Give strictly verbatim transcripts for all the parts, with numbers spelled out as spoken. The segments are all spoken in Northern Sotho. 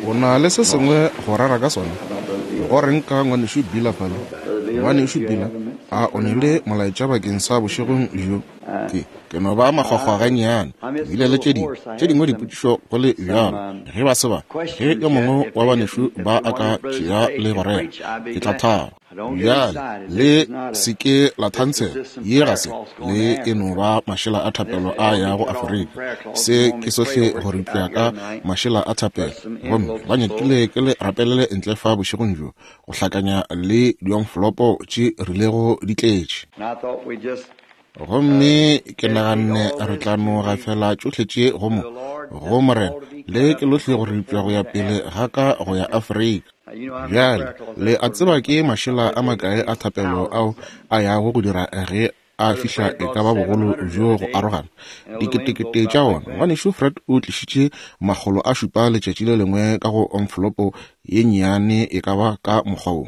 O na le se sengwe go rera ka sona? Go reng ka ngwanešu Beeler fale? Ngwanešu Beeler, a o ne le molaetša bakeng sa bošegong bjo? Ke, ke no ba makgwakgwa gannyane. Ke bile le tše dingwe, tše dingwe dipotšišo go le bjalo. Ge ba se ba, ge yo mongwe wa banešu ba a ka tšea le go rera, ke tla thaba. Bjale, le se ke la thankela. Ye ga se, le e no ba mašela a thapelo a yago Afrika. Se ke sohle go ripša ka mašela a thapelo. Gomme ba nyakile ke le rapelele ntle fa bošegong bjo, go hlakanya le diomfolopo tše rilego di tletše. Gomme ke naganne re tla no gafela tšohle tše go mo, go Morena, le ke lohle go ripša go ya pele ga ka go ya Afrika. Bjale, le a tseba ke mašela a makae a thapelo ao a yago go dira ge a fihla e ka ba bogolo bjo go arogana diketekete tša ona. Ngwanešu Fred o tlišitše makgolo a šupa letšatši le lengwe ka go omfolopo ye nnyane e ka ba ka mokgwa wo.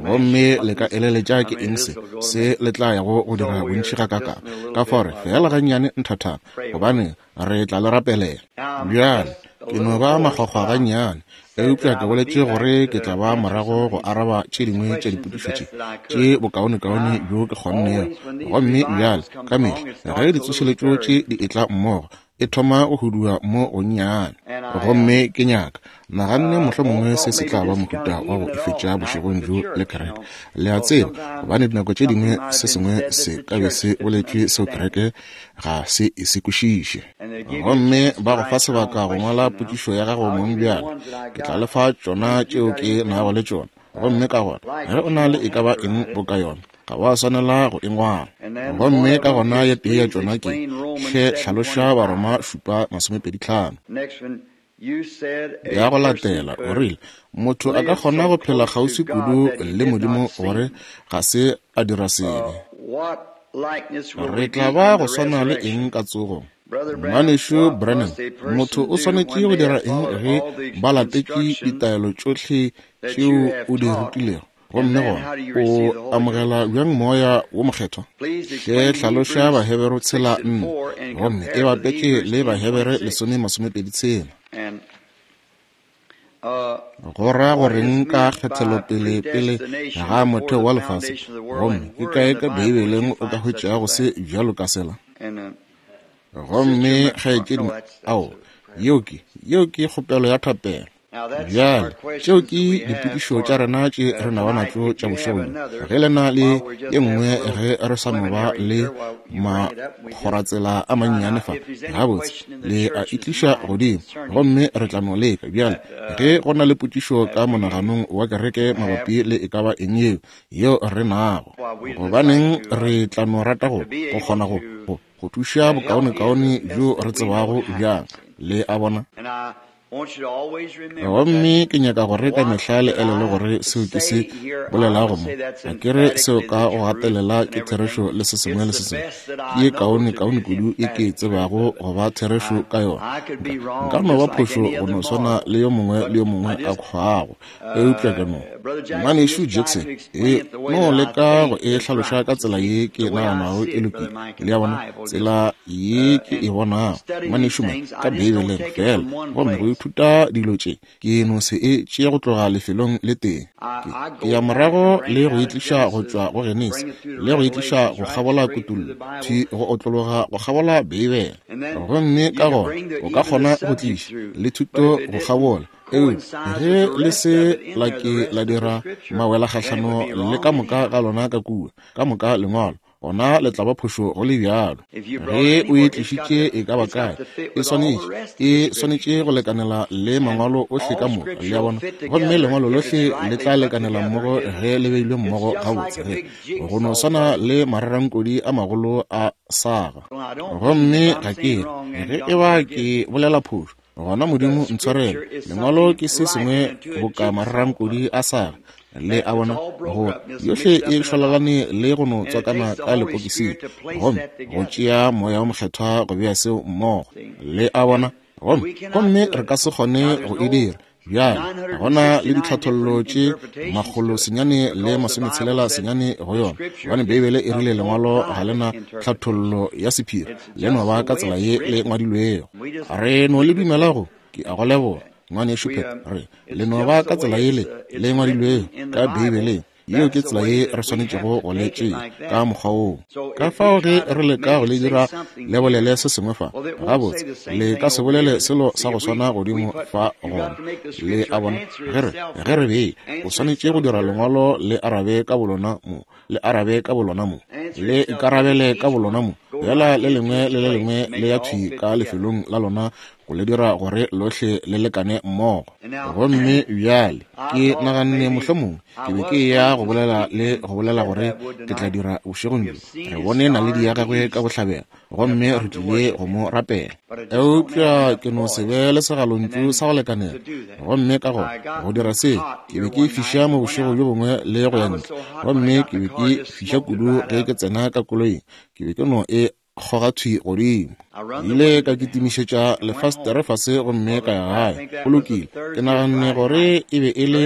Gomme le ka eleletša ke eng se se le tla yago go dira bontši ga kaka. Ka fao re fela gannyane nthathana, gobane re tla le rapelela. Bjale, ke no ba makgwakgwa gannyane, eupša ke boletše gore ke tla ba morago go araba tše dingwe tša dipotšišo tše tše bokaonekaone bjo ke kgonnego. Gomme bjale, ka mehla ge ditsošeletšo tše di etla mmogo, e thoma go hudua mo gonnyane. Gomme ke nyaka naganne mohlomongwe se se tla ba mohuta wa go ifetša bošegong bjo le kereke. Le a tseba, gobane dinako tše dingwe se sengwe se ka be se boletšwe seo kereke ga se e se kwešiše. Gomme ba go fa sebaka go ngwala potšišo ya gago mong bjale. Ke tla le fa tšona tšeo ke nago le tšona. Gomme ka gona, ge o na le e ka ba eng boka yona, ga wa swanela go e ngwala. Gomme ka gona ye tee ya tšona ke, hle hlaloša Baroma šupa masomepedi tlhano. Ya go latela, o rile, motho a ka kgona go phela kgauswi kudu le Modimo gore ga se a dira sebe. Re tla ba go swana le eng ka tsogong? Ngwanešu Branham, motho o swanetše go dira eng ge ba latetše ditaelo tšohle tšeo o di rutilego? Gomme gona o amogela bjang moya wo mokgethwa? Hle hlaloša Bahebere tshela nne, gomme e bapetše le Bahebere lesome masomepedi tshela. Go ra goreng ka kgethelopele pele ga motheo wa lefase? Gomme ke kae ka Beibeleng o ka hwetšago se bjalo ka sela? Gomme kgaetšedi, ao, yeo ke, yeo ke kgopelo ya thapelo. Bjale, tšeo ke dipotšišo tša rena tše re nago natšo tša bošegong. Ge le na le ye nngwe ge re sa no ba le makgoratsela a mannyane fa, gabotse, le a e tliša godimo, gomme re tla no leka. Bjale, ge go na le potšišo ka monaganong wa kereke mabapi le e ka ba eng yeo, yeo re nago, gobaneng re tla no rata go, go kgona go, go, go thuša bokaonekaone bjo re tsebago bjang. Le a bona? Gomme ke nyaka gore ka mehla le elele gore seo ke se bolelago mo. Ga ke re seo ka go gatelela ke therešo le se sengwe le se sengwe. Ke ye kaone kaone kudu e ke e tsebago go ba therešo ka yona. Nka no ba phošo go no swana le yo mongwe le yo mongwe a kgwago. Eupša ke no Ngwanešu Jackson e no leka go e hlaloša ka tsela ye ke naganago e lokile. Le a bona, tsela ye ke e bonago, ngwanešu mo ka Beibeleng fela. Gomme go ithuta dilo tše, ke no se e tšea go tloga lefelong le tee. Ke, ke ya morago le go e tliša go tšwa go Genesi, le go e tliša go kgabola Kutullo, thwi go otlologa go kgabola Beibele. Gomme ka gona o ka kgona go tliša le thuto go kgabola. Eupša ge le se la ke la dira mawela kgahlano le ka moka ga lona ka kua, ka moka lengwalo, gona le tla ba phošo go le bjalo. Ge o e tlišitše e ka ba kae, e swanetše, e swanetše go lekanela le mangwalo ohle ka moka, le a bona. Gomme lengwalo lohle le tla lekanela mmogo ge le beilwe mmogo gabotse, ge go no swana le mararankodi a magolo a saga. Gomme ga ke re, ge e ba ke bolela phošo, gona Modimo ntshwarele. Lengwalo ke se sengwe boka mararankodi a saga. Le a bona, go yohle e šwalalane le go no tswakana ka lepokising, gomme go tšea moya wo mokgethwa go bea seo mmogo. Le a bona, gomme gomme re ka se kgone go e dira. Bjale, gona le ditlhathollo tše makgolo senyane le masometshelela senyane go yona, gobane Beibele e rile lengwalo ga le na tlhathollo ya sephiri, le no ba ka tsela ye le ngwadilwego. Re no le dumela go, ke a go leboga. Ngwanešu Pat, re le no ba ka tsela yele le ngwadilwego ka Beibeleng. Yeo ke tsela ye re swanetšego go le tšea ka mokgwa woo. Ka fao ge re leka go le dira le bolele se sengwe fa, gabotse le ka se bolele selo sa go swana godimo fa gona. Le a bona, ge re ge re bee, o swanetše go dira lengwalo le arabe ka bolona mo, le arabe ka bolona mo, le ikarabele ka bolona mo, fela le lengwe le le lengwe le ya thwi ka lefelong la lona go le dira gore lohle le lekane mmogo. Gomme bjale ke naganne mohlomongwe ke be ke ya go bolela le go bolela gore ke tla dira bošegong bjo. Re bone naledi ya gagwe ka bohlabela, gomme re tlile go mo rapela. Eupša ke no se be le segalontšu sa go lekanela. Gomme ka gona go dira se, ke be ke fiša mo bošego bjo bongwe le go ya ntle, gomme ke be ke fiša kudu ge ke tsena ka koloing, ke be ke no e kgoga thwi godimo. Ile ka kitimišetša lefastere fase gomme ka ya gae. Go lokile, ke naganne gore e be e le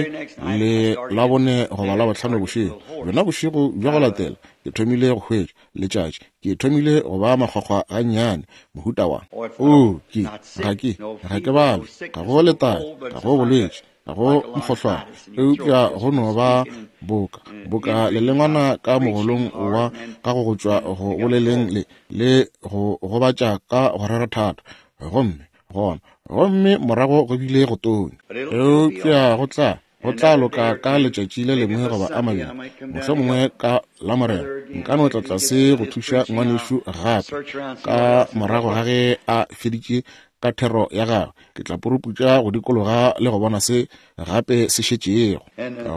le Labone goba Labohlano bošego. Bjona bošego bja go latela ke thomile go hwetša letšatši, ke thomile go ba makgwakgwa gannyane, mohuta wa o ke ga ke ga ke babje, ga go letadi, ga go bolwetši, ga go mokgohlwane, eupša go no ba boka boka lelengwana ka mogolong wa ka go go tšwa go boleleng le le go gobatša ka go rera thata. Gomme gona gomme morago go bile go tonya, eupša go tla go tla loka ka letšatši le lengwe goba a mabedi, mohlomongwe ka Lamorena nka no tla tlase go thuša ngwanešu gape ka morago ga ge a feditše ka thero ya gagwe. Ke tla puruputša go dikologa le go bona se gape se šetšego.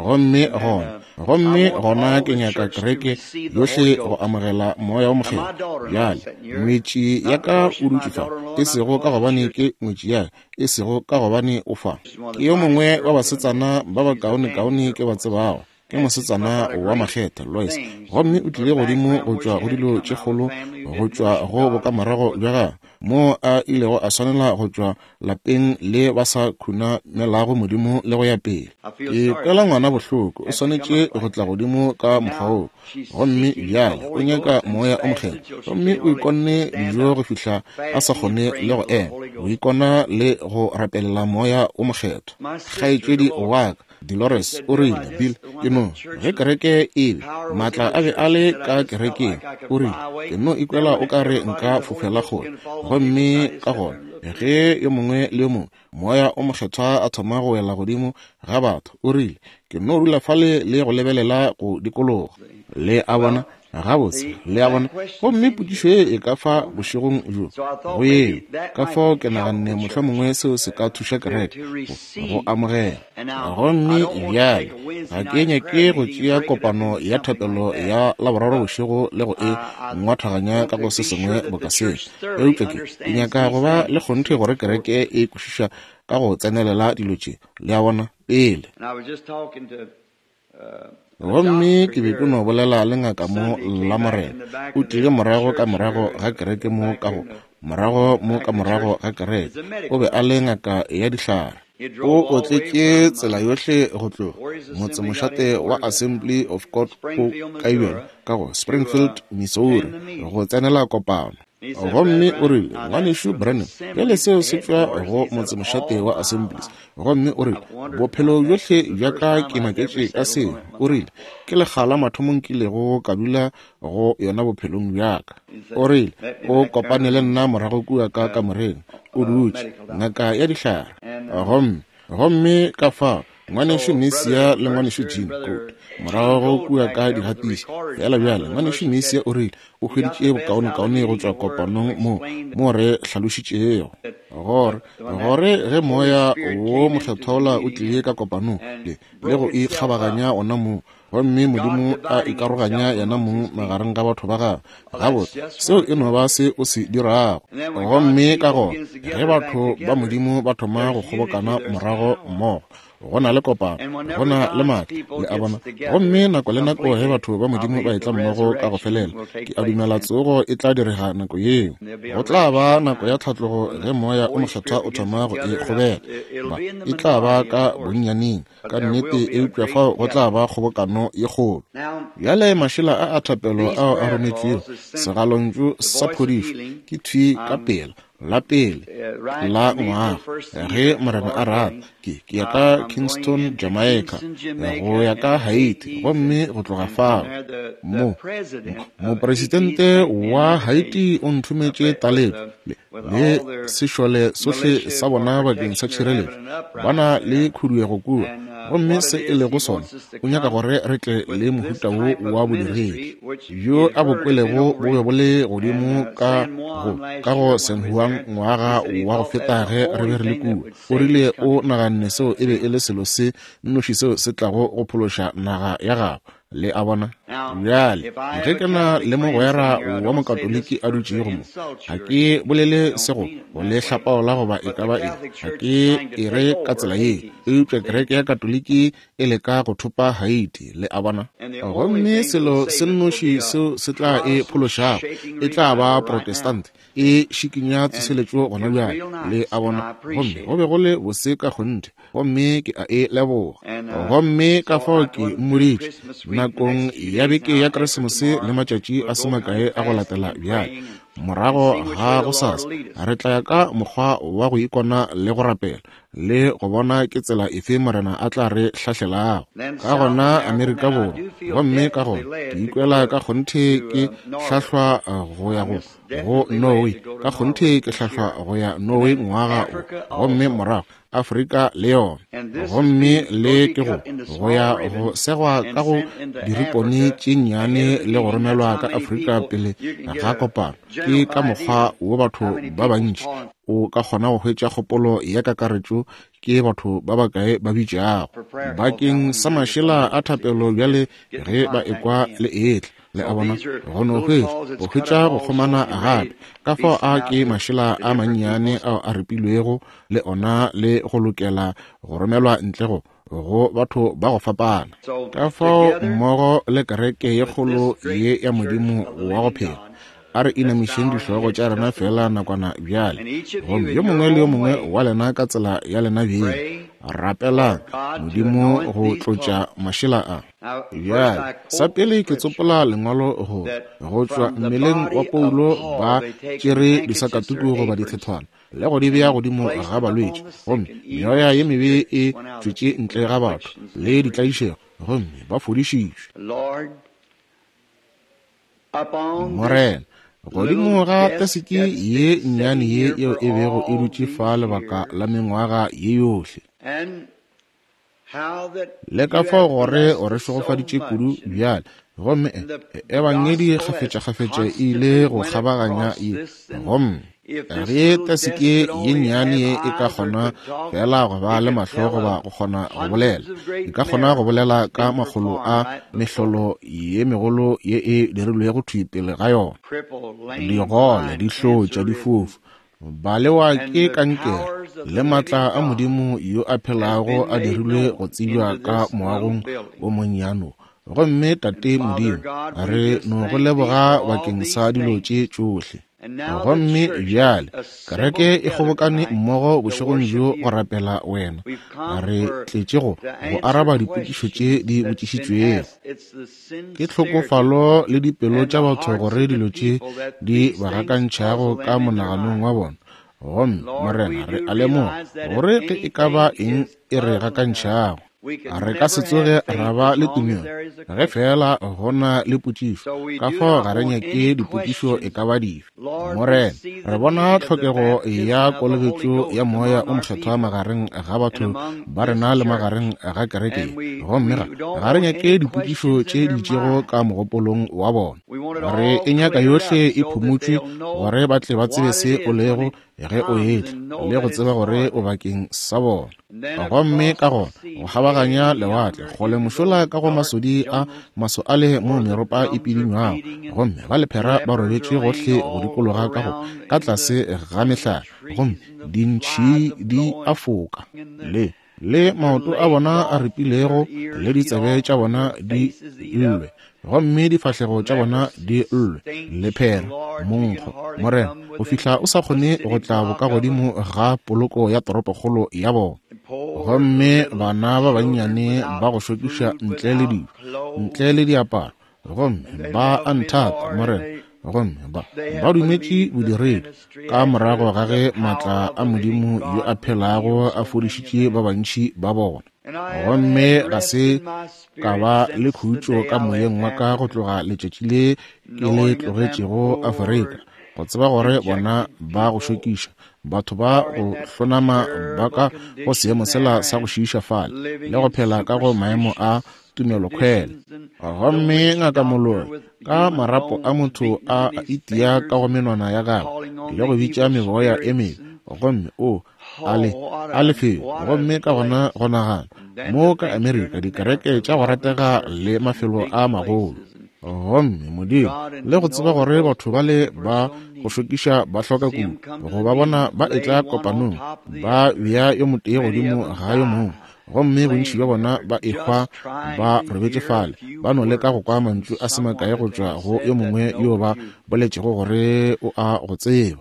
Gomme gona gomme gona ke nyaka kereke yohle go amogela Moya wo Mokgethwa. Bjale ngwetši ya ka o dutše fa, e sego ka gobane ke ngwetši ya ka, e sego ka gobane o fa. Ke yo mongwe wa basetsana ba bakaonekaone ke ba tsebago. Ke mosetsana wa makgetha Lois, gomme o tlile godimo go tšwa go dilo tše kgolo, go tšwa go bokamorago bja gagwe, moo a ilego a swanela go tšwa lapeng le ba sa khunamelago Modimo le go ya pele. Ke kwela ngwana bohloko, o swanetše go tla godimo ka mokgwa woo. Gomme bjale o nyaka Moya o Mokgethwa, gomme o ikonne dijo go fihla a sa kgone le go ema, go ikona le go rapelela Moya o Mokgethwa. Kgaetšedi wa ka Dolores o rile, Bill, ke no ge kereke e be maatla a be a le ka kerekeng, o rile, ke no ikwela o ka re nka fofela kgole. Gomme ka gona ge yo mongwe le yo mongwe Moya o Mokgethwa a thoma go wela godimo ga batho, o rile, ke no dula fale le go lebelela go dikologa. Le a bona? Gabotse, le a bona? Gomme potšišo ye e ka fa bošegong bjo go yeo. Ka fao ke naganne mohlomongwe seo se ka thuša kereke go amogela. Gomme bjale ga ke nyake go tšea kopano ya thapelo ya Laboraro bošego le go e ngwathaganya ka go se sengwe boka seo, eupša ke ke nyaka go ba le kgonthe gore kereke e kwešiša ka go tsenelela dilo tše, le a bona, pele. Gomme ke be ke no bolela le ngaka mo Lamorena, o tlile morago ka morago ga kereke mo ka go morago mo ka morago ga kereke. O be a le ngaka ya dihlare. O otletše tsela yohle go tloga motsemošate wa Assembly of God go Kaibjana ka go Springfield, Missouri, go tsenela kopano. Gomme o rile, Ngwanešu Branham, bjale seo se tšwa go motsemošate wa Assemblies. Gomme o rile, bophelo bjohle bja ka ke maketše ka seo. O rile, ke lekga la mathomo nkilego ka dula go yona bophelong bja ka. O rile, o kopane le nna morago kua ka kamoreng, o dutše, ngaka ya dihlare. Gomme gomme ka fao ngwanešu Misia le ngwanešu Jean Coat morago kua ka digatiši. Fela bjale ngwanešu Misia o rile o hweditše bokaonekaone go tšwa kopanong mo mo re hlalošitšego gore gore ge Moya wo Mokgethwa wola o tlile ka kopanong le le go ikgabaganya ona moo, gomme Modimo a ikaroganya yena mong magareng ga batho ba gagwe. Gabotse, seo e no ba se o se dirago. Gomme ka gona ge batho ba Modimo ba thoma go kgobokana morago mmogo, go na le kopano, go na le maatla, le a bona. Gomme nako le nako ge batho ba Modimo ba etla mmogo ka go felela, ke a dumela tsogo e tla direga nako yeo. Go tla ba nako ya tlhatlogo ge Moya o Mokgethwa o thoma go e kgobela. Ba e tla ba ka bonnyaneng ka nnete, eupša fao go tla ba kgobokano ye kgolo. Bjale mašela a a thapelo ao a rometšwego, segalontšu sa phodišo, ke thwi ka pela la pele la ngwaga, ge Morena a rata, ke ke ya ka Kingston, Jamaica, go ya ka Haiti, gomme go tloga fao mo mopresidente wa Haiti o nthometše taletšo le, le sešole sohle sa bona bakeng sa tšhireletšo. Ba na le khuduego kua, gomme se e lego sona, o nyaka gore re tle le mohuta wo wa bodiredi bjo a bo kwelego bo be bo le godimo ka go ka go San Juan ngwaga wa go feta ge re be re le kua. O rile o naganne seo e be e le selo se nnoši seo se tlago go phološa naga ya gabo. Le a bona? Bjale, ge ke na le mogwera wa mokatoliki a dutšego mo, ga ke bolele se go go le hlapaola goba e ka ba eng, ga ke e re ka tsela ye, eupša kereke ya Katoliki e leka go thopa Haiti. Le a bona? Gomme selo se nnoši seo se tla e phološago e tla ba Protestant e šikinya tsoseletšo gona bjale. Le a bona? Gomme go be go le bose ka kgonthe, gomme ke a e leboga. Gomme ka fao ke mmoditše nakong ya beke ya Keresemose le matšatši a se makae a go latela bjale, morago ga gosasa re tla ya ka mokgwa wa go ikona le go rapela le go bona ke tsela efe Morena a tla re hlahlelago. Ka gona Amerika Borwa, gomme ka gona ke ikwela ka kgonthe ke hlahlwa go ya go go Norway, ka kgonthe ke hlahlwa go ya Norway ngwaga o, gomme morago Afrika le yona, gomme le ke go go ya go segwa ka go diripone tše nnyane le go romelwa ka Afrika pele ga kopano. Ke ka mokgwa wo batho ba bantši o ka kgona go hwetša kgopolo ya kakaretšo ke batho ba bakae ba bitšago bakeng sa mašela a thapelo bjale ge ba ekwa le etla. Le a bona? Go no hwetša go hwetša go kgomana gape. Ka fao a ke mašela a mannyane ao a ripilwego le ona le go lokela go romelwa ntle go go batho ba go fapana. Ka fao mmogo le kereke ye kgolo ye ya Modimo wa go phela, a re inamišeng dihlogo tša rena fela nakwana bjale, gomme yo mongwe le yo mongwe wa lena ka tsela ya lena bjeng rapelang Modimo go tlotša mašela a. Bjale, sa pele ke tsopola lengwalo go go tšwa mmeleng wa Paulo ba tšere disakatuku goba dithethwana le go di bea godimo ga balwetši, gomme meoya ye mebe e tšwetše ntle ga batho le ditlaišego, gomme ba fodišitšwe. Morena, godimo ga teseke ye nnyane ye yeo e bego e dutše fa lebaka la mengwaga ye yohle, le ka fao gore o re šegofaditše kudu bjale, gomme ebangedi kgafetšakgafetša e ile go kgabaganya ye, gomme ge teseke ye nnyane ye e ka kgona fela go ba le mahlo goba go kgona go bolela, e ka kgona go bolela ka makgolo a mehlolo ye megolo ye e dirilwego thwi pele ga yona. Digole, dihlotša, difofu, balewa ke kankere, le matla a Modimo yo a phelago a dirilwe go tsebja ka moagong o monnyane. Gomme Tate Modimo, re no go leboga bakeng sa dilo tše tšohle. Gomme bjale kereke e kgobokane mmogo bošegong bjo go rapela wena. Re tletše go go araba dipotšišo tše di botšišitšwego. Ke tlhokofalo le dipelo tša batho gore dilo tše di ba gakantšhago ka monaganong wa bona. Gomme Morena, re a lemoga gore ge e ka ba eng e re gakantšhago, re ka se tsoge ra ba le tumelo ge fela go na le potšišo. Ka fao ga re nyake dipotšišo e ka ba dife. Morena, re bona tlhokego ya kolobetšo ya Moya o Mokgethwa magareng ga batho ba rena le magareng ga kereke, gomme ga ga re nyake dipotšišo tše di itšego ka mogopolong wa bona. Re e nyaka yohle e phumotšwe gore ba tle ba tsebe se o lego ge o etla, le go tseba gore o bakeng sa bona. Gomme ka gona go kgabaganya lewatle kgole mošola ka go masodi a maso ale mo meropa e pidinywago, gomme ba lephera ba robetše gohle go dikologa ka go ka tlase ga mehlare, gomme dintšhi di a foka, le le maoto a bona a ripilego, le ditsebe tša bona di llwe, gomme difahlego tša bona di llwe, lephera, monkgo. Morena, go fihla o sa kgone go tla bokagodimo ga poloko ya toropokgolo ya bona. Gomme bana ba bannyane ba go šokiša ntle le dijo, ntle le diaparo, gomme ba a nthata, Morena. Gomme ba ba dumetše bodiredi ka morago ga ge maatla a Modimo yo a phelago a fodišitše ba bantši ba bona. Gomme ga se ka ba le khutšo ka moyeng wa ka go tloga letšatši le ke le tlogetšego Afrika, go tseba gore bona ba go šokiša, batho ba go hlonama ba ka go seemo sela sa go šiiša fale le go phela ka go maemo a tumelokhwele. Gomme ngaka moloi ka marapo a motho a itia ka go menwana ya gagwe le go bitša meboya e mebe, gomme o a le a lefelo. Gomme ka gona go nagana mo ka Amerika dikereke tša go ratega le mafelo a magolo, gomme Modimo le go tseba gore batho ba le ba go šokiša ba hloka kudu go ba bona ba etla kopanong, ba bea yo motee godimo ga yo mongwe, gomme bontši bja bona ba ehwa ba robetše fale, ba no leka go kwa mantšu a se makae go tšwa go yo mongwe yo ba boletšego gore o a go tseba.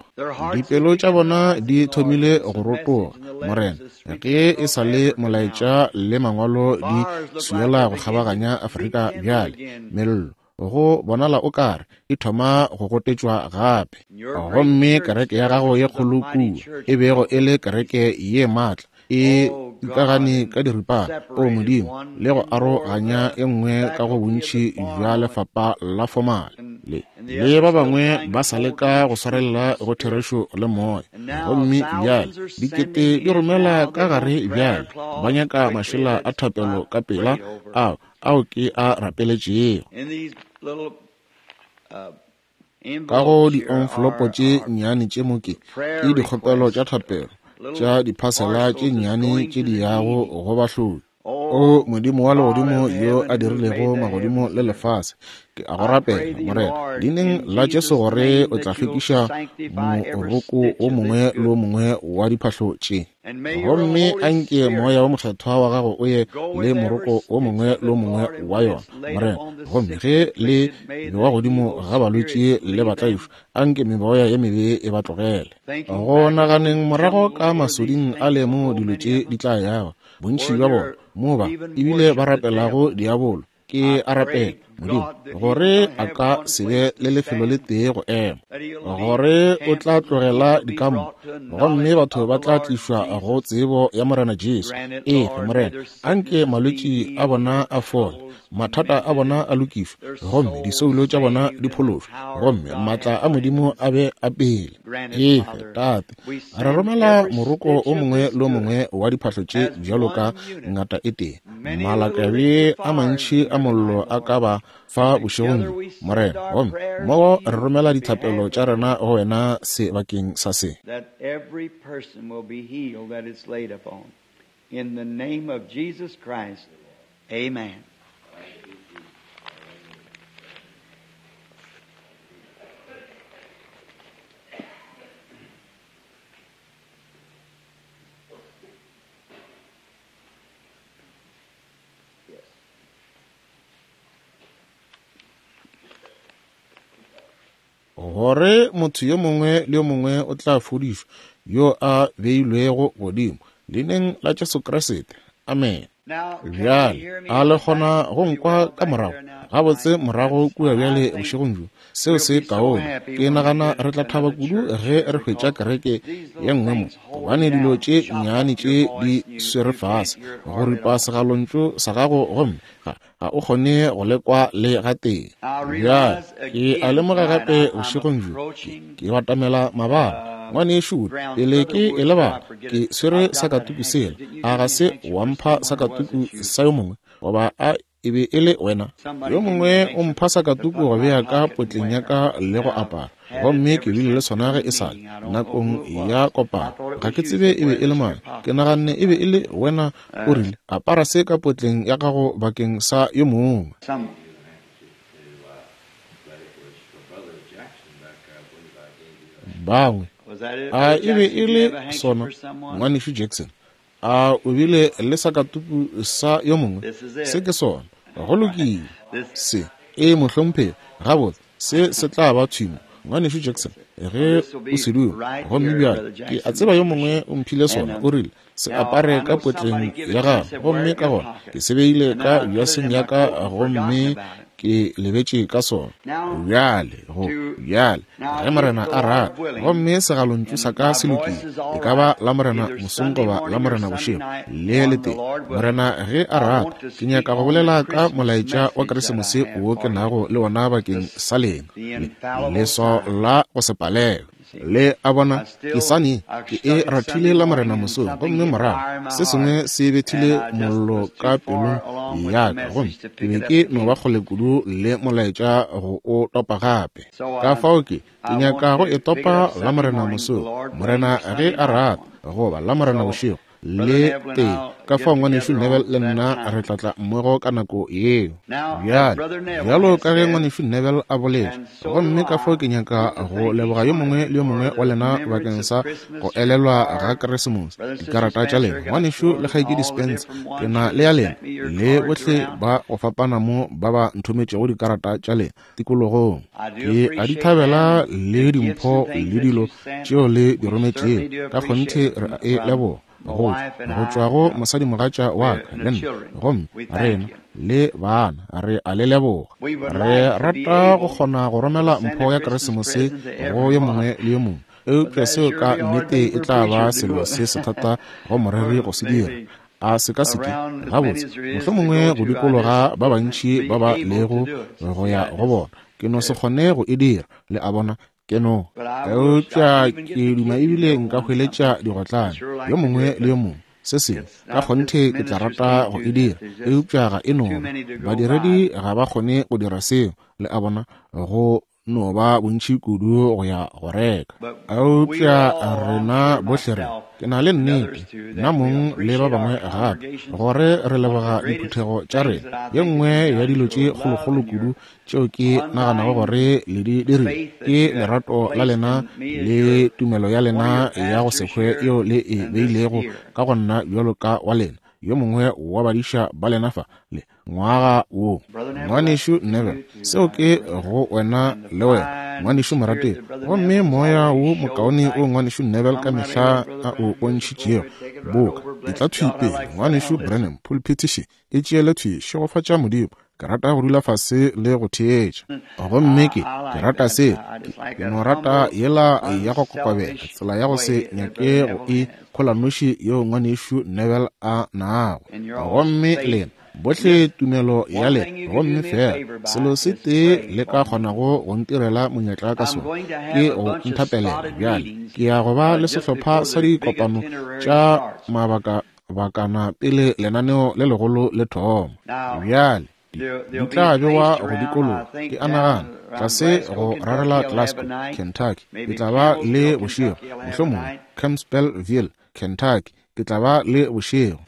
Dipelo tša bona di thomile go rotoga, Morena, ge e sa le molaetša le mangwalo di swiela go kgabaganya Afrika bjale. Mello go bonala o kare e thoma go gotetšwa gape. Gomme kereke ya gago ye kgolo kua e bego e le kereke ye maatla e ikagane ka diripana, o Modimo, le go aroganya e nngwe ka go bontši bja lefapa la fomale, le le ba bangwe ba sa leka go swarelela go therešo le moya. Gomme bjale dikete di romela ka gare bjale, ba nyaka mašela a thapelo ka pela ao ao ke a rapeletšego. Ka go di-envelopo tše nnyane tše mo ke ke dikgopelo tša thapelo tša diphasela tše nnyane tše di yago go bahloki. O Modimo wa legodimo yo a dirilego magodimo le lefase, ke a go rapela, Morena, leineng la Jesu, gore o tla hlwekiša moroko o mongwe le o mongwe wa diphahlo tše. Gomme anke moya wo mokgethwa wa gago o ye le moroko o mongwe le o mongwe wa yona, Morena. Gomme ge le bewa godimo ga balwetši le batlaišwa, anke meboya ye mebe e ba tlogele. Go naganeng morago ka masoding a le mo dilo tše di tla yago, bontši bja bona mo ba ebile ba rapelago diabolo, ke a rapela, Modimo, gore a ka se be le lefelo le tee go ema, gore o tla tlogela dikampo, gomme batho ba tla tlišwa go tsebo ya Morena Jesu. Efe, Morena, anke malwetši a bona a fole, mathata a bona a lokišwe, gomme disoulo tša bona di phološwe, gomme maatla a Modimo a be a pele. Efe, Tate, re romela moroko o mongwe le o mongwe wa diphahlo tše bjalo ka ngata e tee. Malakabe a mantši a mollo a ka ba fa bošegong bjo, Morena, gomme mmogo re romela dithapelo tša rena go wena sebakeng sa se. That every person will be healed that it's laid upon. In the name of Jesus Christ, amen. Gore motho yo mongwe le yo mongwe o tla fodišwa yo a beilwego godimo leineng la Jesu Kriste. Amen. Bjale a le kgona go nkwa ka morago gabotse morago kua bjale bošegong bjo? Seo se kaone. Ke nagana re tla thaba kudu ge re hwetša kereke ye nngwe mo, gobane dilo tše nnyane tše di swere fase go ripa segalontšu sa gago, gomme ga ga o kgone go lekwa le gatee. Bjale ke a lemoga gape bošegong bjo ke batamela mabala. Ngwanešu, pele ke e lebala, ke swere sakatuku sela. A ga se wa mpha sakatuku sa yo mongwe, goba a e be e le wena? Yo mongwe o mpha sakatuku go bea ka potleng ya ka le go apara, gomme ke bile le sona ge e sa le nakong ya kopano. Ga ke tsebe e be e le mang, ke naganne e be e le wena. O rile, apara se ka potleng ya gago bakeng sa yo mongwe. Bangwe a e be e le sona, ngwanešu Jackson? A o bile le sakatuku sa yo mongwe? Se ke sona. Go lokile. Se e mohlomphegi gabotse, se se tla ba thwimo, ngwanešu Jackson, ge o se duma. Gomme bjale ke a tseba yo mongwe o mphile sona, o rile se apare ka potleng ya gago, gomme ka gona ke se beile ka bjaseng ya ka, gomme Ke lebetše ka sona. Bjale, go, bjale, ge Morena a rata, gomme segalontšu sa ka se lokile, e ka ba Lamorena mosong goba Lamorena bošego, le letee. Morena ge a rata, ke nyaka go bolela ka molaetša wa Keresemose wo ke nago le wona bakeng sa lena, le, leswao la go se palelwe. Le a bona, ke sane, ke e rathile Lamorena mosong, gomme morago se sengwe se bethile mollo ka pelong ya ka, gomme ke be ke no ba kgole kudu le molaetša go o topa gape. Ka fao ke, ke nyaka go e topa Lamorena mosong, Morena ge a rata, goba Lamorena bošego, le tee. Ka fao ngwanešu Neville le nna re tla tla mmogo ka nako yeo. Bjale, bjalo ka ge ngwanešu Neville a boletše, gomme ka fao ke nyaka go leboga yo mongwe le yo mongwe wa lena bakeng sa go elelwa ga Keresemose, dikarata tša lena. Ngwanešu le kgaetšedi Spencer, ke na le ya lena, le bohle ba go fapana mo ba ba nthometšego dikarata tša lena tikologong. Ke a di thabela le dimpho le dilo tšeo le di rometšego. Ka kgonthe re a e leboga. Go go tšwa go mosadimogatša wa ka le nna, gomme rena le bana re a le leboga. Re rata go kgona go romela mpho ya Keresemose go yo mongwe le yo mongwe, eupša seo ka nnete e tla ba selo se sethata go moreri go se dira. A se ka seke gabotse, mohlomongwe go dikologa ba bantši ba ba lego go ya go bona, ke no se kgone go e dira. Le a bona, ke no. Eupša ke duma ebile nka hweletša digotlane yo mongwe le yo mongwe se sengwe. Ka kgonthe ke tla rata go e dira, eupša ga e no ba. Badiredi ga ba kgone go dira seo. Le a bona, go no ba bontši kudu go ya go reka. Eupša rena bohle re, ke na le nnete, nna mong le ba bangwe gape, gore re leboga diphuthego tša rena. Ye nngwe ya dilo tše kgolokgolo kudu tšeo ke naganago gore le di dirile ke lerato la lena le tumelo ya lena ya go se hwe yeo le e beilego ka go nna bjalo ka wa lena, yo mongwe wa badiša ba lena fa le ngwaga wo. Ngwanešu Neville, seo ke go wena le wena, ngwanešu morategi. Gomme moya wo mokaone o ngwanešu Neville ka mehla a o bontšhitšego, boka e tla thwi pele. Ngwanešu Branham, pulpit še e tšeele thwi, šegofatša Modimo. Ke rata go dula fase le go theetša. Gomme ke, ke rata se, ke, ke no rata yela ya go kokobela, tsela ya go se nyake go e kgolanoši yeo ngwanešu Neville a nago. Gomme lena bohle tumelo ya lena, gomme fela selo se tee le ka kgonago go ntirela monyetla ka sona ke go nthapelela. Bjale ke ya go ba le sehlopha sa dikopano tša mabaka bakana pele lenaneo le legolo le thoma. Bjale di tla bewa go dikologa, ke a nagana, tlase go rarela Glasgow, Kentucky. Ke tla ba le bošego, mohlomongwe Campbellville, Kentucky. Ke tla ba le bošego,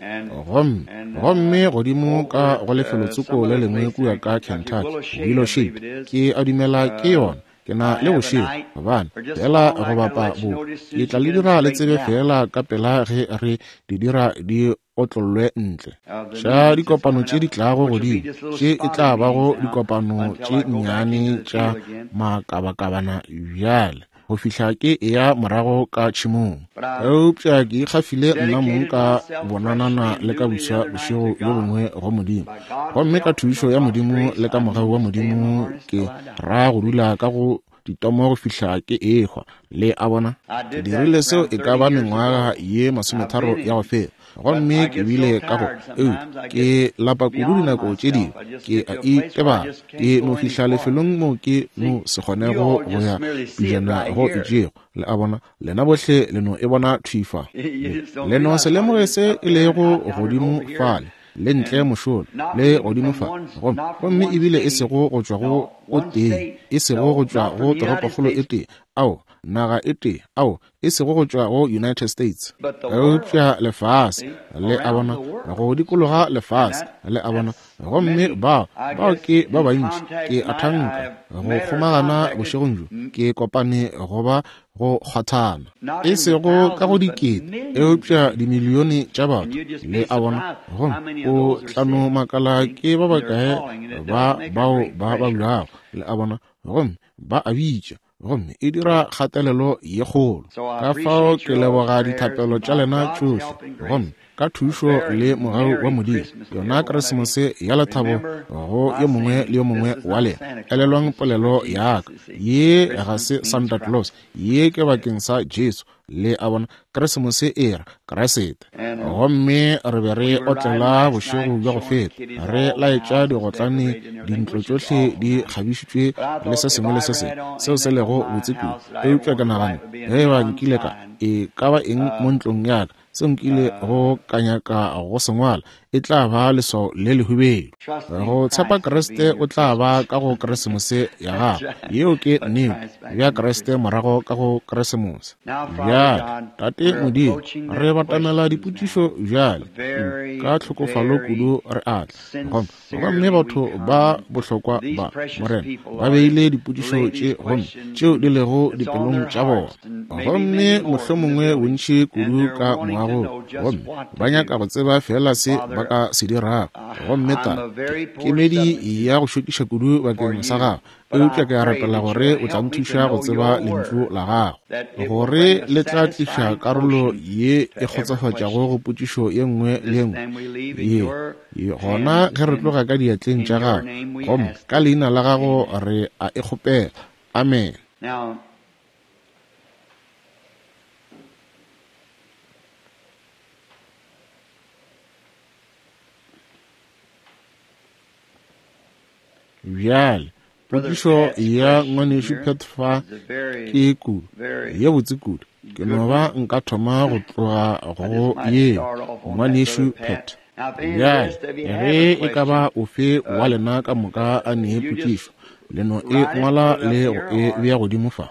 gomme gomme godimo ka go lefelotsoko le lengwe kua ka Kentucky, Willow Shade, ke a dumela ke yona. Ke na le bošego, gobane fela go bapa bo. Ke tla le dira le tsebe fela ka pela ge re di dira di otlollwe ntle. Tša dikopano tše di tlago godimo, tše e tla bago dikopano tše nnyane tša makabakabana bjale, go fihla ke eya morago ka tšhemong. Eupša ke ikgafile nna mong ka bonanana le ka buswa bošego bjo bongwe go Modimo. Gomme ka thušo ya Modimo le ka mogau wa Modimo ke ra go dula ka go ditomo go fihla ke ehwa. Le a bona, ke dirile seo e ka ba mengwaga ye masometharo ya go feta, gomme ke bile ka go eupša ke lapa kudu dinako tše dingwe, ke a itebala. Ke no fihla lefelong mo ke no se kgonego go ya pejana go itšego. Le a bona, lena bohle le no e bona thwi fa. Le no se lemoge se e lego godimo fale, le ntle mošola, le godimo fa. Gomme gomme ebile e sego go tšwa go o tee, e sego go tšwa go toropokgolo e tee, ao, naga e tee, ao, e sego go tšwa go United States, eupša lefase. Le a bona, go dikologa lefase. Le a bona, gomme bao bao ke ba bantši. Ke a thanka go kgomagana bošegong bjo, ke kopane go ba go kgwathana, e sego ka go dikete, eupša dimilione tša batho. Le a bona, gomme o tla no makala ke ba bakae ba bao ba babjago. Le a bona, gomme ba a bitša, gomme e dira kgatelelo ye kgolo. Ka fao ke leboga dithapelo tša lena tšohle, gomme ka thušo le mogau wa Modimo, yona Keresemose ya lethabo go yo mongwe le yo mongwe wa lena. Elelwang polelo ya ka, ye ga se Santa Claus, ye ke bakeng sa Jesu. Le a bona, Keresemose e ra Kriste. Gomme re be re otlela bošego bja go feta, re laetša digotlane, dintlo tšohle di kgabišitšwe le se sengwe le se sengwe seo se lego botse kudu. Eupša ke nagana, ge ba nkile ka e ka ba eng mo ntlong ya ka seo nkile go ka nyaka go se ngwala, e tla ba leswao le lehubedu. Go tshepa Kriste o tla ba ka go Keresemose ya gago. Yeo ke nnete, bja Kriste morago ka go Keresemose. Bjale, Tate Modimo, re batamela dipotšišo bjale ka tlhokofalo kudu re atla. Gomme gomme batho ba bohlokwa ba, Morena, ba beile dipotšišo tše gomme tšeo di lego dipelong tša bona. Gomme mohlomongwe bontši kudu ka moagong, gomme ba nyaka go tseba fela se ba ka se dirago. Gomme ta kemedi ya go šokiša kudu bakeng sa gago, eupša ke a rapela gore o tla nthuša go tseba lentšu la gago, gore le tla tliša karolo ye e kgotsofatšago go potšišo ye nngwe le ye nngwe ye. Gona ge re tloga ka diatleng tša gago, gomme ka leina la gago re a e kgopela. Amen. Bjale, potšišo ya ngwanešu Pat fa ke kudu, ye botse kudu. Ke no ba nka thoma go tloga go ye, ngwanešu Pat. Bjale, ge e ka ba ofe wa lena ka moka a nee potšišo, le no e ngwala le go e bea godimo fa,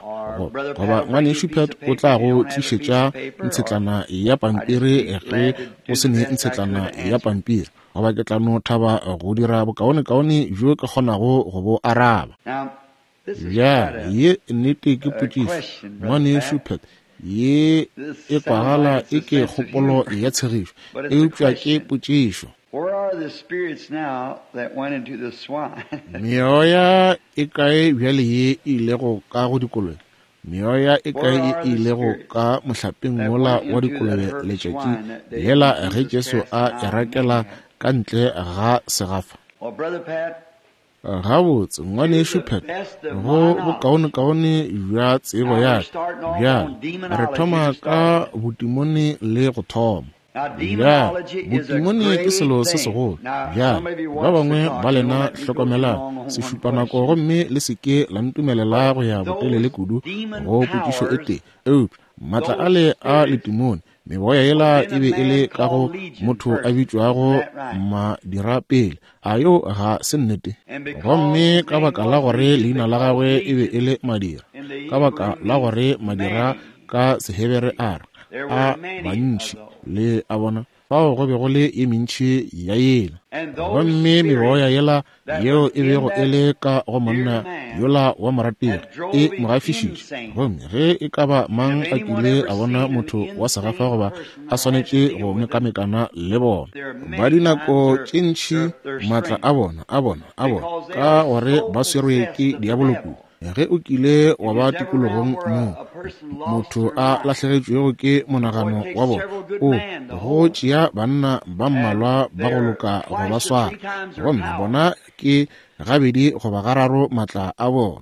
goba ngwanešu Pat o tla go tlišetša ntshetlana ya pampiri ge o se ne ntshetlana ya pampiri, goba ke tla no thaba go dira bokaonekaone bjo ke kgonago go bo araba. Bjale, ye nnete ke potšišo, ngwanešu Pat. Ye e kwagala e ke kgopolo ya tshegišo, eupša ke potšišo. Meoya e kae bjale ye e ilego ka go dikolobe? Meoya e kae ye e ilego ka mohlapeng wola wa dikolobe letšatši lela ge Jesu a e rakela ka ntle ga segafa? Gabotse, ngwanešu Pat, go bokaonekaone bja tsebo ya ka, bjale re thoma ka botimone le go thoma. Bjale, botimone ke selo se segolo. Bjale, ba bangwe ba lena hlokomelang sešupanako gomme le se ke la ntumelela go ya botelele kudu go potšišo e tee. Eupša maatla ale a letimone, meboya yela e be e le ka go motho a bitšwago Madirapele. A yo ga se nnete? Gomme ka baka la gore leina la gagwe e be e le Madira, ka baka la gore Madira ka Sehebere a re a bantši, le a bona, fao go be go le ye mentši ya yela. Gomme meboya yela yeo e bego e le ka go monna yola wa morategi e mo gafišitše. Gomme ge e ka ba mang a kile a bona motho wa segafa goba a swanetše go mekamekana le bona, ba dinako tše ntši maatla a bona a bona a bona ka gore ba swerwe ke diabolo kudu. Ge o kile wa ba tikologong moo motho a lahlegetšwego ke monagano wa bona, o go tšea banna ba mmalwa ba go loka go ba swara, gomme bona ke gabedi goba gararo maatla a bona.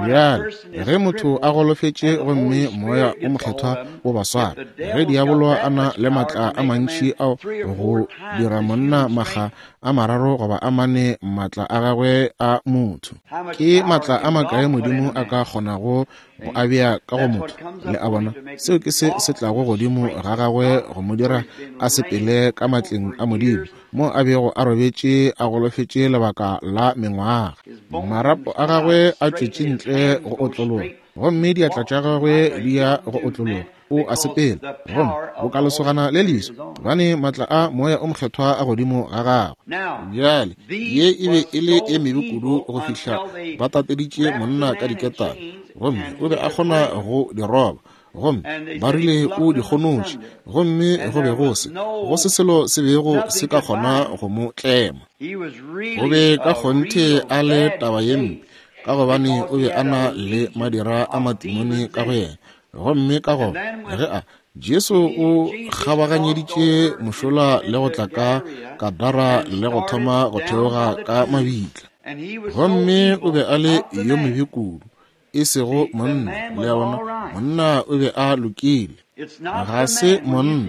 Bjale, ge motho a golofetše gomme moya o mokgethwa o ba swara, ge diabolo a na le maatla a mantši ao go dira monna makga a mararo goba a mane maatla a gagwe a motho, ke maatla a makae Modimo a ka kgonago go a bea ka go motho? Le a bona, seo ke se se tlago godimo ga gagwe go mo dira a sepele ka matleng a Modimo, mo a bego a robetše a golofetše lebaka la mengwaga. Marapo a gagwe a tšwetše ntle go otlologa, gomme diatla tša gagwe di ya go otlologa. O a sepela, gomme boka lesogana le leso, gobane maatla a moya o mokgethwa a godimo ga gagwe. Bjale, ye e be e le e mebe kudu go fihla ba tateditše monna ka diketane, gomme o be a kgona go di roba, gomme ba rile o di kgonotše, gomme go be go se go se selo se bego se ka kgona go mo tlema. O be ka kgonthe a le taba ye mpe ka gobane o be a na le madira a matimone ka go yena. Gomme ka gona ge a Jesu o kgabaganyeditše mošola le go tla ka Gadara le go thoma go theoga ka mabitla. Gomme o be a le yo mobe kudu, e sego monna. Le a bona, monna o be a lokile. Ga se monna.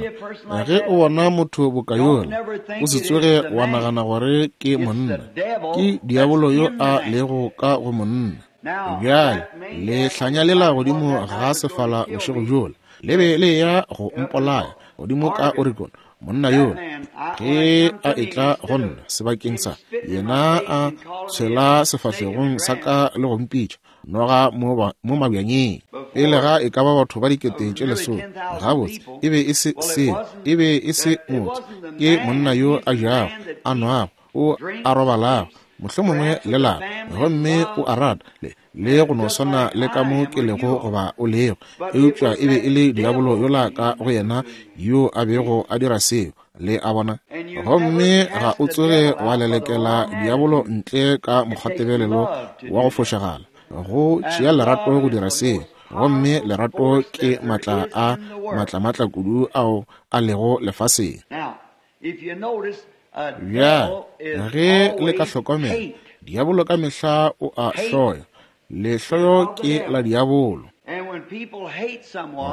Ge o bona motho boka yola, o se tsoge wa nagana gore ke monna. Ke diabolo yo a lego ka go monna. Bjale le hlanya lela godimo ga sefala bošego bjola, le be le ya go mpolaya godimo ka Oregon. Monna yola ge a etla go nna sebakeng sa yena, a tshwela sefahlegong sa ka le go mpitša noga mo mabjanyeng pele ga e ka ba batho ba dikete tše lesome. Gabotse e be e se seo, e be e se motho, ke monna yo a jago, a nwago, o a robalago, mohlomongwe le lapa, gomme o a rata le le go no swana le ka mo ke lego goba o lego. Eupša e be e le diabolo yola ka go yena yo a bego a dira seo. Le a bona? Gomme ga o tsoge wa lelekela diabolo ntle ka mokgwatebelelo wa go fošagala. Go tšea lerato go dira seo, gomme lerato ke matla a matlamatla kudu ao a lego lefaseng. Bjale ge le ka hlokomela, diabolo ka mehla o a hloya. Lehloyo ke la diabolo.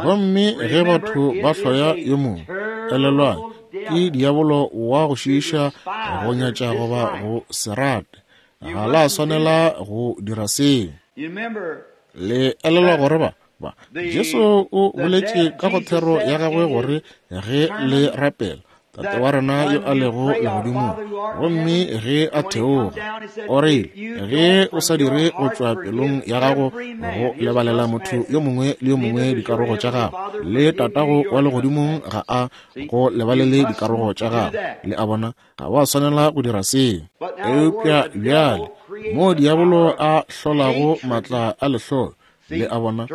Gomme ge batho ba hloya yo mongwe, elelwang, ke diabolo wa go šiiša, go nyatša goba go se rate. Ga la swanela go dira seo. Le elelwa gore ba ba Jesu o boletše ka go thero ya gagwe gore ge le rapela, Tate wa rena yo a lego legodimong, gomme ge a theoga, o rile, ge o sa dire go tšwa pelong ya gago go lebalela motho yo mongwe le yo mongwe dikarogo tša gago, le Tatago wa legodimong ga a go lebalele dikarogo tša gago. Le a bona, ga wa swanela go dira seo. Eupša bjale mo diabolo a hlolago matla a lehloyo, le a bona,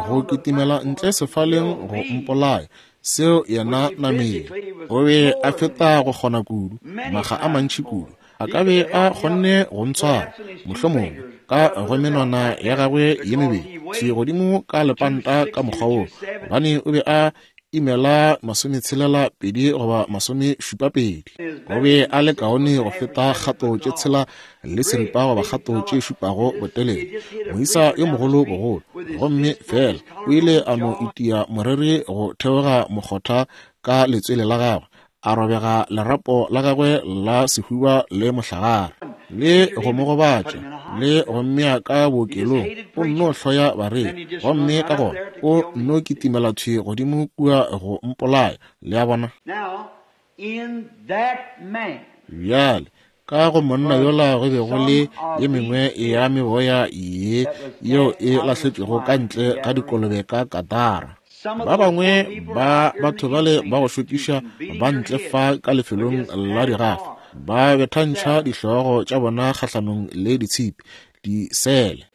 go kitimela ntle sefaleng go mpolaya, seo yena nameng. O be a feta go kgona kudu, maga a mantši kudu. A ka be a kgonne go ntshwara, mohlomongwe ka go menwana ya gagwe ye mebedi, thwi godimo ka lepanta ka mokgwa woo, gobane o be a imela masometshelela pedi goba masomešupa pedi. O be a le kaone go feta kgato tše tshela le seripa goba kgato tše šupago botelele, moisa yo mogolo bogolo. Gomme fela o ile a no itia moreri go theoga mokgotha ka letswele la gagwe, a robega lerapo la gagwe la sehuba le mohlagare, le go mo gobatša le go mmea ka bookelong. O nno hloya bareri, gomme ka gona o nno kitimela thwi godimo kua go mpolaya. Le a bona? Bjale ka go monna yola go be go le ye mengwe ya meboya ye yeo e lahletšwego ka ntle ga dikolobe ka Gadara. Ba bangwe ba batho bale ba go šokiša ba ntle fa ka lefelong la digafa, ba bethantšha dihlogo tša bona kgahlanong le ditshipi disele.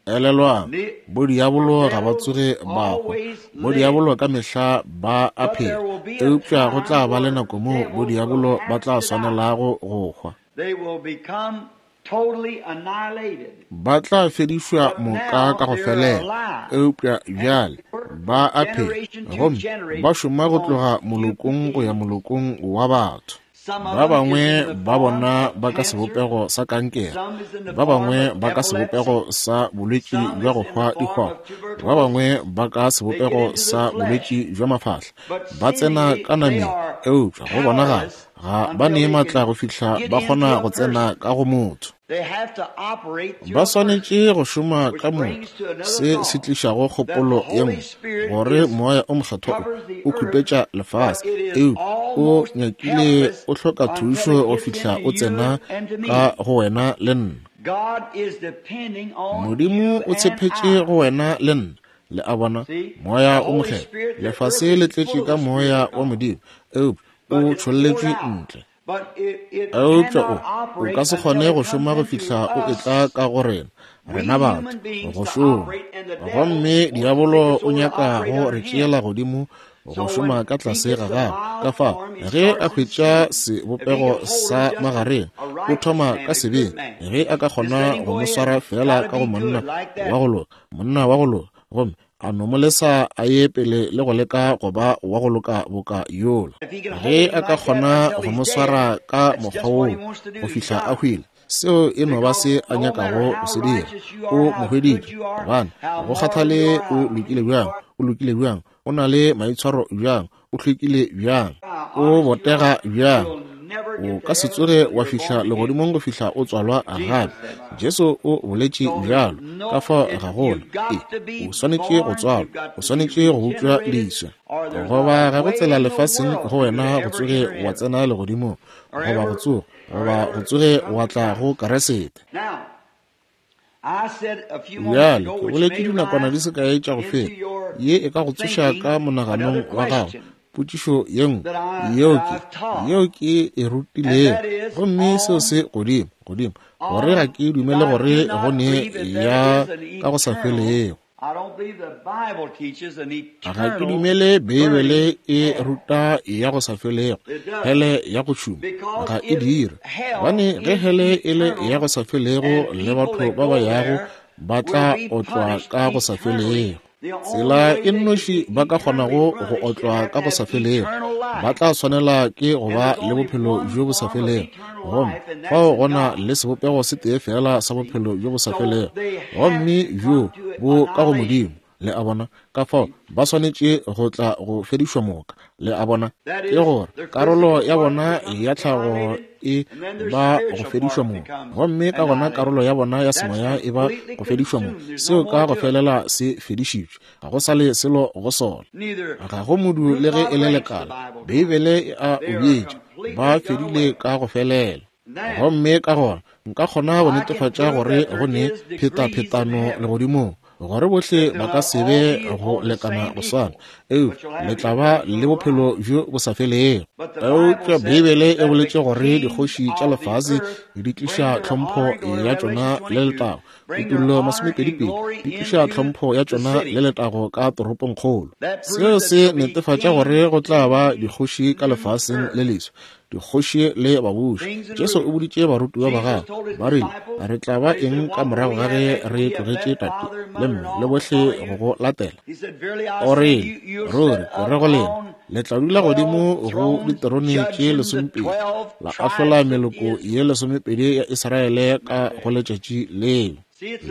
Elelwang, bodiabolo ga ba tsoge ba hwa. Bodiabolo ka mehla ba a phela, eupša go tla ba le nako moo bodiabolo ba tla swanelago go hwa. Ba tla fedišwa moka ka go felela, eupša bjale ba a phela, gomme ba šoma go tloga molokong go ya molokong wa batho. Ba bangwe ba bona ba ka sebopego sa kankere, ba bangwe ba ka sebopego sa bolwetši bja go hwa dihwao, ba bangwe ba ka sebopego sa bolwetši bja mafahla. Ba tsena ka nameng, eupša go bonagala ga ba ne matla go fihla ba kgona go tsena ka go motho. Ba swanetše go šoma ka motho, se se tlišago kgopolo ye nngwe gore moya o mokgethwa o khupetša lefase, eupša o nyakile o hloka thušo go fihla o tsena ka go wena le nna. Modimo o tshepetše go wena le nna. Le a bona, moya o mokgethwa. Lefase le tletše ka moya wa Modimo, eupša o tšholletšwe ntle. Eupša o o ka se kgone go šoma go fihla o etla ka go rena, rena batho, go šoma. Gomme diabolo o nyaka go re tšeela godimo go šoma ka tlase ga gagwe. Ka fao ge a hwetša sebopego sa magareng, o thoma ka sebeng. Ge a ka kgona go mo swara fela ka go monna wa go loka, monna wa go loka, gomme a no mo lesa a ye pele le go leka go ba wa go loka boka yola. Ge a ka kgona go mo swara ka mokgwa woo go fihla a hwile, seo e no ba se a nyakago go se dira. O mo hweditše, gobane go kgathale o lokile bjang, o lokile bjang, o na le maitshwaro bjang, o hlwekile bjang, o botega bjang, o ka se tsoge wa fihla legodimong go fihla o tswalwa gape. Jesu o boletše bjalo. Ka fao ga gona. E, o swanetše go tswalwa, o swanetše go bopša leswa. Goba ga go tsela lefaseng go wena go tsoge wa tsena legodimong, goba go tsoga, goba go tsoge wa tla go Keresete. Bjale, ke boletše dinakwana di se kae tša go feta, ye e ka go tsoša ka monaganong wa gago potšišo ye nngwe yeo ke yeo ke e rutilego, gomme seo se godimo godimo gore ga ke dumele gore go ne ya ka go sa felego. Ga ke dumele Beibele e ruta ya go sa felego, hele ya go tšhuma ga e dire. Gobane ge hele e le ya go sa felego, le batho ba ba yago ba tla otlwa ka go sa felego. Tsela e nnoši ba ka kgonago go otlwa ka go sa felego, ba tla swanela ke go ba le bophelo bjo bo sa felego. Gomme fao go na le sebopego se tee fela sa bophelo bjo bo sa felego, gomme bjo bo ka go Modimo. Le a bona? Ka fao ba swanetše go tla go fedišwa moka. Le a bona? Ke gore karolo ya bona ya tlhago e ba go fedišwa moka, gomme ka gona karolo ya bona ya semoya e ba go fedišwa moka. Seo ka go felela se fedišitšwe, ga go sa le selo go sona, ga go modu le ge e le lekala. Beibele e a o bjetša, ba fedile ka go felela. Gomme ka gona nka kgona go netefatša gore go ne phetaphetano legodimong, gore bohle ba ka se be go lekana go swana, eupša le tla ba le bophelo bjo bo sa felego. Eupša Beibele e boletše gore dikgoši tša lefase di tliša tlhompho ya tšona le letago. Kutullo masomepedi-pedi di tliša tlhompho ya tšona le letago ka toropongkgolo. Seo se netefatša gore go tla ba dikgoši ka lefaseng le leswa, dikgoši le babuši. Jesu o boditše barutiwa ba gagwe, ba rile, re tla ba eng ka morago ga ge re tlogetše tate le mme le bohle go go latela? O rile, ruri ke re go lena, le tla dula godimo go diterone tše lesomepedi, la ahlola meloko ye lesomepedi ya Israele ka go letšatši leo.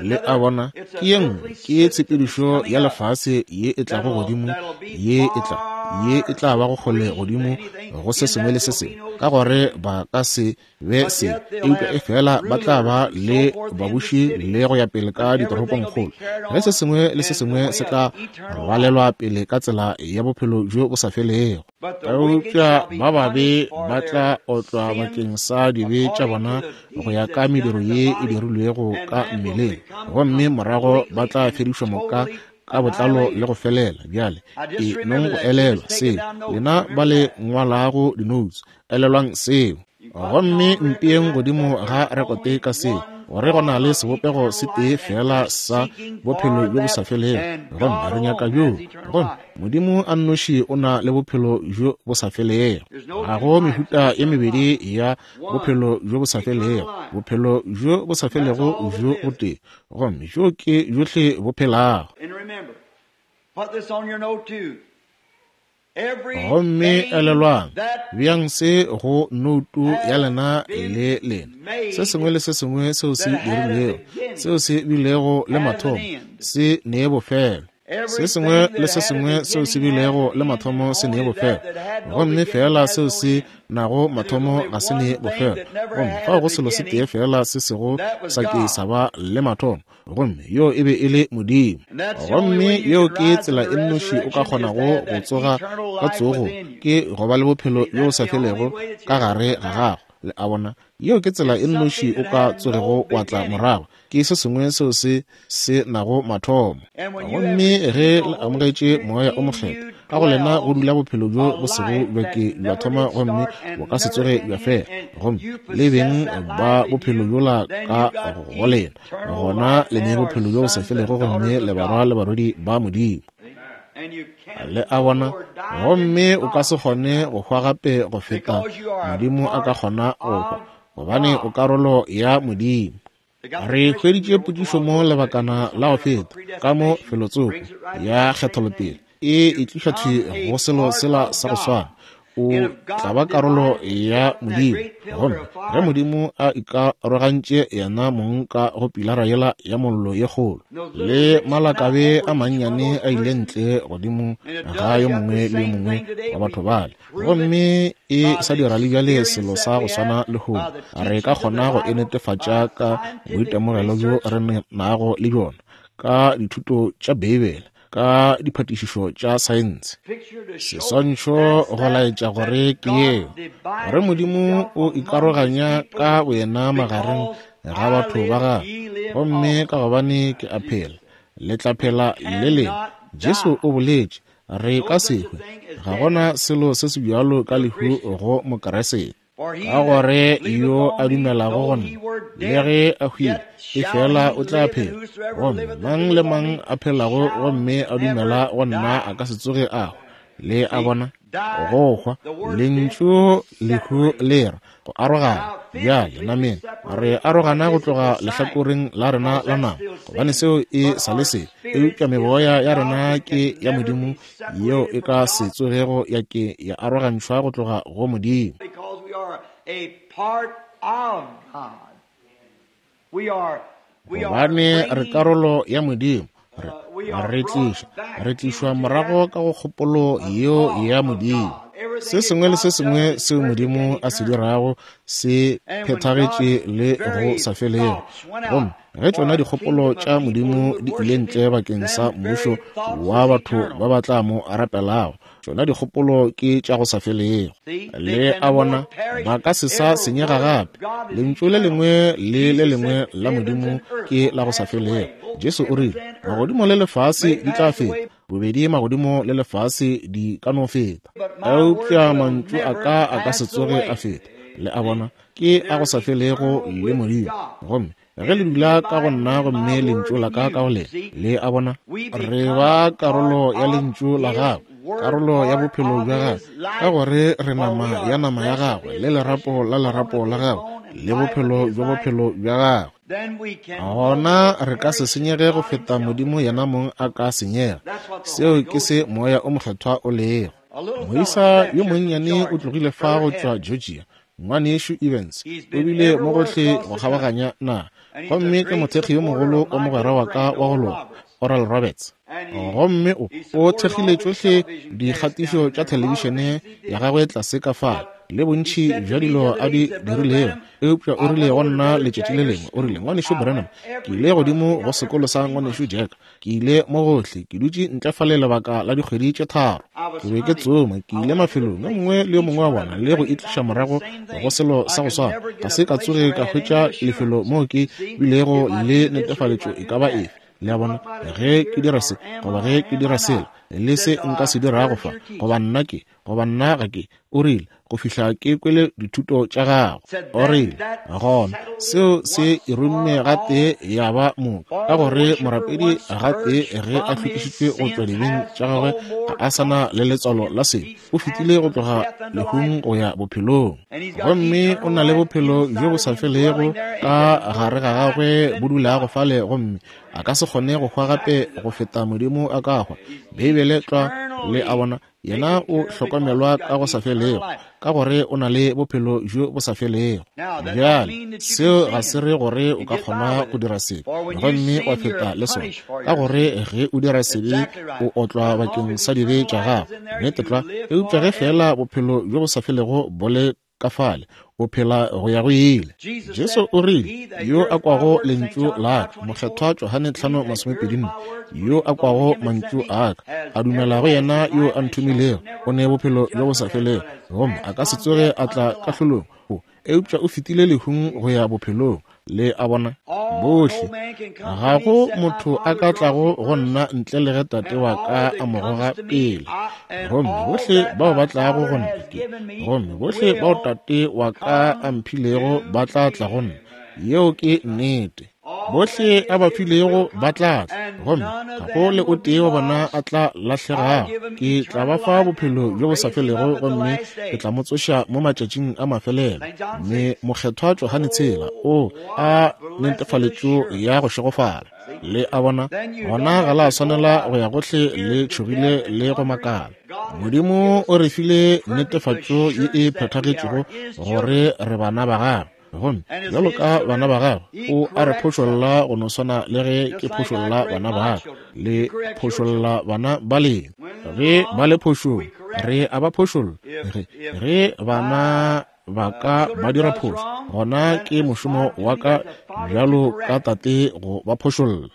Le a bona? Ke ye nngwe, ke tshepedišo ya lefase ye e tlago godimo, ye e tla ye e tla ba go kgole godimo go se sengwe le se sengwe, ka gore ba ka se be se, eupša e fela ba tla ba le babuši le go ya pele ka ditoropongkgolo, ge se sengwe le se sengwe se tla rwalelwa pele ka tsela ya bophelo bjo bo sa felego. Eupša ba babe ba tla otlwa bakeng sa dibe tša bona go ya ka mediro ye e dirilwego ka mmeleng, gomme morago ba tla fedišwa moka ka botlalo le go felela. Bjale e nong go elelwa seo, lena ba le ngwalago di-notes, elelwang seo. Gomme mpeeng godimo ga rekote ka seo, gore go na le sebopego se tee fela sa bophelo bjo bo sa felego, gomme re nyaka bjoo. Gomme Modimo a nnoši o na le bophelo bjo bo sa felego. Ga go mehuta ye mebedi ya bophelo bjo bo sa felego, bophelo bjo bo sa felego bjo bo tee, gomme bjo ke bjohle bo phelago. Gomme elelwang, bjang se go noutu ya lena le lena, se sengwe le se sengwe seo se dirilwego, seo se bilego le mathomo, se nee bofelo. Se sengwe le se sengwe seo se bilego le mathomo se nee bofelo, gomme fela seo se nago mathomo ga se nee bofelo. Gomme fao go selo se tee fela se sego sa ke sa ba le mathomo, gomme yo e be e le Modimo. Gomme yeo ke tsela e nnoši o ka kgonago go tsoga ka tsogo, ke go ba le bophelo bjo bo sa felego ka gare ga gago. Le a bona? Yeo ke tsela e nnoši o ka tsogego wa tla morago, ke se sengwe seo se se nago mathomo. Gomme ge le amogetše Moya o Mokgethwa, ka go lena go dula bophelo bjo bo sego bja ke bja thoma gomme bo ka se tsoge bja fela, gomme le beng ba bophelo bjola ka go lena, gona le ne bophelo bjo bo sa felego, gomme le barwa le barwedi ba Modimo. Le a bona? Gomme o ka se kgone go hwa gape go feta Modimo a ka kgona go hwa, gobane o karolo ya Modimo. Re hweditše potšišo mo lebakana la go feta ka mo felotsoko ya kgetholopele e e tliša thwi go selo sela sa go swana. O tla ba karolo ya Modimo. Gomme ge Modimo a ikarogantše yena mong ka go pilara yela ya mollo ye kgolo, le malakabe a mannyane a ile ntle godimo ga yo mongwe le yo mongwe wa batho bale, gomme e sa dira le bjale selo sa go swana lehono, re ka kgona go e netefatša ka boitemogelo bjo re nago le bjona, ka dithuto tša Beibele, ka diphatišišo tša saense. Seswantšho go laetša gore ke yeo, gore Modimo o ikaroganya ka boyena magareng ga batho ba gagwe, gomme ka gobane ke a phela, le tla phela le lena. Jesu o boletše, re ka se hwe. Ga gona selo se se bjalo ka lehu go Mokeresete. Ka gore yo a dumelago go nna, le ge a hwile, efela o tla phela. Gomme mang le mang a phelago gomme a dumela go nna a ka se tsoge a hwa. Le a bona? Go hwa, lentšu lehu le ra go arogana. Bjale nameng re arogana go tloga lehlakoreng la rena la nama, gobane seo e sa le sebe, eupša meboya ya rena ke ya Modimo yeo e ka se tsogego ya ke ya arogantšhwa go tloga go Modimo. Gobane re karolo ya Modimo, re re tliša re tlišwa morago ka go kgopolo yeo ya Modimo. Se sengwe le se sengwe seo Modimo a se dirago se phethagetše le go sa felego. Gomme ge tšona dikgopolo tša Modimo di ile ntle bakeng sa mmušo wa batho ba ba tla mo rapelago, tšona dikgopolo ke tša go sa felego. Le a bona? Ba ka se sa senyega gape. Lentšu le lengwe le le lengwe la Modimo ke la go sa felego. Jesu o rile, magodimo le lefase di tla feta, bobedi magodimo le lefase di ka no feta, eupša mantšu a ka a ka se tsoge a feta. Le a bona? Ke a go sa felego le Modimo. Gomme ge le dula ka go nna gomme lentšu la ka ka go lena, le a bona, re ba karolo ya lentšu la gagwe, karolo ya bophelo bja gagwe, ka gore re nama ya nama ya gagwe, le lerapo la lerapo la gagwe, le bophelo bja bophelo bja gagwe. Gona re ka se senyege go feta Modimo yena mong a ka senyega. Seo ke se Moya o Mokgethwa o lego. Moisa yo monnyane o tlogile fa go tšwa Georgia, ngwanešu Evans, o bile mo gohle go kgabaganya naga, gomme ke mothekgi yo mogolo wa mogwera wa ka wa go loka, Oral Roberts. Gomme o o thekgile tšohle dikgatišo tša thelebišene ya gagwe tlase ka fale, le bontši bja dilo a di dirilego. Eupša o rile go nna letšatši le lengwe, o rile, ngwanešu Branham, ke ile godimo go sekolo sa ngwanešu Jack, ke ile mo gohle, ke dutše ntle fale lebaka la dikgwedi tše tharo, ke be ke tsoma, ke ile mafelong yo mongwe le yo mongwe wa bona, le go itliša morago go selo sa go swana. Ga se ka tsoge ka hwetša lefelo moo ke bilego le netefaletšo e ka ba efe. Le a bona? Ge ke dira se, goba ge ke dira sela, le se nka se dirago fa, goba nna ke, goba nna ga ke, o rile, go fihla ke kwele dithuto tša gago. O rile, gona seo se irumme gatee ya ba moka, ka gore morapedi gatee ge a hlwekišitšwe go tšwa dibeng tša gagwe, ga a sa na le letswalo la sebe, o fetile go tloga lehung go ya bophelong, gomme o na le bophelo bjo bo sa felego ka gare ga gagwe bo dulago fale, gomme a ka se kgone go hwa gape go feta Modimo a ka hwa. Beibele tlwa. Le a bona? Yena o hlokomelwa ka go sa felego, ka gore o na le bophelo bjo bo sa felego. Bjale seo ga se re gore o ka kgona go dira sebe gomme wa feta le sona, ka gore ge o dira sebe o otlwa bakeng sa dibe tša gago, nnete tlwa. Eupša ge fela bophelo bjo bo sa felego bo le ka fale, o phela go ya go ile. Jesu o rile, yo a kwago lentšu la ka, Mokgethwa Johane tlhano masomepedi nne, yo a kwago mantšu a ka, a dumela go yena yo a nthomilego, o ne bophelo bjo bo sa felego, gomme a ka se tsoge a tla kahlolong, eupša o fetile lehung go ya bophelong. Le a bona? Bohle, ga go motho a ka tlago go nna ntle le ge Tate wa ka a mo goga pele. Gomme bohle bao ba tlago go nna ke, gomme bohle bao Tate wa ka a mphilego ba tla tla go nna. Yeo ke nnete. Bohle a ba filego ba tla tla, gomme ga go le o tee wa bona a tla lahlegago. Ke tla ba fa bophelo bjo bo sa felego, gomme ke tla mo tsoša mo matšatšing a mafelelo. Mme mokgethwa Johane tshela o a netefaletšo ya go šegofala. Le a bona, gona ga la swanela go ya gohle le tšhogile le go makala. Modimo o re file netefatšo ye e phethagetšego gore re bana ba gagwe. Gomme bjalo ka bana ba gagwe, o a re phošolla go no swana le ge ke phošolla bana ba ka, le phošolla bana ba lena. Ge ba le phošong, re a ba phošolla. Ge ge bana ba ka ba dira phošo, gona ke mošomo wa ka bjalo ka tate go ba phošolla.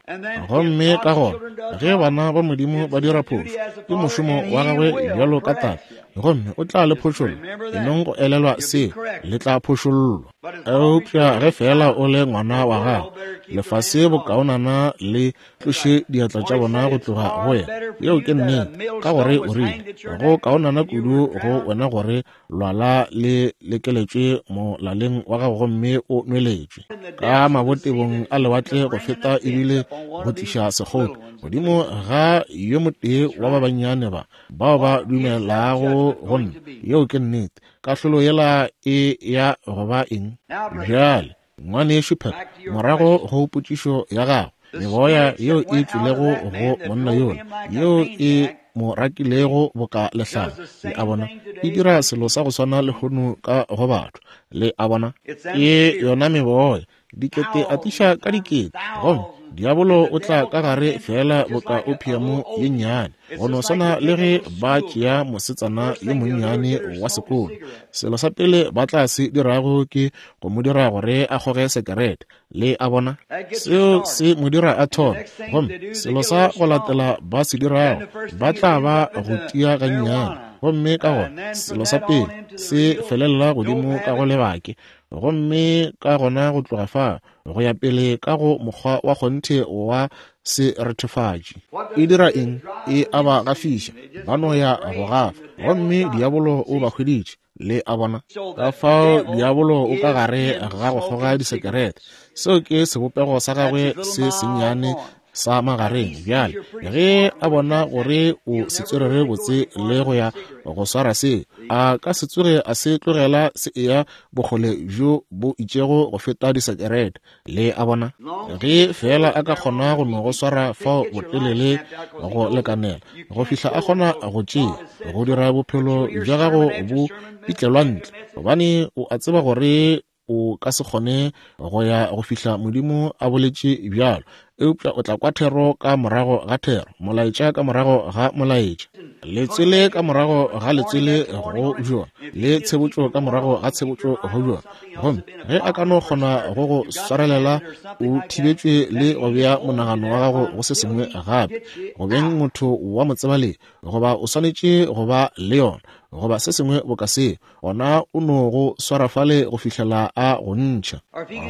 Gomme ka gona ge bana ba Modimo ba dira phošo, ke mošomo wa gagwe bjalo ka tate, gomme o tla le phošolla. Enong go elelwa seo, le tla phošollwa. Eupša ge fela o le ngwana wa gago, lefase bokaonana le tloše diatla tša bona go tloga go yena. Yeo ke nnete, ka gore o rile go kaonana kudu go wena gore lwala le lekeletšwe molaleng wa gago gomme o nweletšwe ka mabotebong a lewatle go feta ebile go tliša sekgopi godimo ga yo motee wa ba bannyane ba bao ba dumelago go nna. Yeo ke nnete. Kahlolo yela e ya go ba eng? Bjale, ngwanešu Pep, morago go potšišo ya gago, meboya yeo e tšwilego go monna yola, yeo e mo rakilego boka lehlare, le a bona, e dira selo sa go swana lehono ka go batho. Le a bona, ke yona meboya, dikete atiša ka dikete, gomme diabolo o tla ka gare fela boka opiamo ye nnyane, go no swana le ge ba tšea mosetsana yo monnyane wa sekolo. Selo sa pele ba tla se dirago ke go mo dira gore a kgoge sekerete. Le a bona, seo se mo dira a thome, gomme selo sa go latela ba se dirago ba tla ba go tia gannyane, gomme ka gona selo sa pele se felela godimo ka go lebake, gomme ka gona go tloga fa go ya pele ka go mokgwa wa kgonthe wa serethefatši. E dira eng? E a ba gafiša, ba no ya go gafa, gomme diabolo o ba hweditše. Le a bona, ka fao diabolo o ka gare ga go kgoga disekerete. Seo ke sebopego sa gagwe se sennyane sa magareng. Bjale ge a bona gore o se tswerere botse le go ya go swara se, a ka se tsoge a se tlogela se eya bokgole bjo bo itšego go feta disekerete. Le a bona, ge fela a ka kgona go no go swara fao botelele go lekanela go fihla a kgona go tšea go dira bophelo bja gago bo pitlelwa ntle, gobane o a tseba gore o ka se kgone go ya go fihla Modimo a boletše bjalo. Eupša o tla kwa thero ka morago ga thero, molaetša ka morago ga molaetša, letswele ka morago ga letswele go bjona, le tshebotšo ka morago ga tshebotšo go bjona. Gomme ge a ka no kgona go go swarelela o thibetšwe le go bea monagano wa gago go se sengwe gape, go beng motho wa motsebaledi, goba o swanetše go ba le yona, goba se sengwe boka seo, gona o no go swara fale go fihlela a go ntšha.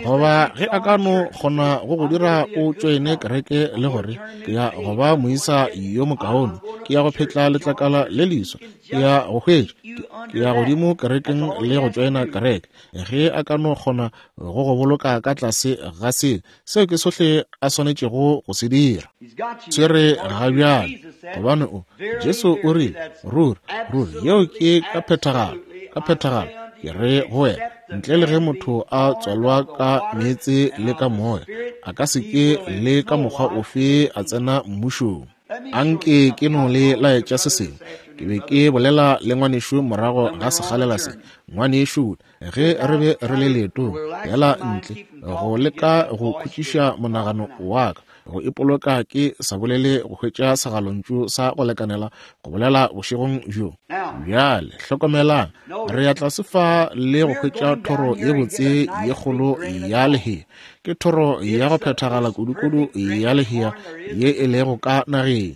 Goba ge a ka no kgona go go dira o tšoene kereke le gore ke ya go ba moisa yo mokaone, ke ya go phetla letlakala le leswa, ke ya go hwetša, ke ya godimo kerekeng le go tšoena kereke. Ge a ka no kgona go go boloka ka tlase ga seo, seo ke sohle a swanetšego go se dira. Tshwere ga bjale, gobane o Jesu o rile, ruri ruri yeo ke ka phethagalo, ka phethagalo ke re go wena, ntle le ge motho a tswalwa ka meetse le ka moya, a ka se ke le ka mokgwa ofe a tsena mmušong. Anke ke no le laetša se sengwe. Ke be ke bolela le ngwanešu morago ga sekgalela se. Ngwanešu, ge re be re le leetong yela ntle go leka go khutšiša monagano wa ka, go ipoloka ke sa bolele go hwetša segalontšu sa go lekanela go bolela bošegong bjo. Bjale hlokomelang, re ya tlase fa le go hwetša thoro ye botse ye kgolo ya lehea. Ke thoro ya go phethagala kudukudu ya lehea ye e lego ka nageng.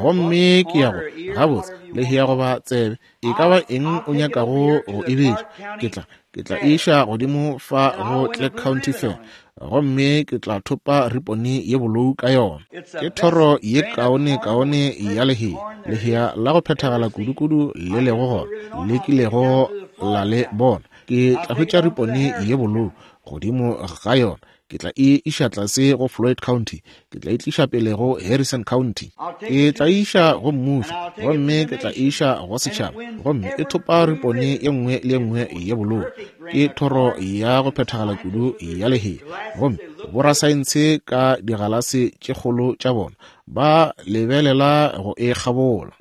Gomme ke ya go gabotse lehea goba tsebe, e ka ba eng o nyakago go e bitša, ke tla ke tla iša godimo fa go Clark County Fair, gomme ke tla thopa ripone ye bolou ka yona. Ke thoro ye kaone kaone ya lehea, lehea la go phethagala kudukudu le lego gona le kilego la le bona. Ke tla hwetša ripone ye bolou godimo ga yona, Ke tla e iša tlase go Floyd County. Ke tla e tliša pele go Harrison County. Ke tla e iša go mmušo, gomme ke tla e iša go setšhaba, gomme e thopa ripone ye nngwe le ye nngwe ye bolou. Ke thoro ya go phethagala kudu ya lehea, gomme borasaense ka digalase tše kgolo tša bona ba lebelela go e kgabola,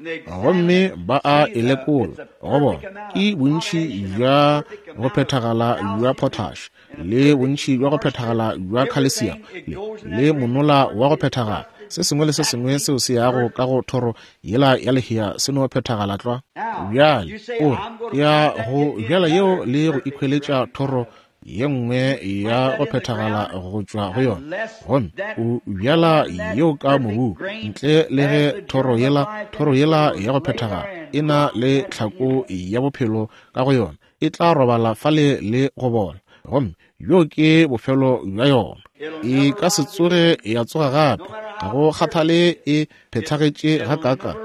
gomme ba a e lekola go bona ke bontši bja go phethagala bja potash le bontši bja go phethagala bja calcium le, le monola wa go phethagala. Se sengwe le se sengwe seo se yago ka go thoro yela ya lehea se no phethagala tlwa. Bjale o re ya go bjala yeo le go ikhweletša thoro ye nngwe ya go phethagala go tšwa go yona, gomme o bjala yeo ka mobu ntle le ge thoro yela thoro yela ya go phethagala e na le tlhako ya bophelo ka go yona, e tla robala fale le go bola, gomme bjo ke bofelo bja yona. E ka se tsoge ya tsoga gape, ga go kgathale e phethagetše gakaaka,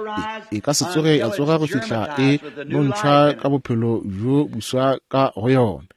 e ka se tsoge ya tsoga go fihla e nontšhwa ka bophelo bjo buswa ka go yona.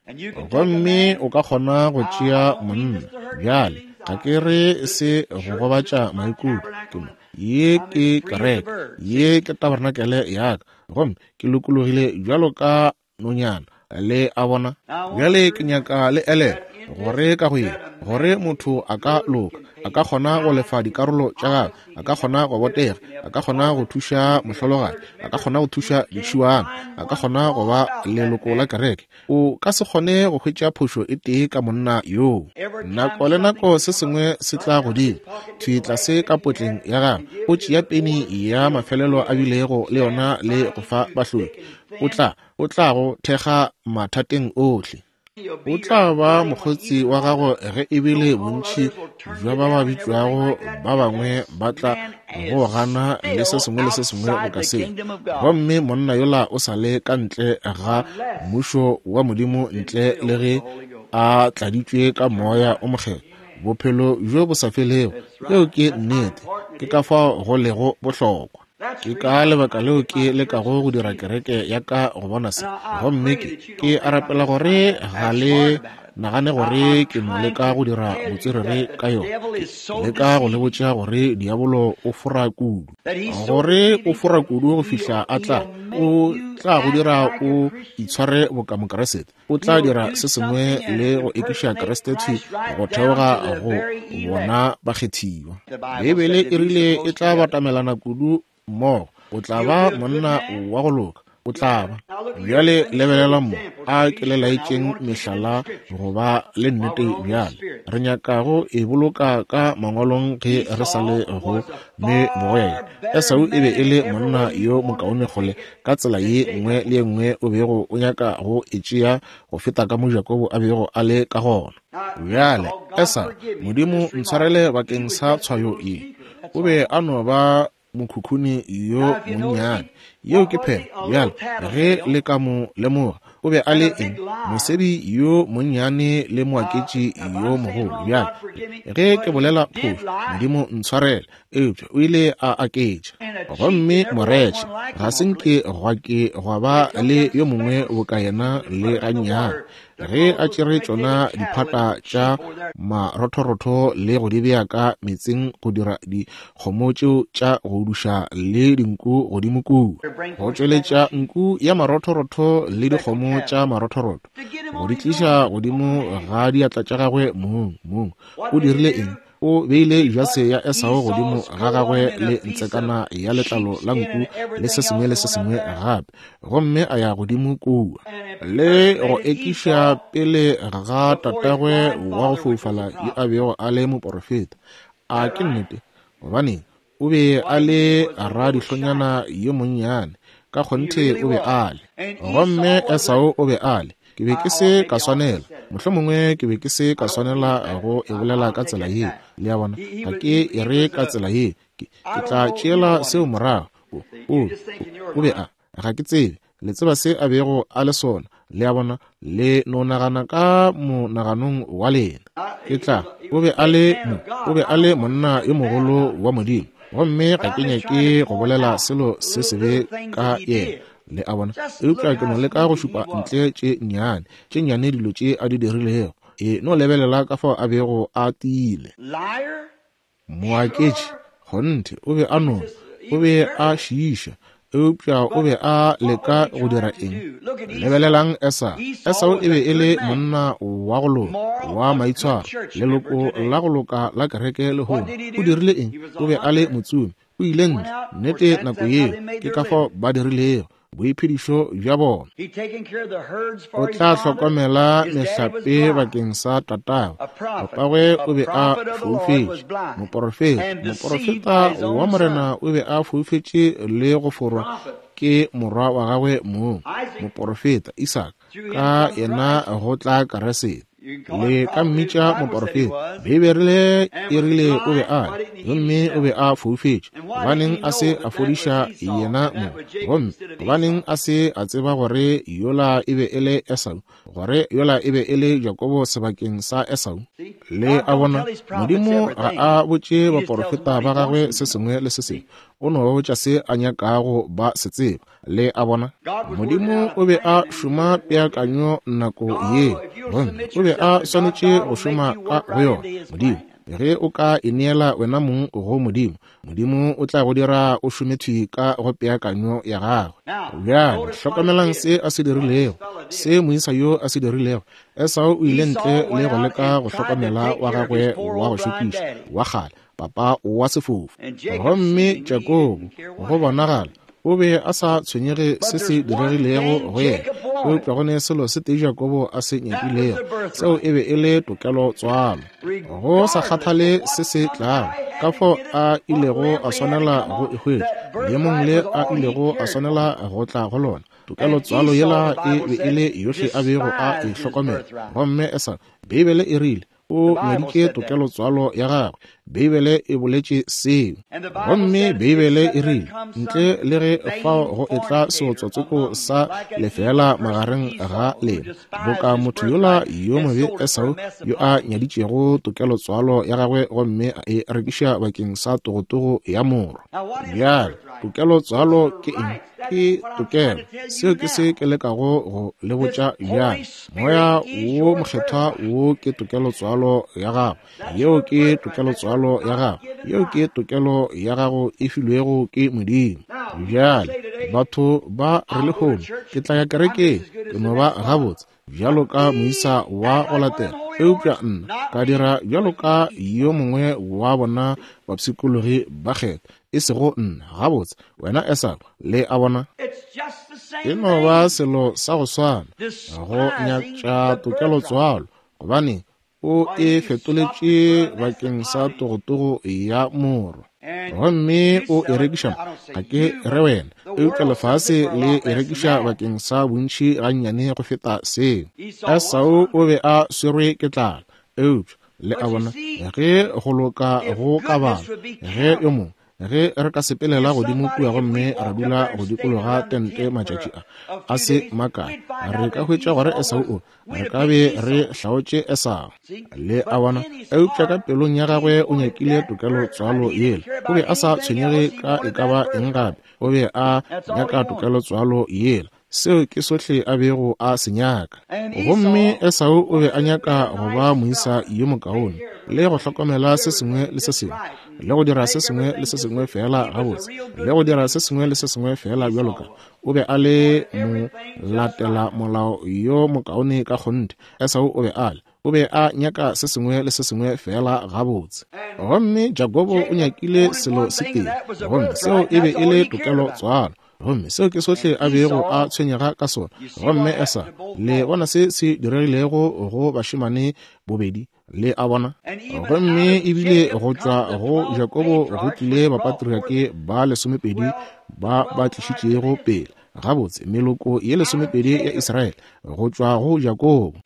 Gomme o ka kgona go tšea monna. Bjale ga ke re se go gobatša maikutlo, ke mo ye ke kereke, ye ke tabernakele ya ka, gomme ke lokologile bjalo ka nonyana. Le a bona? Bjale ke nyaka le elelwe gore ka go ye, gore motho a ka loka, a ka kgona go lefa dikarolo tša gagwe, a ka kgona go botega, a ka kgona go thuša mohlologadi, a ka kgona go thuša ditšhiwana, a ka kgona go ba leloko la kereke. O ka se kgone go hwetša phošo e tee ka monna yoo. Nako le nako se sengwe se tla godimo thwi tlase ka potleng ya gagwe, o tšea peni ya mafelelo a bilego le yona le go fa bahloki. O tla o tla go thekga mathateng ohle. O tla ba mokgotsi wa gago ge ebile bontši bja ba ba bitšwago ba bangwe ba tla go gana le se sengwe le se sengwe go ka se. Gomme monna yola o sa le ka ntle ga mmušo wa Modimo ntle le ge a tladitšwe ka moya o mokgethwa, bophelo bjo bo sa felego. Yeo ke nnete, ke ka fao go lego bohlokwa. Ke ka lebaka leo ke lekago go dira kereke ya ka go bona se, gomme ke ke a rapela gore ga le nagane gore ke no leka go dira botswerere ka yona. Ke leka go le botša gore diabolo o fora kudu, gore o fora kudu go fihla a tla o tla go dira o itshware boka Mokeresete. O tla dira se sengwe le go ekiša Kriste thwi go theoga go bona bakgethiwa. Beibele e rile e tla batamelana kudu mmogo. O tla ba monna wa go loka, o tla ba. Bjale lebelela mo, a ke le laetšeng mehlala go ba le nnete. Bjale re nyakago e boloka ka mangwalong ge re sa le go me bogoya. Esau e be e le monna yo mokaone kgole ka tsela ye nngwe le ye nngwe o bego o nyaka go e tšea go feta ka mo Jakobo a bego a le ka gona. Bjale Esau, Modimo ntshwarele bakeng sa tshwayo ye, o be a no ba mokhukhuni yo monnyane. Yeo ke phela. Bjale ge le ka mo lemoga, o be a le eng? Mosedi yo monnyane le moaketši yo mogolo. Bjale ge ke bolela phošo, Modimo ntshwarele, eupša o ile a aketša. Gomme moretšhe ga se nke gwa ke gwa ba le yo mongwe boka yena le gannyane. Ge a tšere tšona diphata tša marothorotho le go di bea ka meetseng go dira dikgomo tšeo tša go duša le dinku godimo kua, go tšweletša nku ya marothorotho le dikgomo tša marothorotho, go di tliša godimo ga diatla tša gagwe mong mong. O dirile eng? O beile jase ya Esau godimo ga gagwe le ntsekana ya letlalo la nku le se sengwe le se sengwe gape, gomme a ya godimo kua le go ekiša pele ga tatagwe wa go foufala yo a bego a le moporofeta. A ke nnete? Gobaneng, o be a le radihlonyana yo monnyane, ka kgonthe o be a le. Gomme Esau o be a le. Ke be ke se ka swanela, mohlomongwe ke be ke se ka swanela go e bolela ka tsela ye. Le a bona, ga ke e re ka tsela ye, ke, ke tla tšeela seo morago. O, o, o be a, ga ke tsebe, le tseba se a bego a le sona. Le a bona, le no nagana ka monaganong wa lena. Ke tla, o be a le mo, o be a le monna yo mogolo wa Modimo, gomme ga ke nyake go bolela selo se sebe ka yena. Le a bona, eupša ke no leka go šupa ntle tše nnyane, tše nnyane dilo tše a di dirilego. E no lebelela ka fao a bego a tiile. Moaketši, kgonthe, o be a nona, o be a šiiša, eupša o be a leka go dira eng? Lebelelang Esau. Esau e be e le monna wa go loka, wa maitshwaro, leloko la go loka la kereke lehono. O dirile eng? O be a le motsomi. O ile ntle, nnete nako yeo, ke ka fao ba dirilego boiphedišo bja bona. O tla hlokomela mehlape bakeng sa tatagwe. Papagwe o be a foufetše. Moporofeta, moporofeta wa Morena o be a foufetše le go forwa ke morwa wa gagwe mong, moporofeta Isaka, ka yena go tla Keresete. Le ka mmitša moporofeta. Beibele e rile o be a le, gomme o be a foufetše. Gobaneng a se a fodiša yena mong? Gomme gobaneng a se a tseba gore yola e be e le Esau, gore yola e be e le Jakobo sebakeng sa Esau? Le a bona, Modimo ga a botše baporofeta ba gagwe se sengwe le se sengwe. O no ba botša se a nyakago ba se tseba. Le a bona, Modimo o be a šoma peakanyo nako ye, gomme o be a swanetše go šoma ka go yona. Modimo, ge o ka ineela wena mong go Modimo, Modimo o tla go dira o šome thwi ka go peakanyo ya gagwe. Bjale hlokomelang se a se dirilego, se moisa yo a se dirilego. Esau o ile ntle le go leka go hlokomela wa gagwe wa go šokiša wa kgale, papa wa sefofu. Gomme Jakobo, go bonagala, o be a sa tshwenyege se se diregilego go yena, eupša go ne selo se tee Jakobo a se nyakilego, seo e be e le tokelo tswalo. Go sa kgathale se se tlago, ka fao a ilego a swanela go e hwetša, leemong le a ilego a swanela go tla go lona, tokelo tswalo yela e be e le yohle a bego a e hlokomela. Gomme Esau, Beibele e rile, o nyaditše tokelo tswalo ya gagwe. Beibele e boletše seo. Gomme Beibele e rile, ntle le ge fao go etla seotswatsoko sa lefeela magareng ga lena, boka motho yola yo mobe Esau yo a nyaditšego tokelo tswalo ya gagwe gomme a e rekiša bakeng sa togotogo ya morwa. Bjale, tokelo tswalo ke eng? Ke tokelo. Seo ke se ke lekago go le botša bjale. Moya wo Mokgethwa wo ke tokelo tswalo ya gago. Yeo ke tokelo tswalo ya gago. Yeo ke tokelo ya gago e filwego ke Modimo. Bjale, batho ba re lehono, ke tla ya kerekeng, ke no ba gabotse bjalo ka moisa wa go latela, eupša nna ka dira bjalo ka yo mongwe wa bona bapshikologi ba kgetha, e sego nna. Gabotse, wena Esau, le a bona, e no ba selo sa go swana, go nyatša tokelo tswalo, gobane o e fetoletše bakeng sa togotogo ya morwa. Gomme o e rekiša, ga ke re wena, eupša lefase le e rekiša bakeng sa bontši gannyane go feta seo. Esau o be a swerwe ke tlala, eupša le a bona, ge go loka go ka bala, ge yo mongwe, ge re ka sepelela godimo kua gomme ra dula go dikologa tente matšatši a a se makae, re ka hwetša gore Esau o, re ka be re hlaotše Esau. Le a bona, eupša ka pelong ya gagwe o nyakile tokelo tswalo yela. O be a sa tshwenyege ka e ka ba eng gape, o be a nyaka tokelo tswalo yela. Seo ke sohle a bego a se nyaka. Gomme Esau o be a nyaka go ba moisa yo mokaone, le go hlokomela se sengwe le se sengwe, le go dira se sengwe le se sengwe feela gabotse, le go dira se sengwe le se sengwe feela bjalo ka. O be a le mo latela molao yo mokaone ka kgonthe. Esau o be a le, o be a nyaka se sengwe le se sengwe feela gabotse. Gomme Jakobo o nyakile selo se tee, gomme seo e be e le tokelo tswalo. Gomme seo ke sohle a bego a tshwenyega ka sona. Gomme Esau, le bona se se diregilego go bašemane bobedi, le a bona. Gomme ebile go tšwa go Jakobo go tlile bapatriake ba lesomepedi ba ba tlišitšego pele gabotse meloko ye lesomepedi ya Israele go tšwa go Jakobo.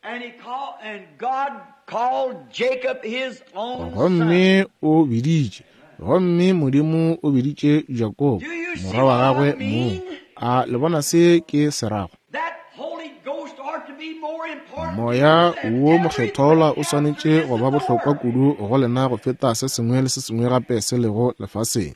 Gomme o biditše, gomme Modimo o biditše Jakobo morwa wa gagwe mong. A le bona se ke se rago? Moya wo Mokgethwa o swanetše go ba bohlokwa kudu go lena go feta se sengwe le se sengwe gape se lego lefaseng.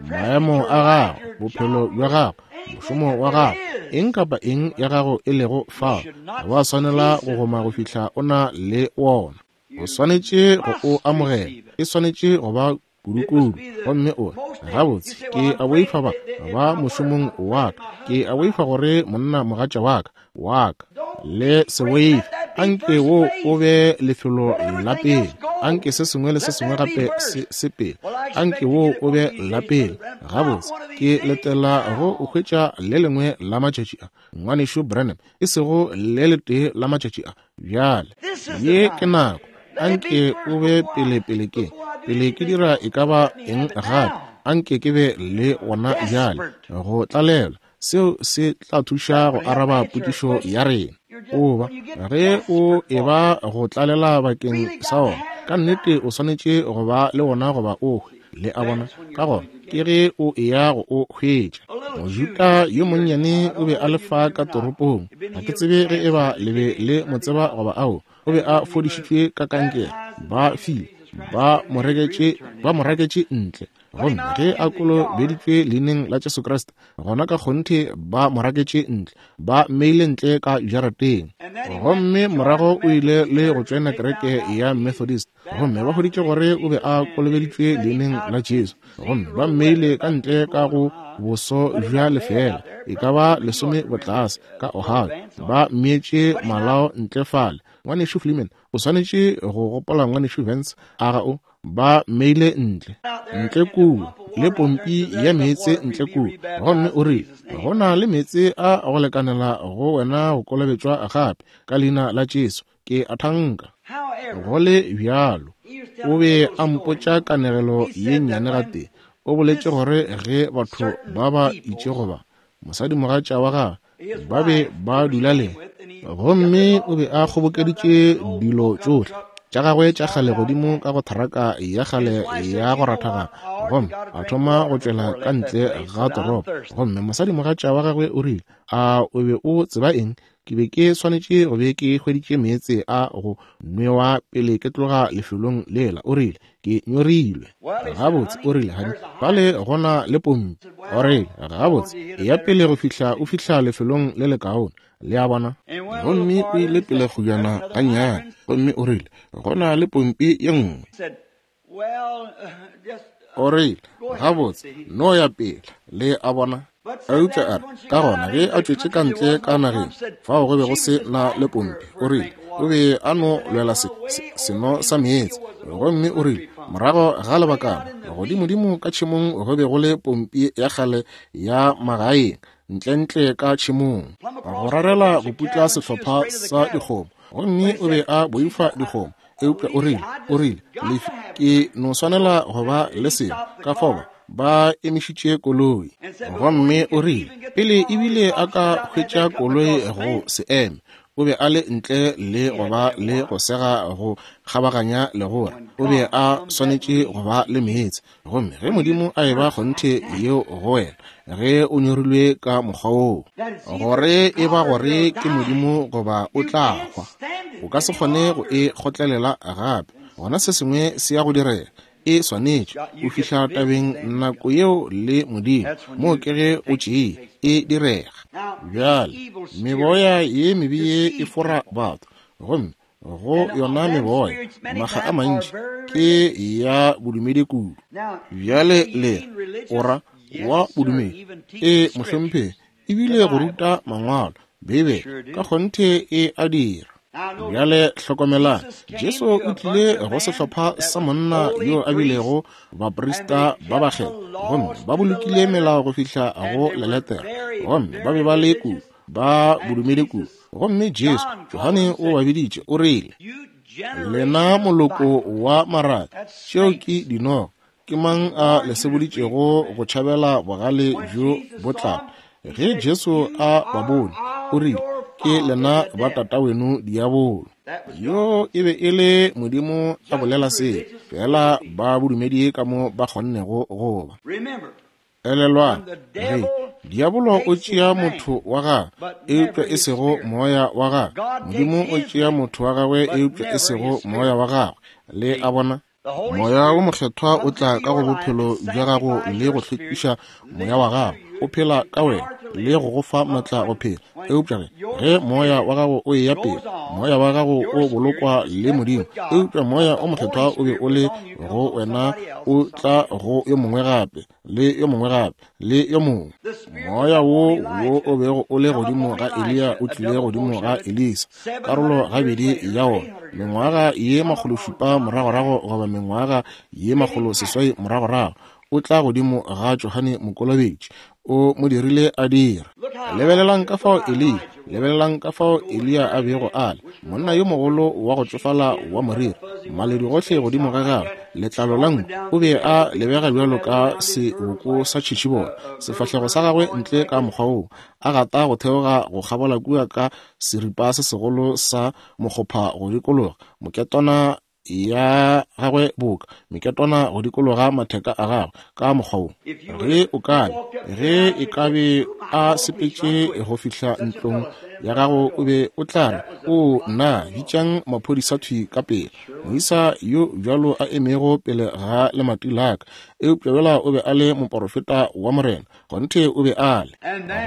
Maemo a gago, bophelo bja gago, mošomo wa gago, Eng kapa eng ya gago e lego fao, ga wa swanela go goma go fihla o na le wona. O swanetše go o amogela. E swanetše go ba kudu-kudu. Gomme o re, gabotse, ke a boifa ba, ba mošomong wa ka. Ke a boifa gore monna mogatša wa ka, wa ka. Le se boife. Anke wo o be lefelo la pele. Anke se sengwe le se sengwe gape se se pele. Anke wo o be la pele. Gabotse, ke letela go o hwetša le lengwe la matšatši a. Ngwanešu Branham, e sego le letee la matšatši a. Bjale, ye ke nako. Anke o be pele pele ke. Pele ke dira e ka ba eng gape. Anke ke be le wona bjale. Go tlalelwa. Seo se tla thuša go araba potšišo ya rena. Oba, ge o eba go tlalela bakeng sa wona, ka nnete o swanetše go ba le wona goba o hwe. Le a bona? Ka gona, ke ge o eya go o hwetša. Mojuta yo monnyane o be a le fa ka toropong. Ga ke tsebe ge eba le be le mo tseba goba ao. O be a fodišitšwe ka kankere. Ba file, ba mo reketše, ba mo raketše ntle. Gomme ge a kolobeditšwe leineng la Jesu Kriste, gona ka kgonthe ba mo raketše ntle, ba mmeile ntle ka jarateng. Gomme morago o ile le go tšoena kereke ya Methodist, gomme ba hweditše gore o be a kolobeditšwe leineng la Jesu, gomme ba mmeile ka ntle ka go boso bja lefeela, e ka ba lesome botlase ka Ohio, ba mmeetše malao ntle fale. Ngwanešu Fleeman, o swanetše go gopola ngwanešu Vance, a ga o? Ba mmeile ntle, ntle kua, le pompi ya meetse ntle kua. Gomme o rile, go na le meetse a go lekanela go wena go kolobetšwa gape ka leina la Jesu. Ke a thanka. Go le bjalo, o be a mpotša kanegelo ye nnyane gatee. O boletše gore ge batho ba ba itše goba mosadimogatša wa gagwe ba be ba dula le, gomme o be a kgobokeditše dilo tšohle tša gagwe tša kgale godimo ka go tharaka ya kgale ya go rathagana, gomme a thoma go tšwela ka ntle ga toropo. Gomme mosadimogatša wa gagwe o rile, a o be o tseba eng? Ke be ke swanetše go be ke hweditše meetse a go nwewa pele ke tloga lefelong lela. O rile, ke nyorilwe. Gabotse, o rile, hani, fale gona le pompi. O rile, gabotse, eya pele go fihla o fihla lefelong le lekaone. Le a bona? Gomme o ile pele kgojana gannyane, gomme o rile, gona le pompi ye nngwe. O rile, gabotse, no ya pele. Le a bona? Eupša a re, ka gona ge a tšwetše ka ntle ka nageng, fao go be go se na le pompi. O rile, o be a no lwela se, se, seno sa meetse. Gomme o rile, morago ga lebakana, godimodimo ka tšhemong go be go le pompi ya kgale ya magaeng, ntlentle ka tšhemong, go rarela go putla sehlopha sa dikgomo. Gomme o be a boifa dikgomo. Eupša o rile, o rile, lefi, ke no swanela go ba le selo. Ka fao ba emišitše koloi. Gomme o rile, pele ebile a ka hwetša koloi go se eme, o be a le ntle le go ba le go sega go kgabaganya legora. O be a swanetše go ba le meetse. Gomme ge Modimo a eba kgonthe yeo go wena, ge o nyorilwe ka mokgwa woo, gore e ba gore ke Modimo goba o tla hwa, o ka se kgone go e kgotlelela gape. Gona se sengwe se ya go direga. E swanetše o fihla tabeng nako yeo le Modimo, moo ke ge o tšee e direga. Bjale meboya ye mebe ye e fora batho, gomme go yona meboya makga a mantši ke ya bodumedi kudu. Bjale le ora wa bodumedi, e mohlomphegi, ebile go ruta mangwalo, Bibele ka kgonthe e a dira. Bjale hlokomelang, Jesu o tlile go sehlopha sa monna yo a bilego baprista ba bakgethwa, gomme ba bolokile melao go fihla go leletere, gomme ba be ba le kudu, ba bodumedi kudu. Gomme Jesu, Johane o ba biditše, o rile, lena moloko wa maraka, tšeo ke dinoga, ke mang a le seboditšego go tšhabela bogale bjo bo tlago? Ge Jesu a ba bone, o rile, ke lena ba tataweno diabolo. Yo e be e le Modimo a bolela se, fela ba bodumedi ka mo ba kgonnego go ba. Elelwang, ge diabolo o tšea motho wa gagwe, eupša e sego moya wa gagwe. Modimo o tšea motho wa gagwe, eupša e sego moya wa gagwe. Le a bona? Moya wo mokgethwa o tla ka go bophelo bja gago le go hlwekiša moya wa gago. O phela ka wena, le go go fa maatla go phela. Eupša ge, ge moya wa gago o eya pele, moya wa gago o bolokwa le Modimo, eupša Moya o Mokgethwa o be o le go wena, o tla go yo mongwe gape, le yo mongwe gape, le yo mongwe. Moya wo wo o bego o le godimo ga Eliya o tlile godimo ga Elisa, karolo gabedi ya wona, mengwaga ye makgolo šupa moragorago goba mengwaga ye makgolo seswai moragorago, o tla godimo ga Johane Mokolobetši, o mo dirile a dira. Lebelelang ka fao Eliya, lebelelang ka fao Eliya a bego a le, monna yo mogolo wa go tšofala wa moriri, maledu gohle godimo ga gagwe, letlalo la nku, o be a lebega bjalo ka seboko sa tšhitšhibola, sefahlego sa gagwe ntle ka mokgwa woo, a gata go theoga go kgabola kua ka seripa se segolo sa mokgopha go dikologa, moketwana ya gagwe boka meketwana go dikologa matheka a gagwe ka mokgwa wo. Ge o ka be, ge e ka be a sepetše go fihla ntlong ya gago, o be o tla re, o nna, bitšang maphodisa thwi ka pele, moisa yo bjalo a emego pele ga lemati la ka. Eupša yola o be a le moporofeta wa Morena, kgonthe o be a le.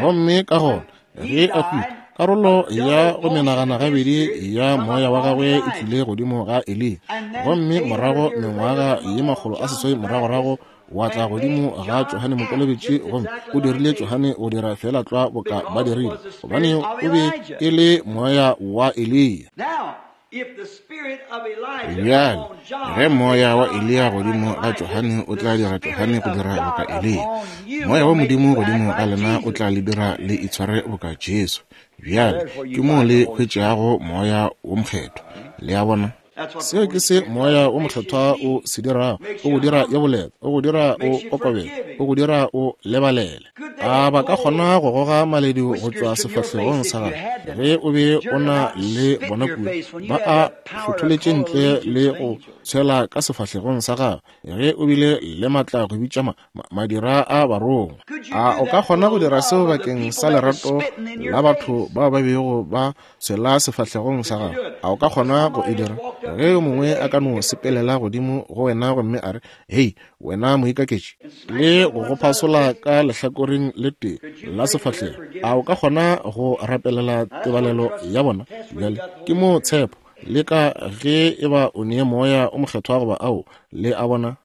Gomme ka gona ge a hwile, karolo ya go menagana gabedi ya moya wa gagwe e tlile godimo ga Eliya, gomme morago mengwaga ye makgolo a seswai moragorago wa tla godimo ga Johane Mokolobetši, gomme o dirile Johane go dira fela tlwa boka ba dirile, gobane o be e le moya wa Eliya. Bjale, ge moya wa Eliya godimo ga Johane o tla dira Johane go dira boka Eliya, moya wa Modimo godimo ga lena o tla le dira le itshware boka Jesu. Bjale, ke moo le hwetšago Moya wo Mokgethwa. Le a bona? Seo ke se Moya wo Mokgethwa o se dirago. O go dira yo boleta, o go dira o kokobele, o go dira o lebalele. A ba ka kgona go goga maledu go tšwa sefahlegong sa gago ge o be o na le bona kua, ba a hlotholetše ntle le go tshwela ka sefahlegong sa gago ge o bile le matla go bitša ma, ma, madira a barongwa. A o ka kgona go dira seo bakeng sa lerato la batho bao ba bego ba tshwela sefahlegong sa gago? A o ka kgona go e dira? Ge yo mongwe a ka no sepelela godimo go wena gomme a re, hei, wena moikaketši, le go go phasola ka lehlakoreng le tee la sefahlego, a o ka kgona go rapelela tebalelo ya bona? Bjale ke mo tshepo le ka ge e ba o nee Moya o Mokgethwa goba ao, le a bona?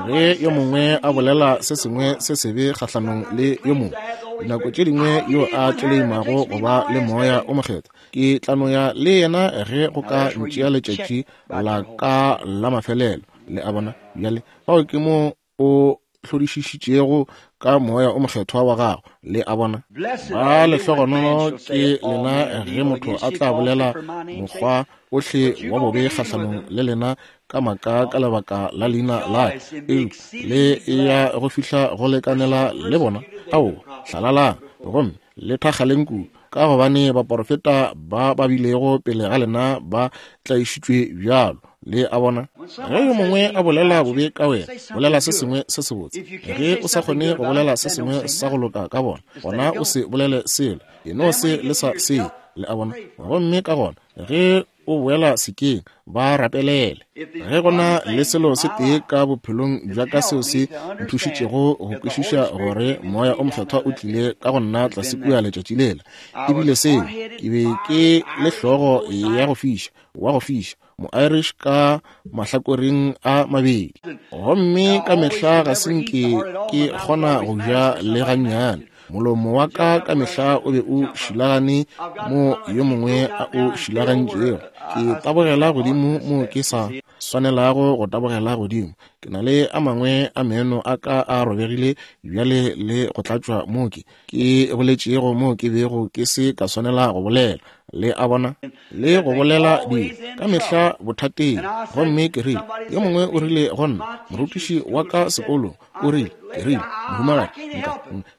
Ge yo mongwe a bolela se sengwe se sebe kgahlanong le yo mongwe, dinako tše dingwe yo a tleleimago go ba le Moya o Mokgethwa, ke tla no ya le yena ge go ka ntšea letšatši la ka la mafelelo. Le a bona? Bjale fao ke mo o hlodišišitšego ka Moya o Mokgethwa wa gago. Le a bona? Ba lehlogonolo ke lena ge motho a tla bolela mokgwa ohle wa bobe kgahlanong le lena ka maka ka lebaka la leina la ka, eupša le ya go fihla go lekanela le bona. Ao, hlalalang gomme le thakgaleng kudu, ka gobane baporofeta ba ba bilego pele ga lena ba tlaišitšwe bjalo. Le a bona? Ge yo mongwe a bolela bobe ka wena, bolela se sengwe se sebotse. Ge o sa kgone go bolela se sengwe sa go loka ka bona, gona o se bolele selo, e no se le sa se. Le a bona? Gomme ka gona ge o boela sekeng, ba rapelele. Ge gona le selo se tee ka bophelong bja ka seo se nthušitšego go kwešiša gore Moya o Mokgethwa o tlile ka go nna tlase kua letšatši lela, ebile seo ke be ke le hlogo ya go fiša, wa go fiša, mo-Irish ka mahlakoreng a mabedi, gomme ka mehla ga se nke ke kgona go ja le gannyane. Molomo wa ka ka mehla o be o šilagane mo yo mongwe a o šilagantšego. Ke tabogela godimo mo ke sa swanelago go tabogela godimo. Ke na le a mangwe a meno a ka a robegile bjale le go tlatšwa mo ke ke boletšego mo ke bego ke se ka swanela go bolela. Le a bona? Le go bolela dilo ka mehla bothateng. Gomme ke rile, yo mongwe o rile go nna, morutiši wa ka sekolong o rile, ke rile, mohumagadi, nka,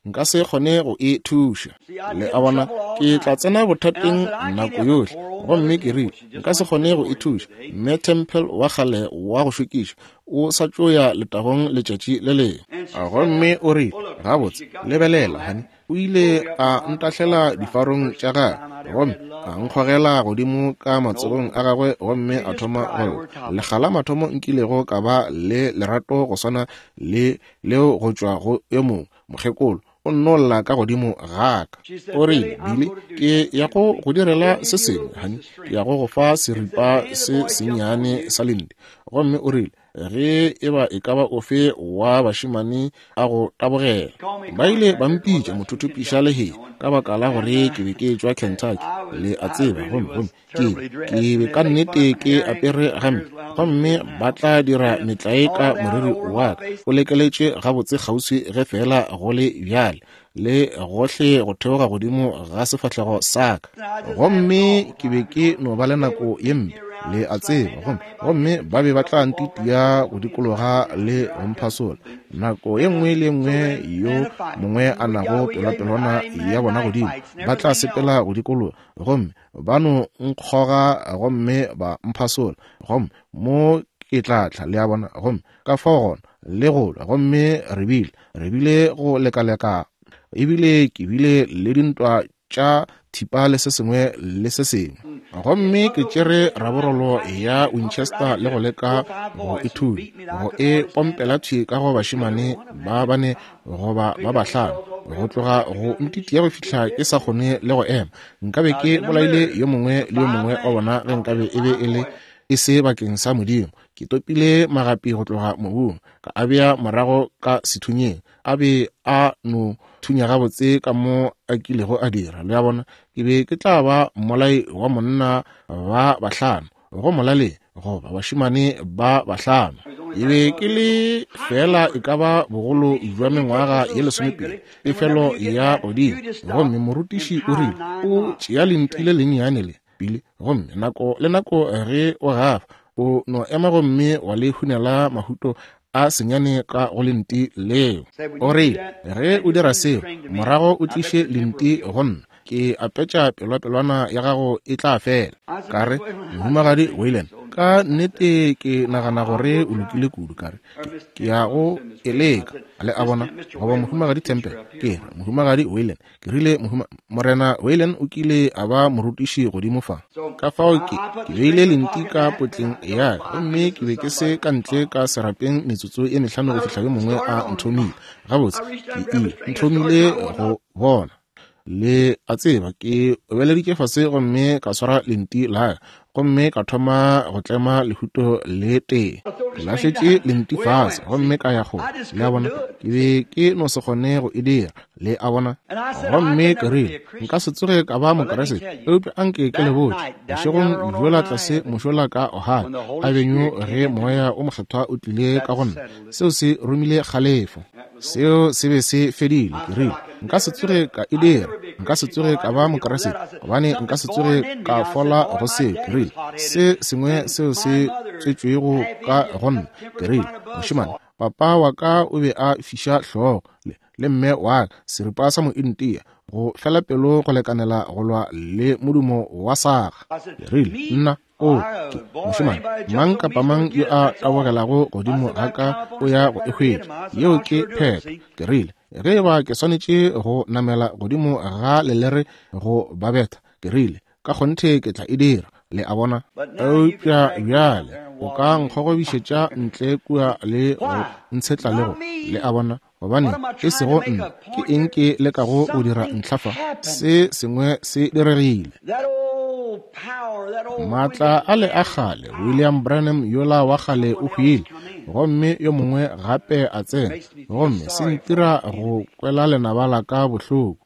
nka se kgone go e thuša. Le a bona? Ke tla tsena bothateng nako yohle. Gomme ke rile, nka se kgone go e thuša. Mme Temple wa kgale wa go šokiša o sa tšo ya letagong letšatši le lengwe. Gomme o rile, gabotse, lebelela, honey, o ile a ntahlela difarong tša gagwe, gomme a nkgogela godimo ka matsogong a gagwe, gomme a thoma go lla. Lekga la mathomo nkilego ka ba le lerato go swana le leo go tšwa go yo mongwe mokgekolo. O nno lla ka godimo ga ka. O rile, Billy, ke ya go go direla se sengwe, honey. Ke ya go go fa seripa se sennyane sa lenti. Gomme o rile, ge e ba e ka ba ofe wa bašemane a go tabogela. Ba ile ba mpitša mothuthupiša lehea ka baka la gore ke be ke tšwa Kentucky, le a tseba, gomme gomme ke ke be ka nnete ke apere gampe, gomme ba tla dira metlae ka moriri wa ka o lekeletše gabotse kgauswi ge fela go le bjale, le gohle go theoga godimo ga sefahlego sa ka. Gomme ke be ke no ba le nako ye mpe, le a tseba, gomme gomme ba be ba tla ntitia go dikologa le go mphasola. Nako ye nngwe le nngwe yo mongwe a nago pelwapelwana ya bona godimo, ba tla sepela go dikologa, gomme ba no nkgoga gomme ba mphasola, gomme mo ke tla tla, le a bona, gomme ka fao gona le go lwa, gomme re bile re bile go lekaleka, ebile ke bile le dintwa tša thipa le se sengwe le se sengwe. Gomme ke tšere raborolo ya Winchester le go leka go e thunya, go e pompela thwi ka go bašemane ba bane goba ba bahlano, go tloga go ntitia go fihla ke sa kgone le go ema. Nkabe ke bolaile yo mongwe le yo mongwe wa bona ge nkabe e be e le e se bakeng sa Modimo. Ke topile magapi go tloga mobung, ka a bea morago ka sethunyeng, a be a no thunya gabotse ka mo a kilego a dira. Le a bona, ke be ke tla ba mmolai wa monna ba bahlano go molaleng, goba bašemane ba bahlano. E be ke le fela e ka ba bogolo jwa mengwaga ye lesomepedi, pefelo ya godimo. Gomme morutiši o rile, o tšea lenti le lennyane le pele, gomme nako le nako ge o gafa, o no ema gomme wa le hunela mahuto a senyane ka go lenti leo. O rile, ge o dira seo, morago o tliše lenti go nna, ke apetša pelwapelwana ya gago e tla fela. Ka re, Mohumagadi Wayland, ka nnete ke nagana gore o lokile kudu. Ka re, ke ya go e leka. Le a bona, goba Mohumagadi Temple, ke re Mohumagadi Wayland. Ke rile, Morena Wayland o kile a ba morutiši godimo fa. Ka fao ke ke beile lenti ka potleng ya ka, gomme ke be ke se ka ntle ka serapeng metsotso e mehlano go fihla yo mongwe a nthomile. Gabotse, ke ile nthomile go bona. Le a tseba, ke obeleditše fase gomme ka swara lenti la ka, gomme ka thoma go tlema lehuto le tee. Ke lahletše lenti fase gomme ka ya kgole. Le a bona, ke be ke no se kgone go e dira. Le a bona, gomme ke rile, nka se tsoge ka ba Mokeresete, eupša anke ke le botše, bošegong bjola tlase mošola ka Ohio Avenue, ge moya o mokgethwa o tlile ka go nna, seo se romile kgalefo. Seo se be se fedile. Ke rile, nka se tsoge ka e dira, nka se tsoge ka ba Mokeresete, gobane nka se tsoge ka fola go seo. Ke rile, se sengwe seo se tswetšwego ka go nna. Ke rile, mošemane, papa wa ka o be a fiša hlogo le, le mme wa ka, seripa sa mointia, go fela pelo go lekanela go lwa le modumo wa saga. Ke rile, nna o ke mošemane, mang kapa mang yo a tabogelago godimo ga ka o ya go e hwetša. Yeo ke phetho. Ke rile, ge ba ke swanetše go namela godimo ga lelere go ba betha, ke rile, ka kgonthe ke tla e dira. Le a bona. Eupša bjale o ka nkgogobišetša ntle kua le go ntshetla le go. Le a bona, gobane e sego nna, ke eng ke lekago go dira ntlha fa? Se sengwe se diregile. Maatla a le a kgale, William Branham yola wa kgale o hwile, gomme yo mongwe gape a tsena, gomme se ntira go kwela lenaba la ka bohloko.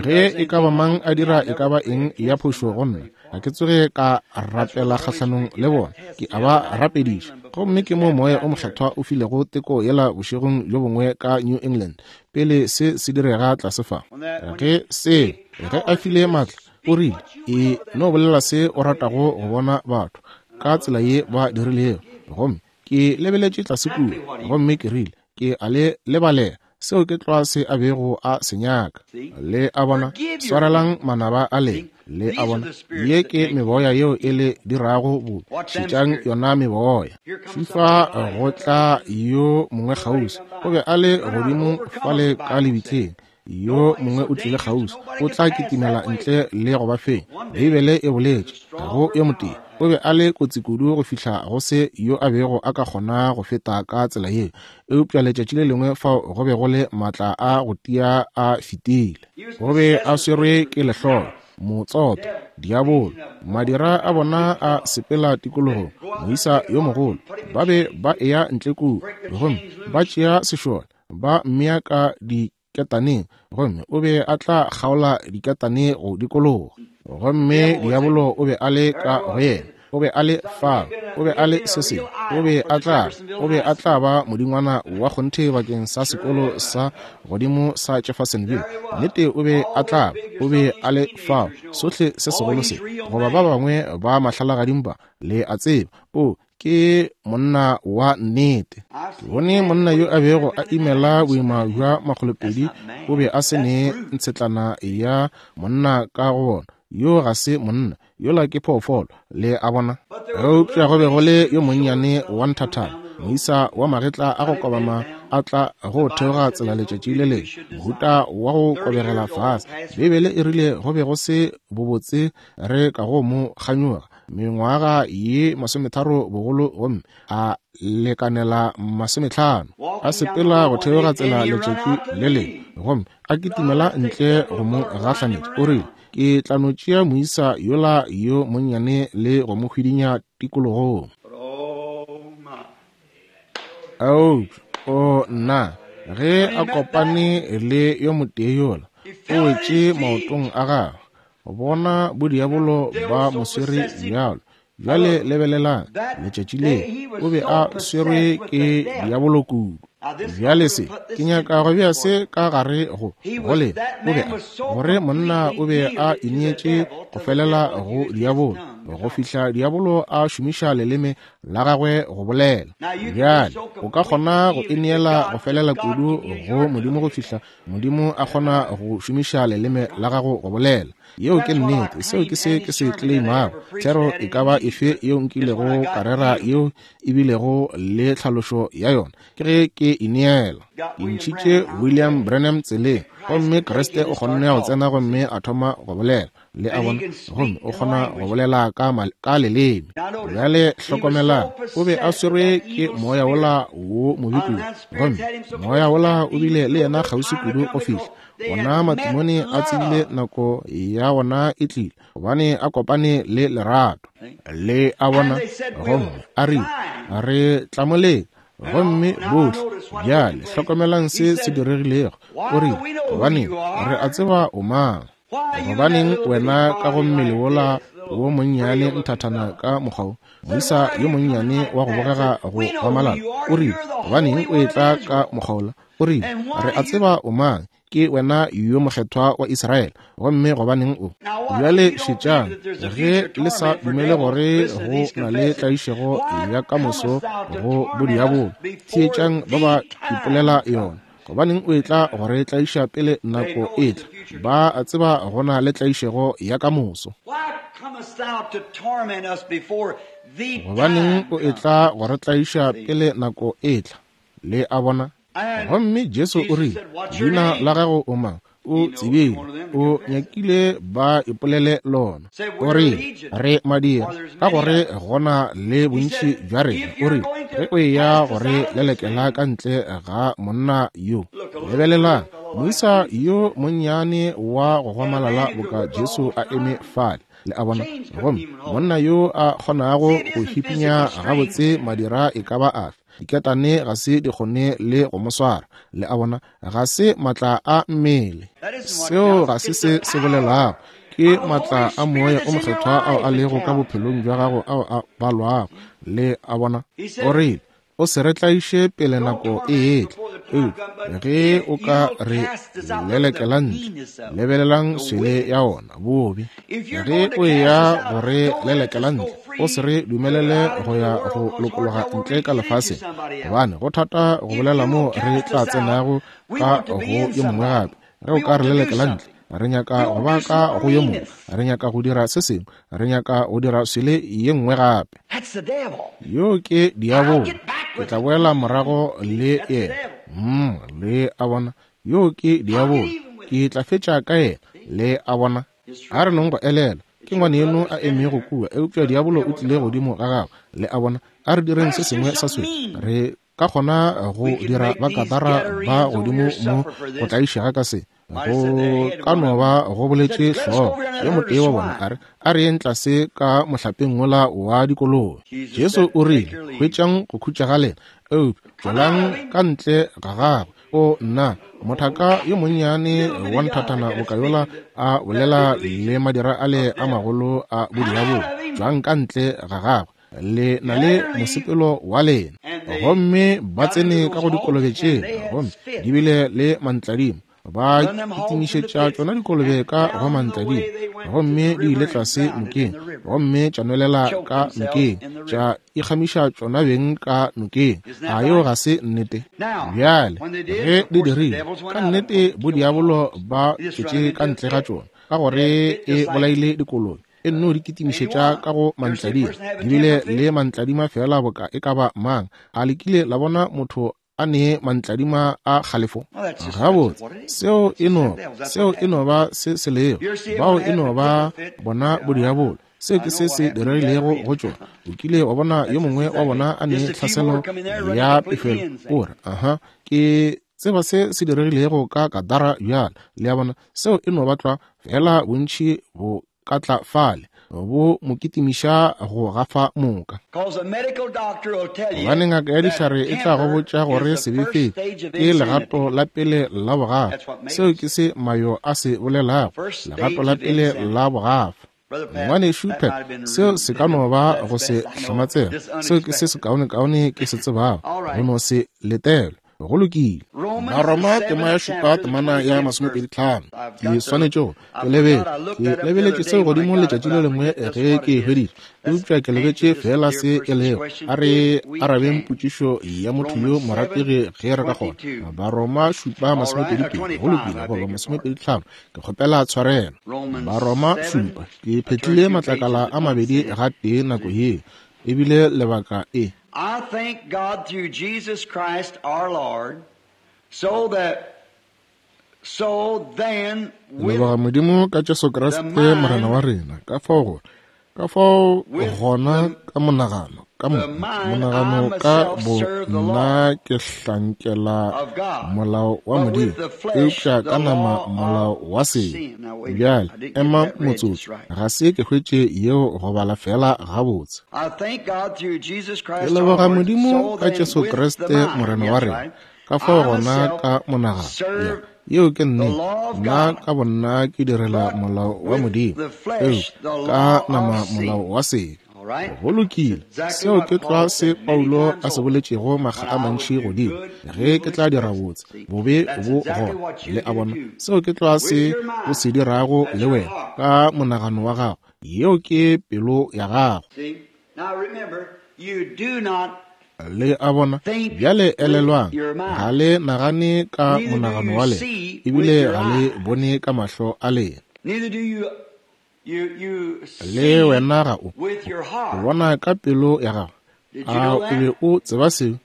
Ge e ka ba mang a dira e ka ba eng ya phošo go nna, ga ke tsoge ka rapela kgahlanong le bona, ke a ba rapediša. Gomme ke mo moya o mokgethwa o filego teko yela bošegong bjo bongwe ka New England, pele se se direga tlase fa. Ge se ge a file maatla, o rile, e no bolela se o ratago go bona batho ka tsela ye ba dirilego. Gomme ke lebeletše tlase kua, gomme ke rile, ke a le lebalela. Seo ke tlwa se a bego a se nyaka. Le a bona, swarelang manaba a lena. Le a bona, ye ke meboya yeo e le dirago bobe. Šetšang yona meboya. Fifa go tla yo mongwe kgauswi, o be a le godimo fale ka lebitleng. Yo mongwe o tlile kgauswi, o tla kitimela ntle le go ba fenya. Beibele e boletše, ga go yo motee O be a le kotsi kudu go fihla go se yo a bego a ka kgona go feta ka tsela yeo. Eupša letšatši le lengwe fao go be go le maatla a go tia a fetile. O be a swerwe ke lehlolo, motsoto, diabolo. Madira a bona a sepela tikologong, moisa yo mogolo. Ba be ba eya ntle kua, gomme ba tšea sešole, ba mmea ka diketaneng, gomme o be a tla kgaola diketane go dikologa. Gomme diabolo o be a le ka go yena. O be a le fao, o be a le se sengwe, o be a tla, o be a tla ba modingwana wa kgonthe bakeng sa sekolo sa godimo sa Jeffersonville. Nnete o be a tla, o be a le fao, sohle se segolo se, goba ba bangwe ba mahlalagadimpa, le a tseba. O ke monna wa nnete. Ke bone monna yo a bego a imela boima bja makgolopedi, o be a se ne ntshetlana ya monna ka go bona. Yo ga se monna, yola ke phoofolo, le a bona. Eupša go be go le yo monnyane wa nthathana, moisa wa magetla a go kobama a tla go theoga tsela letšatši le lengwe, mohuta wa go kobegela fase. Beibele e rile go be go se bobotse re ka go mo kganyoga, mengwaga ye masometharo bogolo, gomme a lekanela masometlhano. A sepela go theoga tsela letšatši le lengwe, gomme a kitimela ntle go mo gahlanetša. O rile, ke tla no tšea moisa yola yo monnyane le go mo hwidinya tikologong. Eupša, o nna, ge a kopane le yo motee yola, o wetše maotong a gagwe. Bona bodiabolo ba mo swere bjalo. Bjale lebelelang, letšatši le o be a swerwe ke diabolo kudu. Bjale se, ke nyaka go bea se ka gare go go lena. O be a, gore monna o be a ineetše go felela go diabolo, go fihla diabolo a šomiša leleme la gagwe go bolela. Bjale o ka kgona go ineela go felela kudu go Modimo go fihla Modimo a kgona go šomiša leleme la gago go bolela. Yeo ke nnete. Seo ke se ke se claimago. Thero e ka ba efe yeo nkilego ka rera yeo e bilego le tlhalošo ya yona, ke ge ke ineela. Ke ntšhitše William Branham tseleng, gomme Kriste o kgonne go tsena gomme a thoma go bolela. Le a bona, gomme o kgona go bolela ka, ka leleme. Bjale hlokomelang, o be a swerwe ke moya wola wo mobe kudu, gomme moya wola o bile le yena kgauswi kudu go fihla ona matimone a tsebile nako ya ona e tlile, gobane a kopane le lerato. Le a bona, gomme a rile, re tla mo leka. Gomme bohle, bjale hlokomelang se se diregilego. O rile, gobane re a tseba o mang. Gobaneng wena ka go mmele wola wo monnyane nthathana ka mokgwa wo, moisa yo monnyane wa go bogega go gomalala? O rile, gobaneng o etla ka mokgwa wola? O rile, re a tseba o mang, ke wena yo mokgethwa wa Israele, gomme gobaneng o? Bjale šetšang, ge le sa dumele gore go na le tlaišego ya ka moso go bodiabolo, theetšang ba ba ipolela yona. Gobaneng o etla gore tlaiša pele nako e tla? Ba a tseba go na le tlaišego ya ka moso. Gobaneng o etla gore tlaiša pele nako e tla? Le a bona. Gomme Jesu o rile, leina la gago o mang? O tsebile, o nyakile ba ipolele lona. O rile, re madira, ka gore gona le bontši bja rena. O rile, ge o eya gore lelekela ka ntle ga monna yo. Lebelelang, moisa yo monnyane wa go gomalala boka Jesu a eme fale. Le a bona, gomme monna yo a kgonago go hipinya gabotse madira e ka ba afe, diketane ga se di kgone le go mo swara. Le a bona, ga se maatla a mmele. Seo ga se se se bolelago, ke maatla a moya o mokgethwa ao a lego ka bophelong bja gago ao a balwago. Le a bona, o rile, o se re tlaiše pele nako e etla. Eupša ge o ka re lelekela ntle, lebelelang swele ya ona bobe. Ge o eya go re lelekela ntle, o se re dumelele go ya go lokologa ntle ka lefaseng, gobane go thata go bolela mo re tla tsenago ka go yo mongwe gape. Ge o ka re lelekela ntle, re nyaka go ba ka go yo mongwe, re nyaka go dira se sengwe, re nyaka go dira swele ye nngwe gape. Yo ke diabolo. Ke tla boela morago le yena. Mm, le a bona, yo ke diabolo. Ke tla fetša ka yena. Le a bona. A re nong go elela. Ke ngwaneno a emego kua, eupša diabolo o tlile godimo ga gagwe. Le a bona? A re direng se sengwe sa se. Re ka kgona go dira ba Gadara ba godimo mo go tlaišega ka se. Go ka no ba go boletše hlogo yo motee wa bona a re, a re yeng tlase ka mohlapeng wola wa dikolobe. Jesu o rile, hwetšang go khutša ga lena, eupša tšwelang ka ntle ga gagwe. O nna, mothaka yo monnyane wa nthathana bokayola a bolela le madira ale a magolo a bodiabolo, tšwang ka ntle ga gagwe, le na le mosepelo wa lena. Gomme ba tsene ka go dikolobe tšela, gomme di bile le mantladimo. Ba kitimišetša tšona dikolobe ka go mantladimo, gomme di ile tlase nokeng, gomme tša nwelela ka nokeng, tša ikgamiša tšona beng ka nokeng. A yeo ga se nnete? Bjale ge di dirile, ka nnete bodiabolo ba tšwetše ka ntle ga tšona, ka gore e bolaile dikolobe. E nno di kitimišetša ka go mantladima, di bile le mantladima fela boka e ka ba mang. A le kile la bona motho a ne mantladima a kgalefo? Gabotse, seo e no, seo e no ba se se lego. Bao e no ba bona bodiabolo. Seo ke se se diregilego go tšona. O kile wa bona yo mongwe wa bona a ne tlhaselo ya pefelo, o re, aha, ke tseba se se diregilego ka Gadara bjale. Le a bona, seo e no ba tlwa fela bontši bo ka tla fale, bo mo kitimiša go gafa moka. Gobane ngaka ya dihlare e tla go botša gore sebefedi ke legato la pele la bogafa. Seo ke se Mayo a se bolelago, legato la pele la bogafa. Ngwanešu Pat, seo se ka no ba go se hlamatsega. Seo ke se sekaonekaone ke se tsebago, go no se letelwe. Go lokile. Baroma tema ya šupa temana ya masomepedi tlhano. Ke swanetše go ke lebetše ke lebeletše seo godimo letšatši le lengwe ge ke e hweditše, eupša ke lebetše fela se e lego. A re arabeng potšišo ya motho yo morategi ge re ka kgona. Baroma šupa masomepedi pedi. Go lokile, goba masomepedi tlhano. Ke kgopela tshwarelo. Baroma šupa. Ke phetlile matlakala a mabedi ga tee nako ye, ebile lebaka e. I thank God through Jesus Christ our Lord, so that, so then with leboga Modimo ka Jesu Kriste Morena wa rena, ka fao gore, ka fao gona ka monagano, ka monagano ka bo nna ke hlankela molao wa Modimo, eupša ka nama molao wa sebe. Bjale ema motsotso, ga se ke hwetše yeo go bala fela gabotse. Ke leboga Modimo ka Jesu Kriste Morena wa rena, ka fao gona ka monagano. Yeo ke nnete, nna ka bonna ke direla molao wa Modimo, eupša ka nama molao wa sebe. Go lokile, seo ke tlwa se Paulo a se boletšego makga a mantši godimo, ge ke tla dira botse, bobe bo gona. Le a bona, seo ke tlwa se o se dirago le wena ka monagano wa gago. Yeo ke pelo ya gago. Le a bona, bjale elelwang, ga le nagane ka monagano wa lena, ebile ga le bone ka mahlo a lena. Le wena ga o o bona ka pelo ya gago. A o be o tseba seo?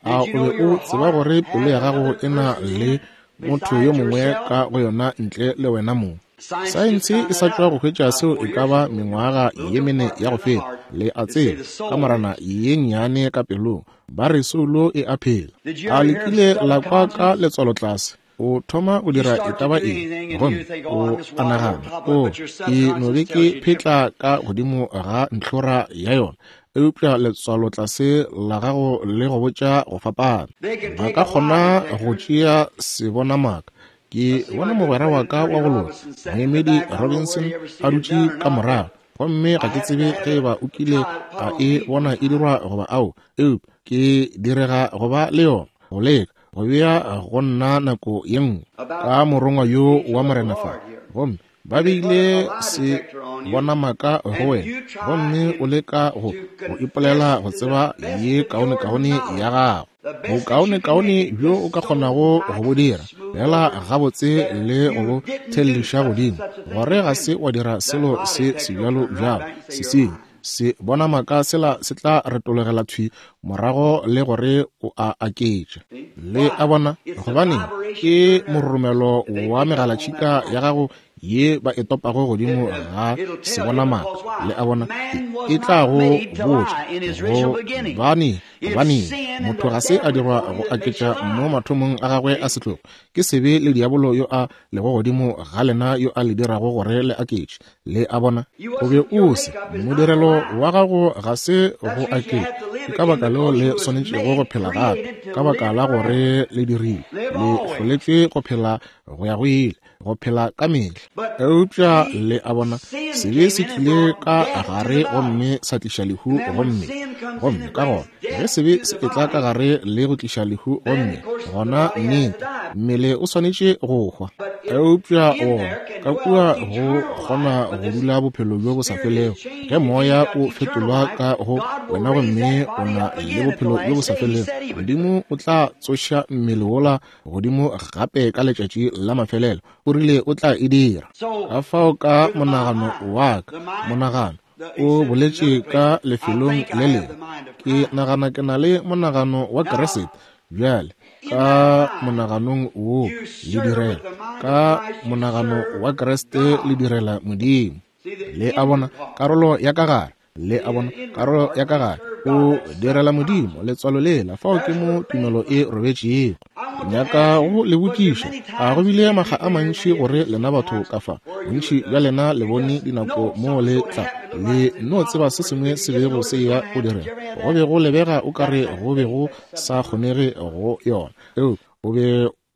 A o be o tseba gore pelo ya gago e na le motho yo mongwe ka go yona ntle le wena mong? Saense e sa tšwa go hwetša seo e ka ba mengwaga ye mene ya go feta. Le a tseba, ka morana ye nnyane ka pelong, ba re soulo e a phela. A le kile la kwa ka letswalo tlase? O thoma go dira e ka ba eng, gomme o a nagana, o ke no be ke phetla ka godimo ga ntlhora ya yona, eupša letswalo tlase la gago le go botša go fapana. Ba ka kgona go tšea sebonamaka. Ke bona mogwera wa ka wa go loka, moemedi Robinson, a dutše ka morago, gomme ga ke tsebe ge eba o kile a e bona e dirwa goba ao, eupša ke direga go ba le yona, go leka go bea go nna nako ye nngwe ka morongwa yo wa Morena fa. Gomme ba beile se bona maka go wena, gomme o leka go go ipolela go tseba ye kaonekaone ya gago, bokaonekaone bjo o ka kgonago go bo dira, fela gabotse le go bo thelliša godimo, gore ga se wa dira selo se sebjalo bjalo se sengwe. Se bona maka sela se tla retologela thwi morago le gore o a aketša. Le a bona, gobane ke mororomelo wa megalatšhika ya gago ye ba e topago godimo ga sebonamaka. Le a bona, e tla go botša gobane gobane motho ga se a dirwa go aketša mo mathomong a gagwe a setlogo. Ke sebe le diabolo yo a lego godimo ga lena yo a le dirago gore le aketše. Le a bona, o be o se modirelo wa gago ga se go aketša. Ke ka baka leo le swanetšego go phela gape, ka baka la gore le dirile, le hloletšwe go phela go ya go ile, go phela ka mehla. Eupša le a bona, sebe se tlile ka gare gomme sa tliša lehu gomme gomme ka gona ge sebe se etla ka gare le go tliša lehu gomme gona nnete mmele o swanetše go hwa. Eupša wona ka kua go kgona go dula bophelo bjo bo sa felego ge moya o fetolwa ka go wena gomme o na le bophelo bjo bo sa felego. Modimo o tla tsoša mmele wola godimo gape ka letšatši la mafelelo. O rile o tla e dira. Ka fao ka monagano wa ka, monagano o boletše ka lefelong le lengwe, ke nagana ke na le monagano wa Kriste. Bjale ka monaganong wo le direla, ka monagano wa Kriste le direla Modimo. Le a bona, karolo ya ka gare, le a bona, karolo ya ka gare o direla Modimo. Letswalo lela, fao ke mo tumelo e robetšego. Nyaka go le botšiša, a go bile makga a mantši gore lena batho ka fa, bontši bja lena le bone dinako mo le tla le no tseba se sengwe se bego se ya go direga. Go be go lebega o kare go be go sa kgonege go yona, eo o be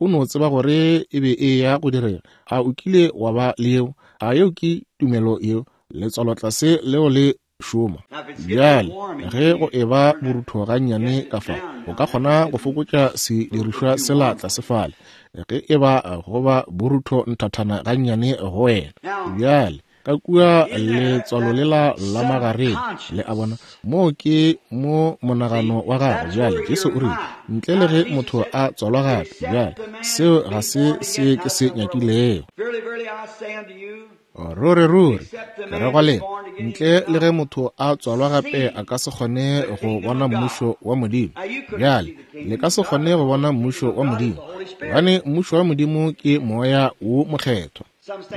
o no tseba gore e be e ya go direga. A o kile wa ba le yeo? A yeo ke tumelo yeo? Letswalo tlase leo le šoma. Bjale ge go e ba borutho gannyane ka fa, o ka kgona go fokotša sedirišwa sela tlase fale ge e ba go ba borutho nthathana gannyane go wena. Bjale ka kua letswalo lela la magareng, le a bona, moo ke mo monagano wa gago. Bjale Jesu o rile, ntle le ge motho a tswalwa gape. Bjale seo ga se se ke se nyakilego. Ruri ruri ke re go lena, ntle le ge motho a tswalwa gape a ka se kgone go bona mmušo wa Modimo. Bjale le ka se kgone go bona mmušo wa Modimo, gobane mmušo wa Modimo ke moya wo mokgethwa.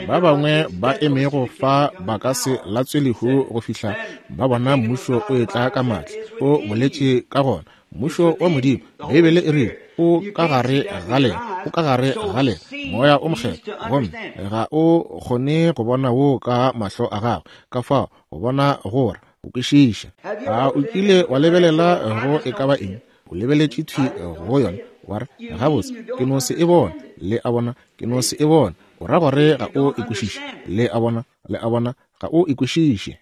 Ba bangwe ba emego fa ba ka se latswe lehu go fihla ba bona mmušo o etla ka matla. O boletše ka gona mmušo wa Modimo. Beibele e rile o ka gare ga lena, o ka gare ga lena moya o mokgethwa, gomme ga o kgone go bona wo ka mahlo a gago. Ka fao go bona gore o kwešiša. A o kile wa lebelela go e ka ba eng? O lebeletše thwi go yona wa re, gabotse ke no se e bone. Le a bona, ke no se e bone. O ra gore ga o e kwešiše. Le a bona, le a bona, ga o e kwešiše.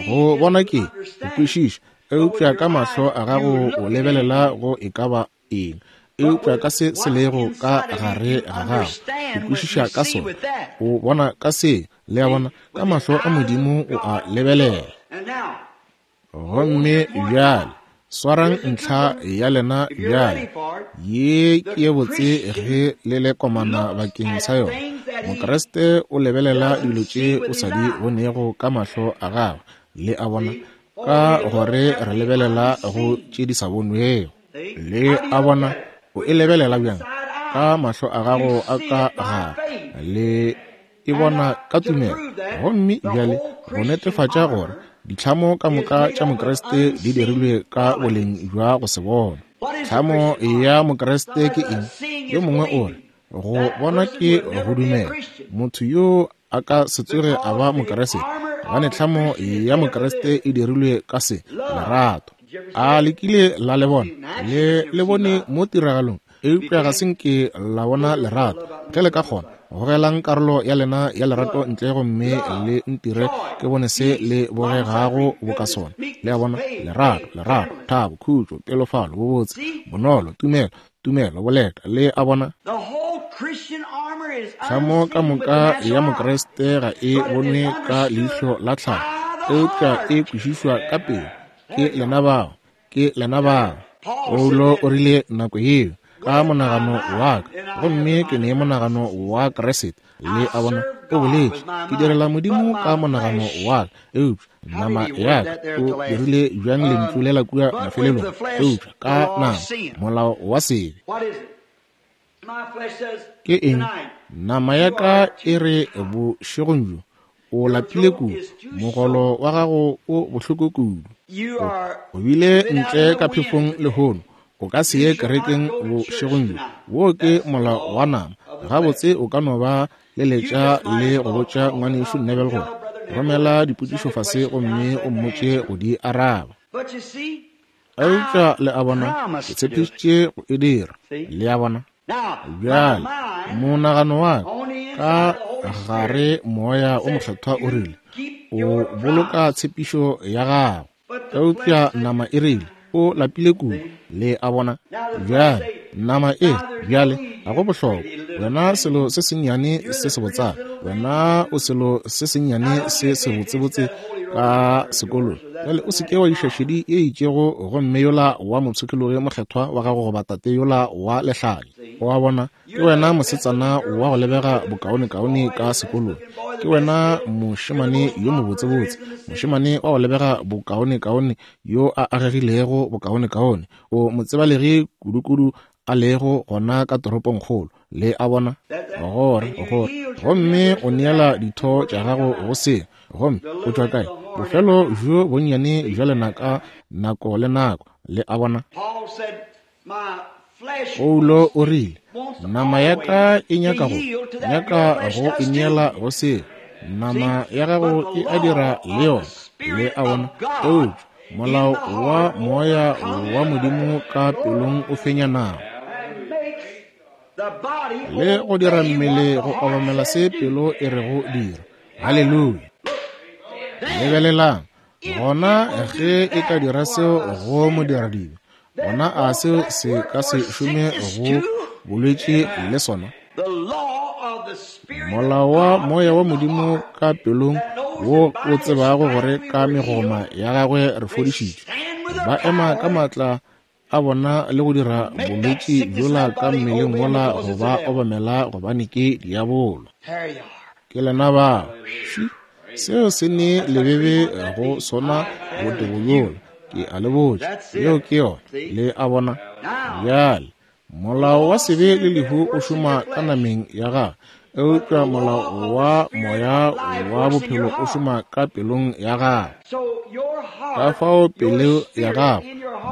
Go bona ke go kwešiša, eupša ka mahlo a gago o lebelela go e ka ba eng, eupša ka se se lego ka gare ga gago o kwešiša ka sona, o bona ka se. Le a bona, ka mahlo a Modimo o a lebelela. Gomme bjale swarang ntlha ya lena bjale, ye ke ye botse ge le le komana bakeng sa yona. Mokriste o lebelela dilo tše o sa di bonego ka mahlo a gagwe. Le a bona, ka gore re lebelela go tše di sa bonwego. Le a bona, o e lebelela bjang? Ka mahlo a gago a ka gare, le e bona ka tumelo. Gomme bjale go netefatša gore ditlhamo ka moka tša Mokriste di dirilwe ka boleng bja go se bona. Tlhamo ya Mokriste ke eng? Yo mongwe o re, go bona ke go dumela. Motho yo a ka se tsoge a ba Mokriste, gobane tlhamo ya Mokriste e dirilwe ka se, lerato. A le kile la le bona? Le le bone mo tiragalong, eupša ga se nke la bona lerato. Ge le ka kgona, gogelang karolo ya lena ya lerato ntle gomme le ntire ke bone se le bogegago boka sona. Le a bona, lerato, lerato, thabo, khutšo, pelofalo, bobotse, bonolo, tumelo, tumelo, boleta. Le a bona, tlhamo ka moka ya Mokriste ga e bonwe ka leihlo la tlhago, eupša e kwešišwa ka pelo. Ke lena bao, ke lena bao. Paulo o rile nako yeo, ka monagano wa ka, gomme ke ne monagano wa Kriste. Le a bona, o boletše, ke direla Modimo ka monagano wa ka, eupša nama ya ka. O dirile bjang lentšu lela kua mafelelong? Eupša ka nama, molao wa sebe. Ke eng? Nama ya ka e re bošegong bjo, o lapile kudu, mogolo wa gago o bohloko kudu. O bile ntle ka phefong lehono, o ka se ye kerekeng bošegong bjo. Wo ke molao wa nama. Gabotse o ka no ba leletša le go botša ngwanešu Neville gore romela dipotšišo fase gomme o mmotše go di araba. Eupša le a bona, ke tshepišitše go e dira. Le a bona? Bjale, monagano wa ka gare moya o mokgethwa o rile, o boloka tshepišo ya gago. Eupša nama e rile, o lapile kudu. Le a bona? Bjale, nama e, bjale, ga go bohlokwa. Wena selo se sennyane se sebotsana, wena o selo se sennyane se sebotsebotse ka sekolong. Bjale o se ke wa iša šedi e itšego gomme yola wa mopshikologi mokgethwa wa gago goba tate yola wa lehlanya. O a bona? Ke wena mosetsana wa go lebega bokaonekaone ka sekolong. Ke wena mošemane yo mobotsebotse, mošemane wa go lebega bokaonekaone yo a agegilego bokaonekaone. O motsebalegi kudukudu a lego gona ka toropongkgolo. Le a bona? Gore, gore. Gomme o neela ditho tša gago go se. Gomme o tšwa kae? Bofelo bjo bonnyane bja lenaka nako le nako. Le a bona? Paulo o rile, nama ya ka e nyaka go, nyaka go ineela go se. Nama ya gago e a dira le yona. Le a bona? Eupša molao wa moya wa Modimo ka pelong o fenya nama le go dira mmele go obamela se pelo e rego dira. Haleluya! Lebelelang, gona ge e ka dira seo go modiradibe, gona a seo se ka se šome go bolwetši le sona? Molao wa moya wa Modimo ka pelong wo o tsebago gore ka megoma ya gagwe re fodišitšwe, ba ema ka maatla a bona le go dira bolwetši bjola ka mmeleng wola go ba obamela gobane ke diabolo. Ke lena bao. Seo se ne lebebe go sona botebo bjola. Ke a le botša, yeo ke yona. Le a bona? Bjale, molao wa sebe le lehu o šoma ka nameng ya gago, eupša molao wa moya wa bophelo o šoma ka pelong ya gago. Ka fao pelo ya gago,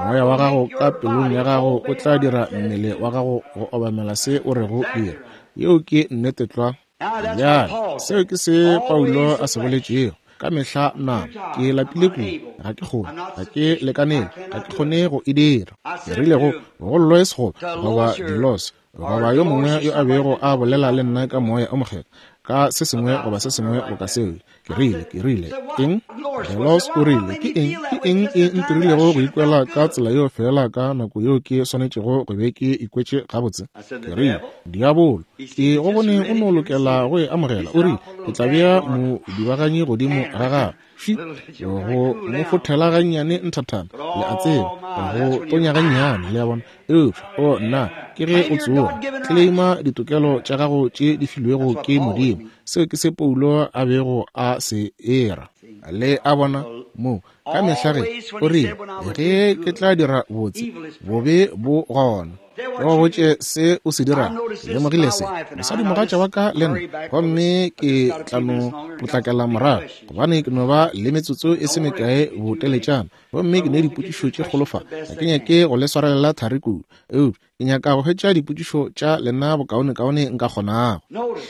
moya wa gago ka pelong ya gago o tla dira mmele wa gago go obamela se o rego dira. Yeo ke nnete tlwa. Bjale, seo ke se Paulo a se boletšego. Ka mehla nama, ke lapile kudu, ga ke kgone, ga ke lekanele, ga ke kgone go e dira. Ke rile go go Lois goba goba Dilos goba yo mongwe yo a bego a bolela le nna ka moya o mokgethwa ka se sengwe goba se sengwe boka seo. Ke rile, ke rile, eng? Delos o rile, ke eng, ke eng e ntirilego go ikwela ka tsela yeo fela ka nako yeo ke swanetšego go be ke ikwetše gabotse? Ke rile, diabolo, ke go bone o no lokela go e amogela. O rile, ke tla bea modibaganyi godimo ga gago. Fi, go mo fothela gannyane nthathana, le a tseba, go tonya gannyane, le a bona. Eupša, o nna, ke ge o tsoga, tleleima ditokelo tša gago tše di filwego ke Modimo. Seo ke se Paulo a bego a se era. Le a bona? Mo, ka mehla ge, o rile, ge ke tla dira botse, bobe bo gona. Ke go botše se o se dirago. Lemogile se, mosadimogatša wa ka le nna, gomme ke tla no potlakela morago, gobane ke no ba le metsotso e se mekae boteletšana, gomme ke ne dipotšišo tše kgolo fa. Ga ke nyake go le swarelela thari kudu, eupša ke nyaka go hwetša dipotšišo tša lena bokaonekaone nka kgonago.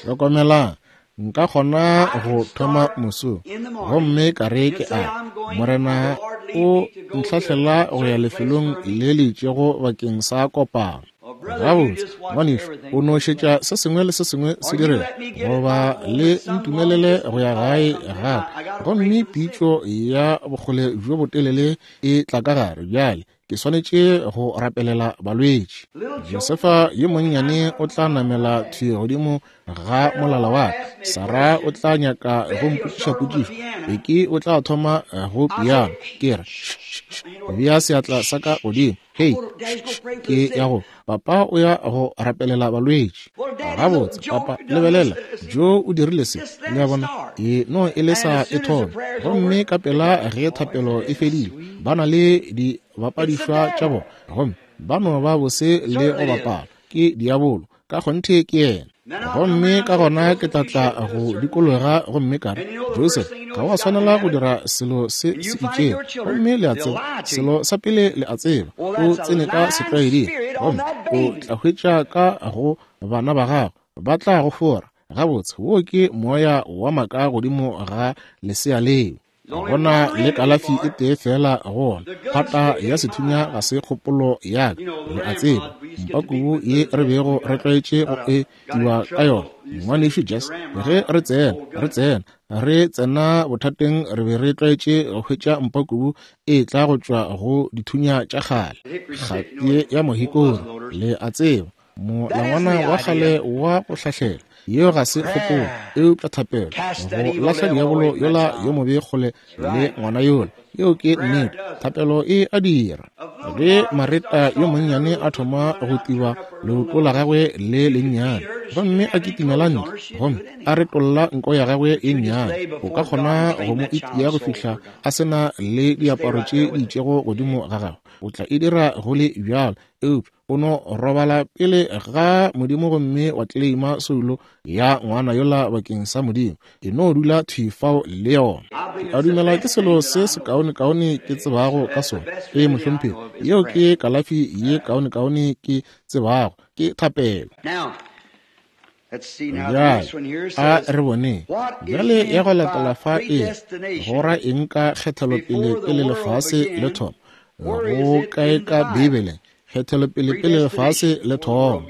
Hlokomelang, nka kgona go thoma moso gomme ka re ke a Morena o ntlhahlela go ya lefelong le le itšego bakeng sa kopano. Gabotse, ngwanešu, o no šetša se sengwe le se sengwe se direga, goba le ntumelele go ya gae gape, gomme pitšo ya bokgole bjo botelele e tla ka gare. Bjale ke swanetše go rapelela balwetši. Josefa yo monnyane o tla namela thwi godimo ga molala wa ka. Sara o tla nyaka go mpotšiša potšišo. Beki o tla thoma go piano. Ke re, bea seatla sa ka godimo. Hei, ke ya go papa o ya go rapelela balwetši. Gabotse, papa, lebelela, Joe o dirile se. Le a bona? E no e le sa e thoma. Gomme ka pela ge thapelo e fedile, ba na le dibapadišwa tša bona, gomme ba no ba bose le go bapala. Ke diabolo. Ka kgonthe ke yena. Gomme ka gona ke tla tla go dikologa gomme ka re, Joseph, ga wa swanela go dira selo se se itšego. Gomme le a tseba, selo sa pele le a tseba, o tsene ka setlwaeding, gomme o tla hwetša ka go bana ba gago, ba tla go fora. Gabotse, wo ke moya wa maka godimo ga lesea leo. Gona le kalafi e tee fela go ona. Phata ya sethunya ga se kgopolo ya ka, le a tseba. Mpakubu ye re bego re tlwaetše go e tiwa ka yona, ngwanešu Jess, ge re tsena, re tsena, re tsena bothateng, re be re tlwaetše go hwetša mpakubu e tla go tšwa go dithunya tša kgale. Kgati ya mohikori, le a tseba, molangwana wa kgale wa go hlahlela. Yeo ga se kgopolo, eupša thapelo go lahla diabolo yola yo mobe kgole le ngwana yola. Yeo ke nnete, thapelo e a dira. Ge Mareta yo monnyane a thoma go tiba leoto la gagwe le lennyane, gomme a kitimela ntle, gomme a retolla nko ya gagwe e nnyane, o ka kgona go mo itia go fihla a se na le diaparo tše di itšego godimo ga gagwe. O tla e dira go le bjalo, eupša o no robala pele ga Modimo gomme wa tleleima soulo ya ngwana yola bakeng sa Modimo. E no dula thwi fao le yona. Ke a dumela ke selo se sekaonekaone ke tsebago ka sona. Ee, mohlomphegi, yeo ke kalafi ye kaonekaone ke tsebago, ke thapelo. Bjale a re boneng bjale ya go latela fa e go ra eng ka kgethelopele pele lefase le thoma. Go kae ka Bibeleng kgethelopele pele lefase le thoma?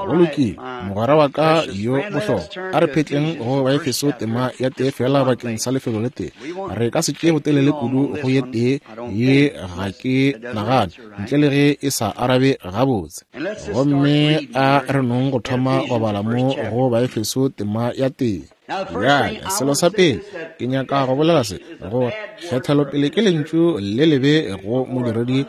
Go lokile, mogwera wa ka yo bohlokwa, a re phetleng go Baefeso tema ya tee fela bakeng sa lefelo le tee. Re ka se tšee botelele kudu go ye tee ye, ga ke nagane, ntle le ge e sa arabe gabotse. Gomme a re nong go thoma go bala mo go Baefeso tema ya tee. Bjale, selo sa pele ke nyaka go bolela se, gore kgethelopele ke lentšu le lebe go modiredi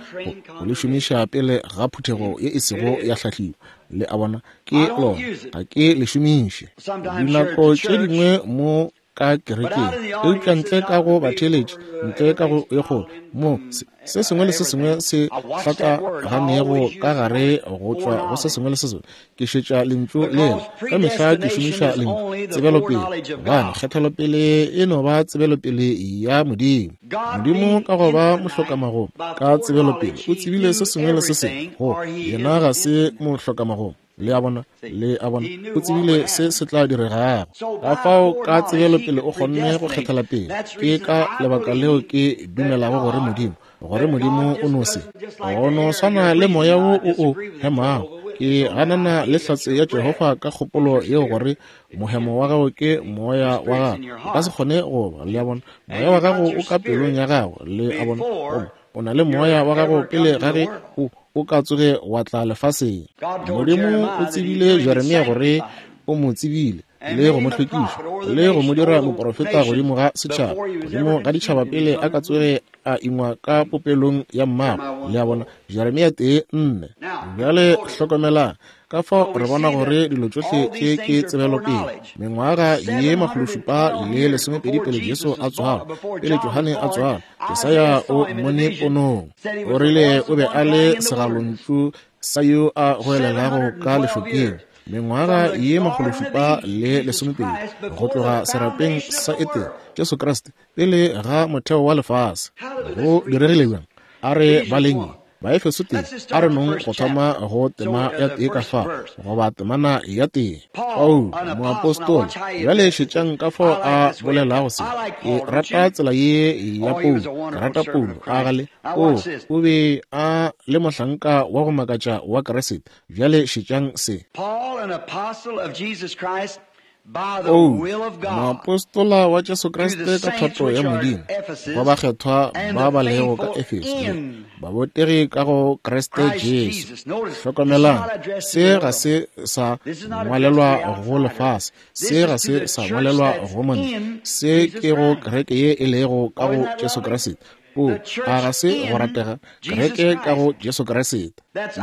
go le šomiša pele ga phuthego ye e sego ya hlahliwa. Le a bona, ke lona, ga ke le šomiše. Dinako tše dingwe mo ka kerekeng, eupša ntle ka go batheeletši, ntle ka go ye kgolo, mo se sengwe le se sengwe se hlakaganego ka gare go tšwa go se sengwe le se sengwe, ke šetša lentšu lela. Ka mehla ke šomiša lentšu tsebelopele, gobane kgethelopele e no ba tsebelopele ya Modimo. Modimo ka go ba mohlokamagomo ka tsebelopele o tsebile se sengwe le se sengwe, go yena ga se mohlokamagomo. Le a bona, le a bona, o tsebile se se tla diregago. Ka fao ka tsebelopele o kgonne go kgethela pele. Ke ka lebaka leo ke dumelago gore Modimo, gore Modimo o no se go no swana le moya wo o o hemago. Ke ganana le hlatse ya Jehofa ka kgopolo yeo gore mohemo wa gago ke moya wa gago. O ka se kgone go ba, le a bona, moya wa gago o ka pelong ya gago, le a bona, o na le moya wa gago pele ga ge o o ka tsoge wa tla lefaseng. Modimo o tsebile Jeremia gore o mo tsebile le go mo hlwekiša le go mo dira moprofeta godimo ga setšhaba, godimo ga ditšhaba pele a ka tsoge a ingwa ka popelong ya mmago. Le a bona, Jeremia tee nne. Bjale hlokomelang, ka fao re bona gore dilo tšohle tše ke tsebelopele. Mengwaga ye makgološupa le lesomepedi pele Jesu a tswalwa, pele Johane a tswalwa, Jesaya o mmone ponong. O rile o be a le segalontšu sa yo a goelelago ka lešokeng. Mengwaga ye makgološupa le lesomepedi go tloga serapeng sa Etene, Jesu Kriste pele ga motheo wa lefase. Go diregile bjang? A re baleng Baefeso tee, a re nong go thoma go tema ya tee ka fa, goba temana ya tee. Paulo moapostola, bjale šetšang ka fao a bolelago se. Ke rata tsela ye ya Paulo, ke rata Paulo, a gale o o be a le mohlanka wa go makatša wa Kriste. Bjale šetšang se. O moapostola wa Jesu Kriste ka thato ya Modimo, go bakgethwa ba ba lego ka Efeso, babotegi ka go Kriste Jesu. Hlokomelang, se ga se sa ngwalelwa go lefase, se ga se sa ngwalelwa go monna, se ke go kereke ye e lego ka go Jesu Kriste. O, a ga se go ratega? Kereke ka go Jesu Kriste.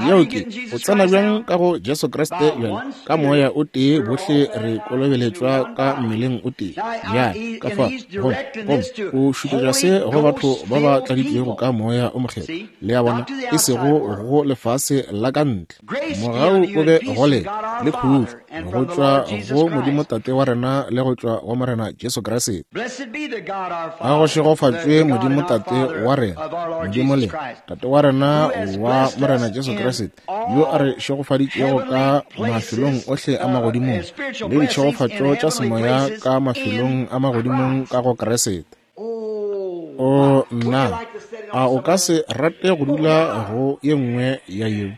Yeo ke, o tsena bjang ka go Jesu Kriste bjale? Ka moya o tee bohle re kolobeletšwa ka mmeleng o tee. Bjale, ka fa, gomme, gomme o šupetša se go batho ba ba tladitšwego ka moya o mokgethwa. Le a bona, e sego go lefase la ka ntle. Mogau o be go lena le khutšo go tšwa go Modimo Tate wa rena le go tšwa go Morena Jesu Kriste. A go šegofatšwe Modimo Tate wa rena, Modimo le Tate wa rena wa Morena Jesu Kriste, yo a re šegofaditšego ka mafelong ohle a magodimong le ditšhegofatšo tša semoya ka mafelong a magodimong ka go Kriste. O nna, a o ka se rate go dula go ye nngwe ya yeo?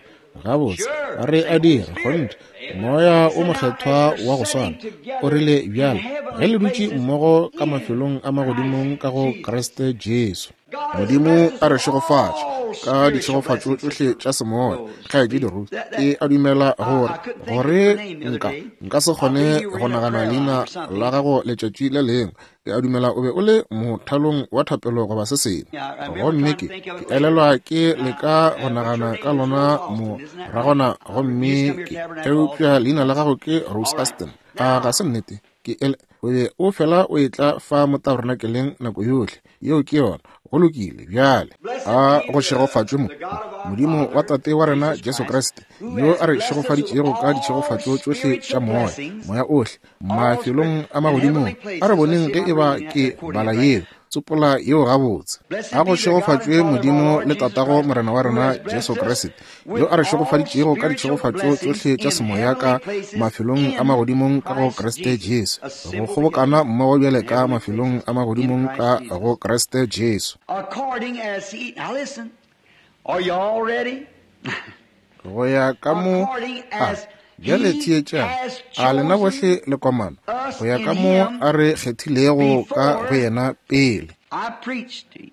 Gabotse, re a dira, kgonthe. Moya o mokgethwa wa go swana o rile bjale ge le dutše mmogo ka mafelong a magodimong ka go Kriste Jesu. Modimo a re šegofatše ka ditšhegofatšo tšohle tša semoya. Kgaetšedi Ruth, ke a dumela gore gore nka nka se kgone go nagana leina la gago letšatši le lengwe. Ke a dumela o be o le mothalong wa thapelo goba se sengwe. Gomme ke ke elelwa ke leka go nagana ka lona moragona, gomme ke eupša leina la gago ke Rose Aston. A ga se nnete? Ke ele o be o fela o etla fa mo tabernakeleng nako yohle. Yeo ke yona. Go lokile bjale. A go šegofatšwe mo Modimo wa Tate wa rena Jesu Kriste, yo a re šegofaditšego ka ditšhegofatšo tšohle tša moya, moya ohle mafelong a magodimong. A re boneng ge eba ke bala yeo, tsopola yeo gabotse. A go šegofatšwe Modimo le Tatago Morena wa rena Jesu Kriste, yo a re šegofaditšego ka ditšhegofatšo tšohle tša semoya ka mafelong a magodimong ka go Kriste Jesu. Go kgobokana mmogo bjale ka mafelong a magodimong ka go Kriste Jesu. According as he, now listen, are you all ready? Go ya ka mo a bjale theetšang, a lena bohle le komana, go ya ka mo a re kgethilego ka go yena pele. I preached to you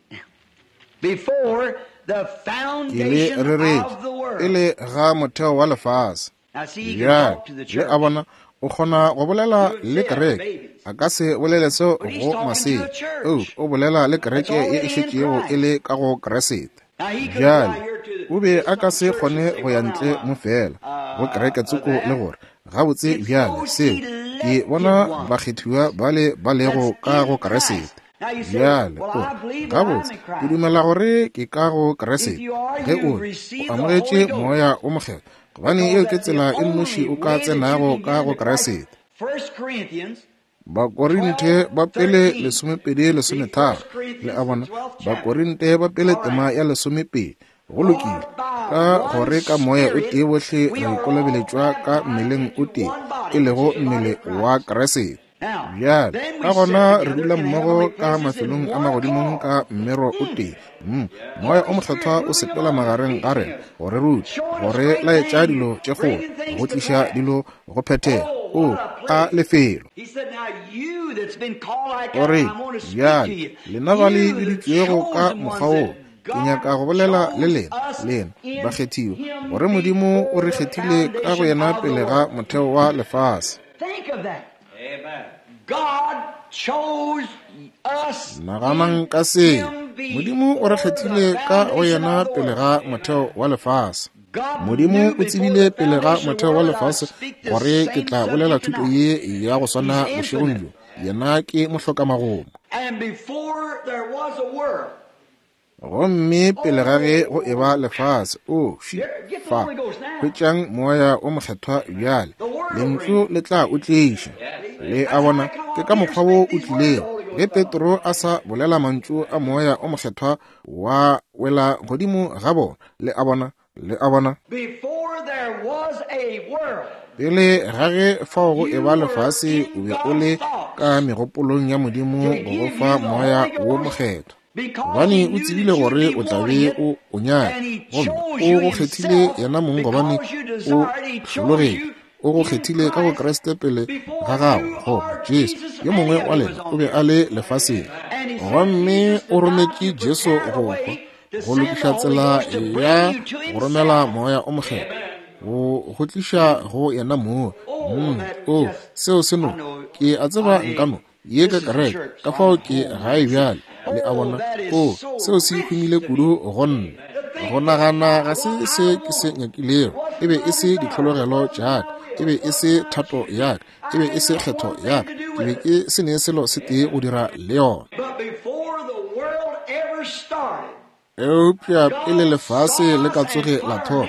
before the Ke le foundation reretše of the world. pele ga motheo wa lefase. Now see, he can Bjale talk to the le church. a bona, o kgona go bolela le kereke. A ka se bolele seo go masea. O o bolela le kereke ye e šetšego e le ka go Kriste. Now he could go out Bjale here to o be a ka some se church and kgone say, go ya well, now, ntle mo fela go kereke uh, tsoko le that. gore gabotse It's bjale those seo ke bona elected ones bakgethiwa bale ba lego that's ka go in Kriste. Christ. Now you say, Bjale well, o I believe that I'm gabotse in ke Christ. dumela gore ke ka go If Kriste. you are, Ge you o o receive the amogetše Holy Ghost. moya o mokgethwa, gobane Because yeo ke that's the tsela e nnoši only o ka way that you tsenago can ka get go into Christ. Kriste. First Corinthians Bakorinthe ba pele twelve thirteen. lesomepedi The lesometharo. First Le Corinthians, a the bona, twelfth chapter. Bakorinthe ba pele All tema right. ya lesomepedi. Go For lokile, by ka one gore ka moya o Spirit tee bohle we re are all kolobeletšwa ka baptized mmeleng o into tee, one e body, which lego is the body mmele of wa Christ. Kriste. Now, Bjale then ka we sit gona re together dula in mmogo heavenly ka places in mafelong a one magodimong accord. ka mmero o Mm. tee. Mm. Moya o Holy mokgethwa Spirit o moving sepela among us, magareng ga teaching rena us, go re ruta, showing go us re great laetša things, dilo tše kgolo, bringing things go to tliša pass. dilo go phethega. Oh, O what a a place. lefelo. He said, now you that's been called like O that, re I'm going to speak to bjale you. lena ba le You, the biditšwego ka chosen ones mokgwa wo, that ke God nyaka go bolela le chose lena, us lena in bakgethiwa, him gore Modimo o before re the kgethile ka go foundation yena of the pele ga world. motheo wa lefase. Think of that. Amen. God chose us in Naganang ka seo. him Modimo o re before the kgethile ka go foundation yena of the pele world. ga motheo wa lefase. God Modimo knew o before tsebile the pele ga foundation of the motheo wa world that I'd lefase speak the gore ke same tla bolela subject thuto tonight. ye ya go He's swana bošegong infinite. bjo. Yena ke mohlokamagoma. And before there was a world, Gomme pele ga ge go eba oh, lefase, o ši here, get the fa, Holy Ghost now. hwetšang moya o mokgethwa bjale. The Word will Lentšu bring it. le tla o tliša. Le That's a how bona, I come ke up ka here, mokgwa wo speak o these words, the tlilego. Holy Ge Ghost fell on. Petro a sa bolela mantšu a moya o mokgethwa wa wela godimo ga bona. Le a bona, le a bona. Before there was a world, Pele ga ge fao go you eba were lefase, o in be o God's le thoughts ka megopolong ya Modimo to go go give fa you the moya Holy wo Ghost mokgethwa. because Gobane he o knew tsebile that you'd gore be o tla wanting be it, o o nyaka, and he gomme chose o you go kgethile himself yena mong gobane because you o desired. He chose hlologetše. you O go in kgethile ka go Christ Kriste pele ga before gago, you goba or Jesu Jesus yo any mongwe of wa you lena was o on be the a earth. le lefaseng. And he sent Gomme Jesus o to die to rometše Jesu prepare the go hwa, way to go send the lokiša Holy tsela Ghost to ya bring you to go romela himself. moya o mokgethwa, go go tliša go yena moo. Oh, Mm, that o just, seo se I no know, ke a I tseba nka mean, no ye ka this is a kereke church, ka so fao I'm ke home. gae bjale. Le a bona? O, seo se humile kudu go nna. Go nagana ga se se ke se nyakilego. E be e se ditlhologelo tša ka, e be e se thato ya ka, e be e se kgetho ya ka. Ke be ke se ne selo se tee go dira le yona. Eupša pele lefase le ka tsoge la thoma,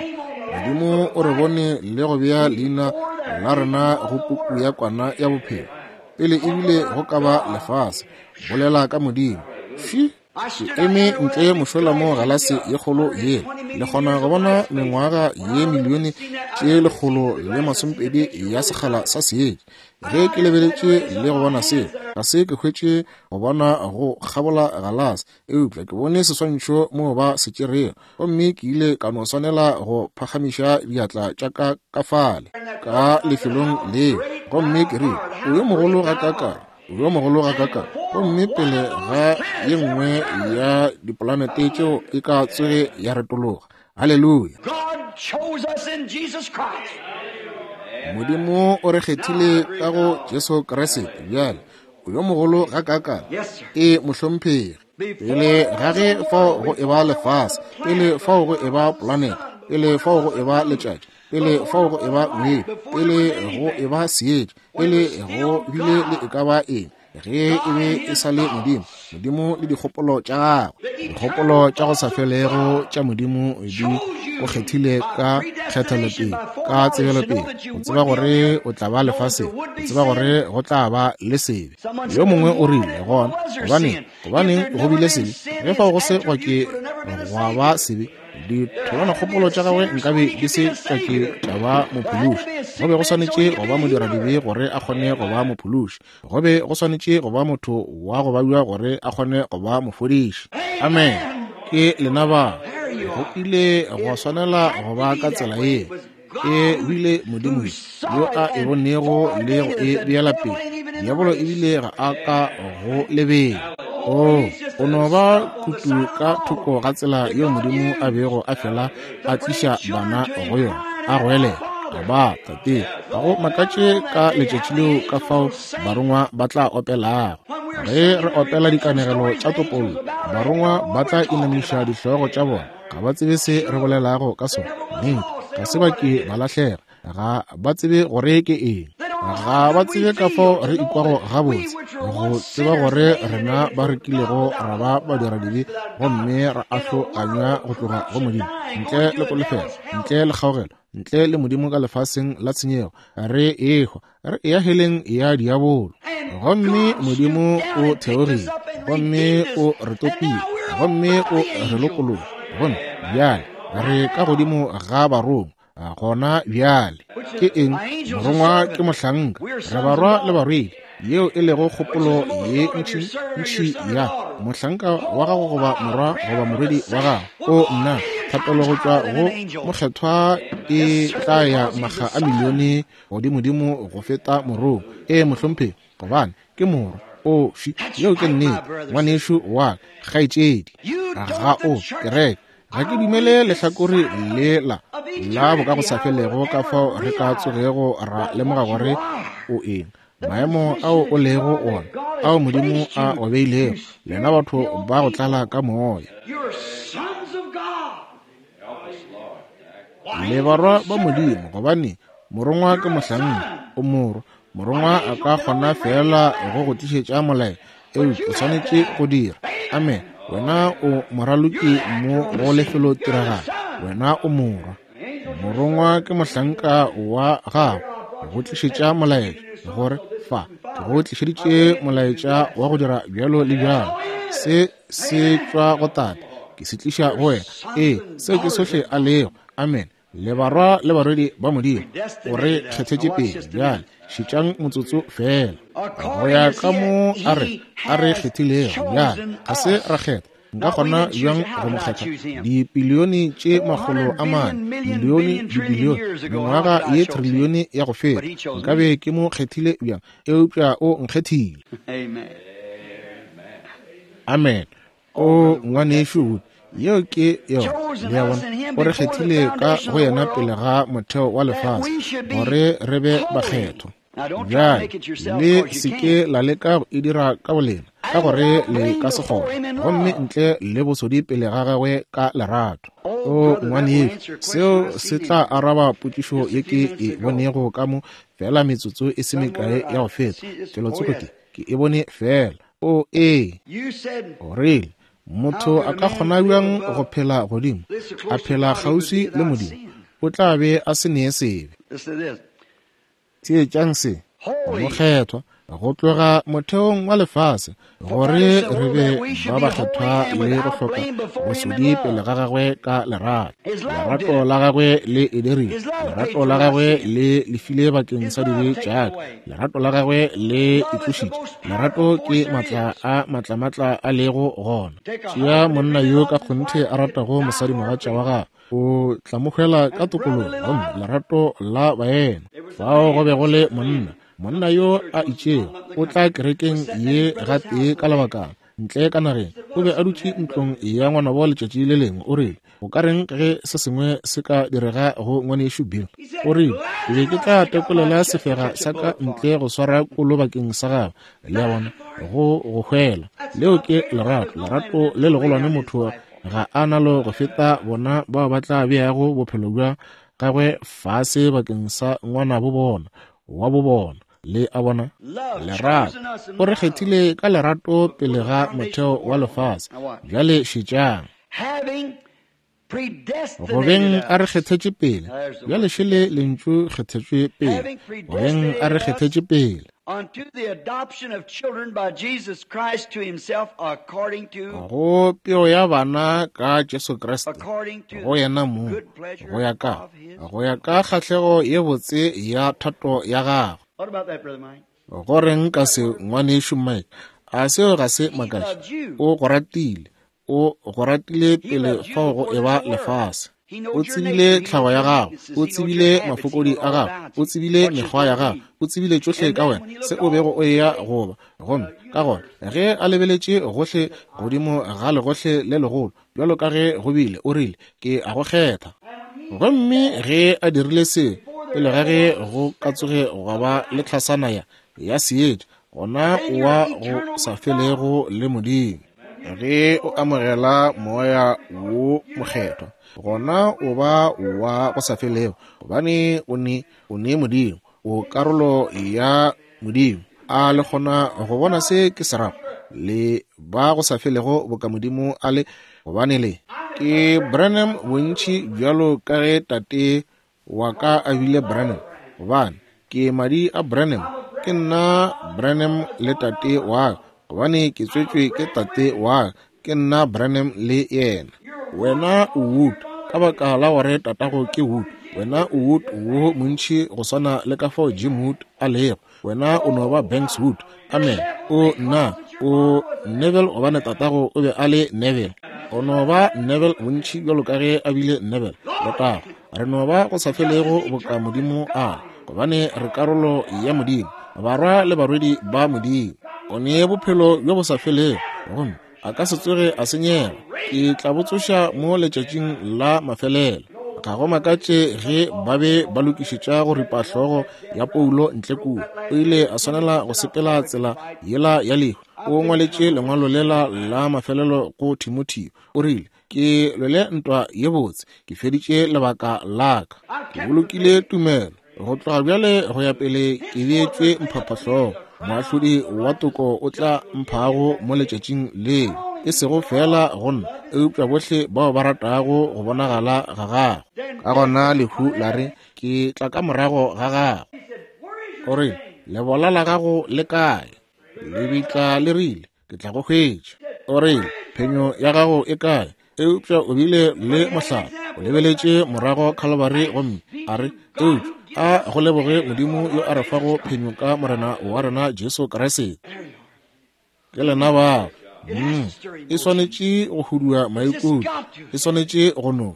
Modimo o re bone le go bea leina la rena go puku ya kwana ya bophelo. Pele ebile go ka ba lefase, bolela ka Modimo. Fi, ke eme ntle mošola mo galase ye kgolo yela. Le kgona go bona mengwaga ye milione tše lekgolo le masomepedi ya sekgala sa seetša. Ge ke lebeletše le go bona seo, ga se ke hwetše go bona go kgabola galase, eupša ke bone seswantšho mo ba se tšerego, gomme ke ile ka no swanela go phagamiša diatla tša ka ka fale ka lefelong leo, gomme ke rile, o yo mogolo gakaakang, o yo mogolo gakaakang. Gomme pele ga ye nngwe ya dipolanete tšeo e ka tsoge ya retologa. Haleluya! Modimo o re kgethile ka go Jesu Kriste. Bjale o yo mogolo gakaakang. E mohlomphegi. Pele ga ge fao go eba lefase, pele fao go eba polanete, pele fao go eba letšatši, pele fao go eba ngwedi, pele go eba seetša, pele go bile le e ka ba eng, ge e be e sa le Modimo, Modimo le dikgopolo tša gagwe, dikgopolo tša go sa felego tša Modimo di o kgethile ka kgethelopele, ka tsebelopele, go tseba gore o tla ba lefaseng, go tseba gore go tla ba le sebe. Yo mongwe o rile gona, gobaneng, gobaneng go bile sebe? Ge fao go se gwa ke gwa ba sebe, ditholwanakgopolo tša gagwe nkabe di se tša ke tša ba mophološi. Go be go swanetše go ba modiradibe gore a kgone go ba mophološi. Go be go swanetše go ba motho wa go babja gore a kgone go ba mofodiši. Amen. Ke lena ba. Go ile gwa swanela go ba ka tsela ye. E bile Modimo yo a e bonego le go e beela pele. Diabolo ebile ga a ka go lebela. O, o no ba kutu ka thoko ga tsela yeo Modimo a bego a fela a tliša bana go yona, a goelela, Aba, Tate. Ga go makatše ka letšatši leo ka fao barongwa ba tla opelago. Ge re opela dikanegelo tša topollo, barongwa ba tla inamiša dihlogo tša bona. Ga ba tsebe se re bolelago ka sona. Nnete, ga se ba ke ba lahlega. Ga ba tsebe gore ke eng. Ga ba tsebe ka fao re ikwago gabotse, go tseba gore rena ba re kilego ra ba badiradibe gomme ra ahloganywa go tloga go Modimo, ntle le kolofelo, ntle le kgaogelo, ntle le Modimo ka lefaseng la tshenyego, re ehwa, re eya heleng ya diabolo. Gomme Modimo o theogile, gomme o re topile, gomme o re lokolola. Gomme bjale re ka godimo ga barongwa. Gona bjale ke eng? Morongwa ke mohlanka, re barwa le barwedi, yeo e lego kgopolo ye ntši ntši ya mohlanka wa gago goba morwa goba morwedi wa gago. O nna, thapelo go tšwa go mokgethwa e tla ya makga a milione godimodimo go feta morongwa. E mohlomphegi, gobane ke morwa. O fi, yeo ke nnete, ngwanešu wa ka, kgaetšedi. Ga o kereke. Ga ke dumele lehlakore lela la bokagosafelego ka fao re ka tsogego ra lemoga gore o eng, maemo ao o lego ona, ao Modimo a o beilego, lena batho ba go tlala ka moya. Le barwa ba Modimo, gobane morongwa ke mohlanka, o morwa. Morongwa a ka kgona fela go go tlišetša molaetša, eupša o swanetše go dira. Amen. Wena o moraloki mo go lefelo tiragalo. Wena o morwa. Morongwa ke mohlanka wa gago go tlišetša molaetša, gore fa ke go tlišeditše molaetša wa go dira bjalo le bjalo. Se se tšwa go Tate, ke se tliša go wena. Ee, seo ke sohle a lego. Amen. Le barwa le barwedi ba Modimo, o re kgethetše pele. Bjale šetšang motsotso fela. Go ya ka mo a re a re kgethilego. Bjale ga se ra kgetha. Nka kgona bjang go mo kgetha? Dipilione tše makgolo a mane, milione, dibilione, mengwaga ye trilione ya go feta, nkabe ke mo kgethile bjang? Eupša o nkgethile. Amen. O ngwanešu, yeo ke yona. Le a bona, o re kgethile ka go yena pele ga motheo wa lefase, gore re be bakgethwa. Bjale le se ke la leka go e dira ka bolena, ka gore le ka se kgone, gomme ntle le bosodi pele ga gagwe ka lerato. O ngwanešu, seo se tla araba potšišo ye ke e bonego ka mo fela metsotso e se mekae ya go feta. Felotsoko ke, ke e bone fela. O ee, o rile, motho a ka kgona bjang go phela godimo, a phela kgauswi le Modimo, o tla be a se nee sebe. Theetšang se, mokgethwa, go tloga motheong wa lefase, gore re be ba bakgethwa le go hloka bosodi pele ga gagwe ka lerato. Lerato la gagwe le e dirile, lerato la gagwe le lefile bakeng sa dibe tša ka, lerato la gagwe le itlošitše. Lerato ke matla a matlamatla a lego gona. Tšea monna yo ka kgonthe a ratago mosadimogatša wa gagwe, o tla mo hwela ka tokologo, gomme lerato la baena. Fao go be go le monna, monna yo a itšego, o tla kerekeng ye gatee ka lebakana, ntle ka nageng. O be a dutše ntlong ya ngwanabo letšatši le lengwe. O rile, o ka reng ge se sengwe se ka direga go ngwanešu Bill? O rile, ke be ke tla tekolela sefega sa ka ntle go swara kolo bakeng sa gagwe. Le a bona, go go hwela. Leo ke lerato, lerato le legolwane motho ga a nalo go feta bona bao ba tla beago bophelo bja gagwe fase bakeng sa ngwanabo bona, wa bo bona. Le a bona, lerato. O re kgethile ka lerato pele ga motheo wa lefase. Bjale šetšang. Go beng a re kgethetše pele. Bjale šele lentšu kgethetšwe pele. Go beng a re kgethetše pele. Unto the adoption of children by Jesus Christ to himself, according to go peo ya bana ka Jesu Kriste, according to go yena mong, good pleasure go ya ka of his. go ya ka kgahlego ye botse ya thato ya gagwe. What about that, Brother Mike? Go reng ka se, ngwanešu Mike? A seo ga se makatše? O go ratile, o go ratile pele fao go eba lefase. O tsebile tlhago ya gago, o tsebile mafokodi a gago, o tsebile mekgwa ya gago, o tsebile tšohle ka wena, se o bego o eya goba. Gomme ka gona ge a lebeletše gohle godimo ga legohle le legolo, bjalo ka ge go bile, o rile, ke a go kgetha. Gomme ge a dirile se, pele ga ge go ka tsoge gwa ba le tlhasana ya ya seetša, gona o wa go sa felego le Modimo. Ge o amogela moya wo mokgethwa, gona o ba wa go sa felego, gobane o ne o ne Modimo, o karolo ya Modimo. A le kgona go bona se ke se rago? Le ba go sa felego boka Modimo a le, gobane le ke Branham bontši bjalo ka ge tate wa ka a bile Branham, gobane ke madi a Branham, ke nna Branham le tate wa ka, gobane ke tswetšwe ke tate wa ka, ke nna Branham le yena. Wena o Wood ka baka la gore tatago ke Wood. Wena o Wood wo montši go swana le ka fao Jim Wood a lego. Wena o no ba Banks Wood. Amen. O nna o Neville gobane tatago o be a le Neville. O no ba Neville bontši bjalo ka ge a bile Neville. Letago. Re no ba go sa felego boka Modimo a le, gobane re karolo ya Modimo, barwa le barwedi ba Modimo. O nee bophelo bjo bo sa felego, gomme a ka se tsoge a senyega. Ke tla bo tsoša mo letšatšing la mafelelo. Ga go makatše ge ba be ba lokišetša go ripa hlogo ya Paulo ntle kua. O ile a swanela go sepela tsela yela ya lehu. O ngwaletše lengwalo lela la mafelelo go Timotheo. O rile, ke lwele ntwa ye botse, ke feditše lebaka la ka, ke bolokile tumelo. Go tloga bjale go ya pele ke beetšwe mphaphahlogo. Moahlodi wa toko o tla mphago mo letšatšing leo, e sego fela go nna, eupša bohle bao ba ratago go bonagala ga gagwe. Ka gona lehu la re, ke tla ka morago ga gago. O rile, lebola la gago le kae? Lebitla le rile, ke tla go hwetša. O rile, phenyo ya gago e kae? Eupša o bile le mohlala. O lebeletše morago Calvary gomme a re, eupša a go leboge Modimo yo a re fago phenyo ka Morena wa rena Jesu Kriste. Ke lena bao. Mm. E swanetše go hudua maikutlo, e swanetše go no.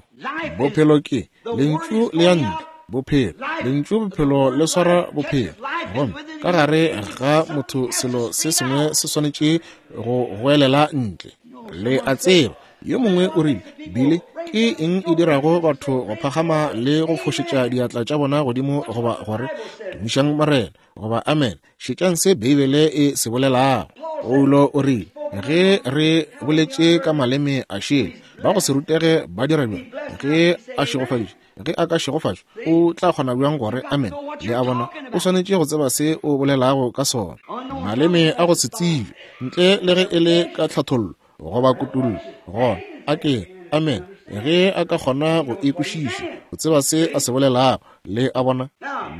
Bophelo ke lentšu le ya ntle, bophelo. Lentšu bophelo le swara bophelo. Gomme ka gare ga motho selo se sengwe se swanetše go goelela ntle. Le a tseba, yo mongwe o rile, Billy, Ke eng e dirago batho go phagama le go fošetša diatla tša bona godimo goba gore tumišang Morena goba amen? Šetšang se Beibele e se bolelago. Paulo o rile, ge re boletše ka maleme a šele, ba go se rutege ba dira bjang? Ge a šegofaditše, ge a ka šegofatšwa, o tla kgona bjang gore amen? Le a bona, o swanetše go tseba se o bolelago ka sona. Maleme a go se tsebe, ntle le ge e le ka tlhathollo goba kutullo, gona a ke amen. Ge a ka kgona go e kwešiša, go tseba se a se bolelago. Le a bona?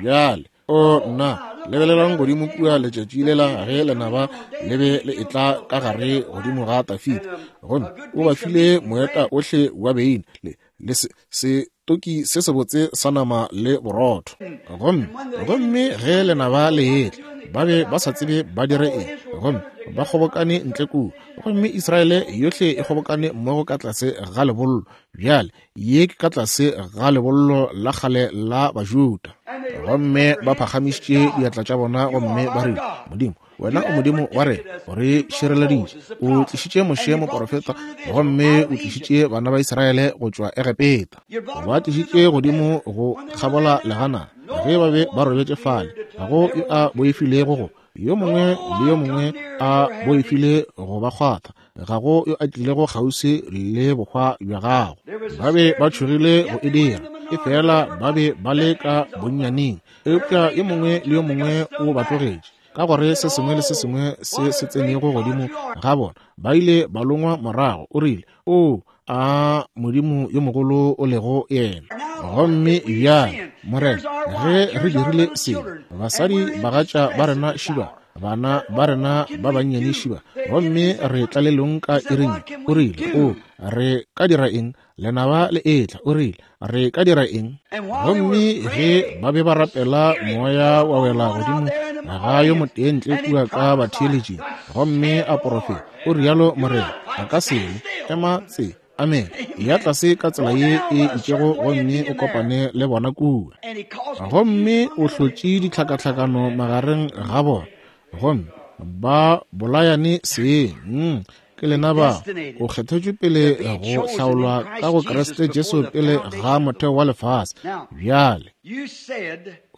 Bjale, o nna, lebelelang godimo kua letšatši lela ge lenaba le be le etla ka gare godimo ga Dafida, gomme o ba file moeta ohle wa beine le le setoki se sebotse sa nama le borotho. Gomme gomme ge lenaba le etla, ba be ba sa tsebe ba dire eng, gomme ba kgobokane ntle kua, gomme Israele yohle e kgobokane mmogo ka tlase ga lebollo. Bjale ye ke ka tlase ga lebollo la kgale la Bajuda, gomme ba phagamišitše diatla tša bona gomme ba rile, Modimo, wena o Modimo wa rena, o re šireleditše, o tlišitše Moshe moporofeta, gomme o tlišitše bana ba Israele go tšwa Egepeta, ba tlišitše godimo go kgabola legana. Ge ba be ba robetše fale, ga go yo a boifilego go yo mongwe le yo mongwe a boifile go ba kgwatha, ga go yo a tlilego kgauswi le bohwa bja gago. Ba be ba tšhogile go e dira, efela ba be ba le ka bonnyaneng, eupša yo mongwe le yo mongwe o ba tlogetše, ka gore se sengwe le se sengwe se se tsenego godimo ga bona ba ile ba longwa morago. O rile, o a Modimo yo mogolo o lego yena. Gomme bjale, Morena, ge re dirile sebe, basadi bagatša ba rena šiba, bana ba rena ba bannyane šiba, gomme re tlalelong ka iring. O rile, o re ka dira eng? Lenaba le etla. O rile, re ka dira eng? Gomme ge ba be ba rapela, moya wa wela godimo ga yo motee ntle kua ka batheeletšing, gomme a porofeta. O rialo Morena, a ka sele ema tse. Amen. Ya tlase ka tsela ye e itšego gomme o kopane le bona kua. Gomme o hlotše ditlhakatlhakano magareng ga bona, gomme ba bolayane seng. Mm. Ke lena ba o kgethetšwe pele go hlaolwa ka go Kriste Jesu pele ga motheo wa lefase. Bjale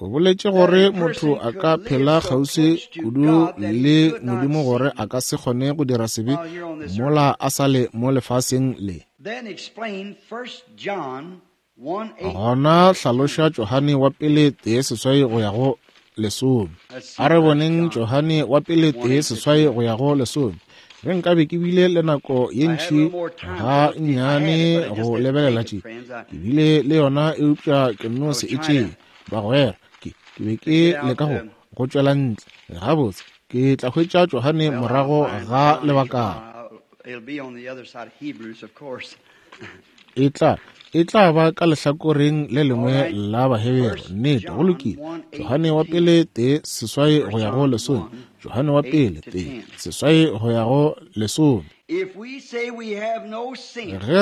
o boletše gore motho a ka phela kgauswi kudu le Modimo gore a ka se kgone go dira sebe mola a sa le mo lefaseng le. Gona hlaloša Johane wa pele tee seswai go ya go lesome. A re boneng Johane wa pele tee seswai go ya go lesome. Ge nkabe ke bile le nako ye ntši ga nnyane go lebelela tše, ke bile le yona, eupša ke no se e tšee. Bagwera, ke ke be ke leka go go tšwela ntle. Gabotse, ke tla hwetša Johane morago ga lebakana. E tla e tla ba ka lehlakoreng le lengwe la Bahebere. Nnete, go lokile. Johane wa pele tee seswai go ya go lesome. Johane wa pele tee seswai go ya go lesome. Ge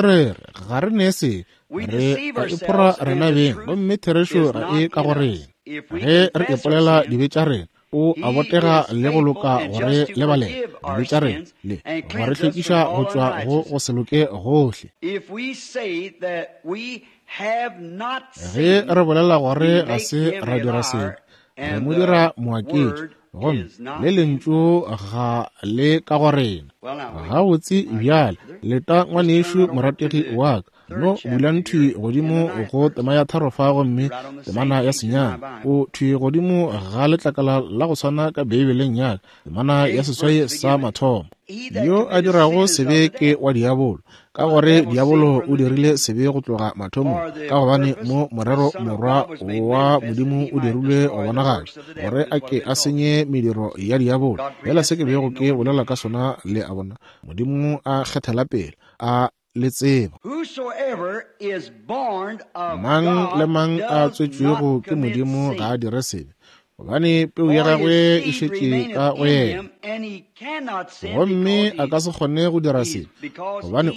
re re ga re ne sebe, re a iphora rena beng, gomme therešo ga e ka go rena. Ge re ipolela dibe tša rena, o a botega le go loka gore lebalele dibe tša rena le go re hlwekiša go tšwa go go se loke gohle. Ge re bolela gore ga se ra dira sebe, re mo dira moaketši, gomme le lentšu ga le ka go rena. Gabotse bjale, leta ngwanešu morategi wa ka, no bulang thwi godimo go tema ya tharo fa, gomme temana ya senyane o thwi godimo ga letlakala la go swana ka Beibeleng ya ka, temana ya seswai sa mathomo. Yo a dirago sebe ke wa diabolo, ka gore diabolo o dirile sebe go tloga mathomong, ka gobane mo morero morwa wa Modimo o dirilwe go bonagatša, gore a ke a senye mediro ya diabolo. Fela se ke bego ke bolela ka sona, le a bona, Modimo a kgethela pele, a le tseba. Mang le mang a tswetšwego ke Modimo ga a dire sebe, gobane peu ya gagwe e šetše ka go yena, gomme a ka se kgone go dira sebe, gobane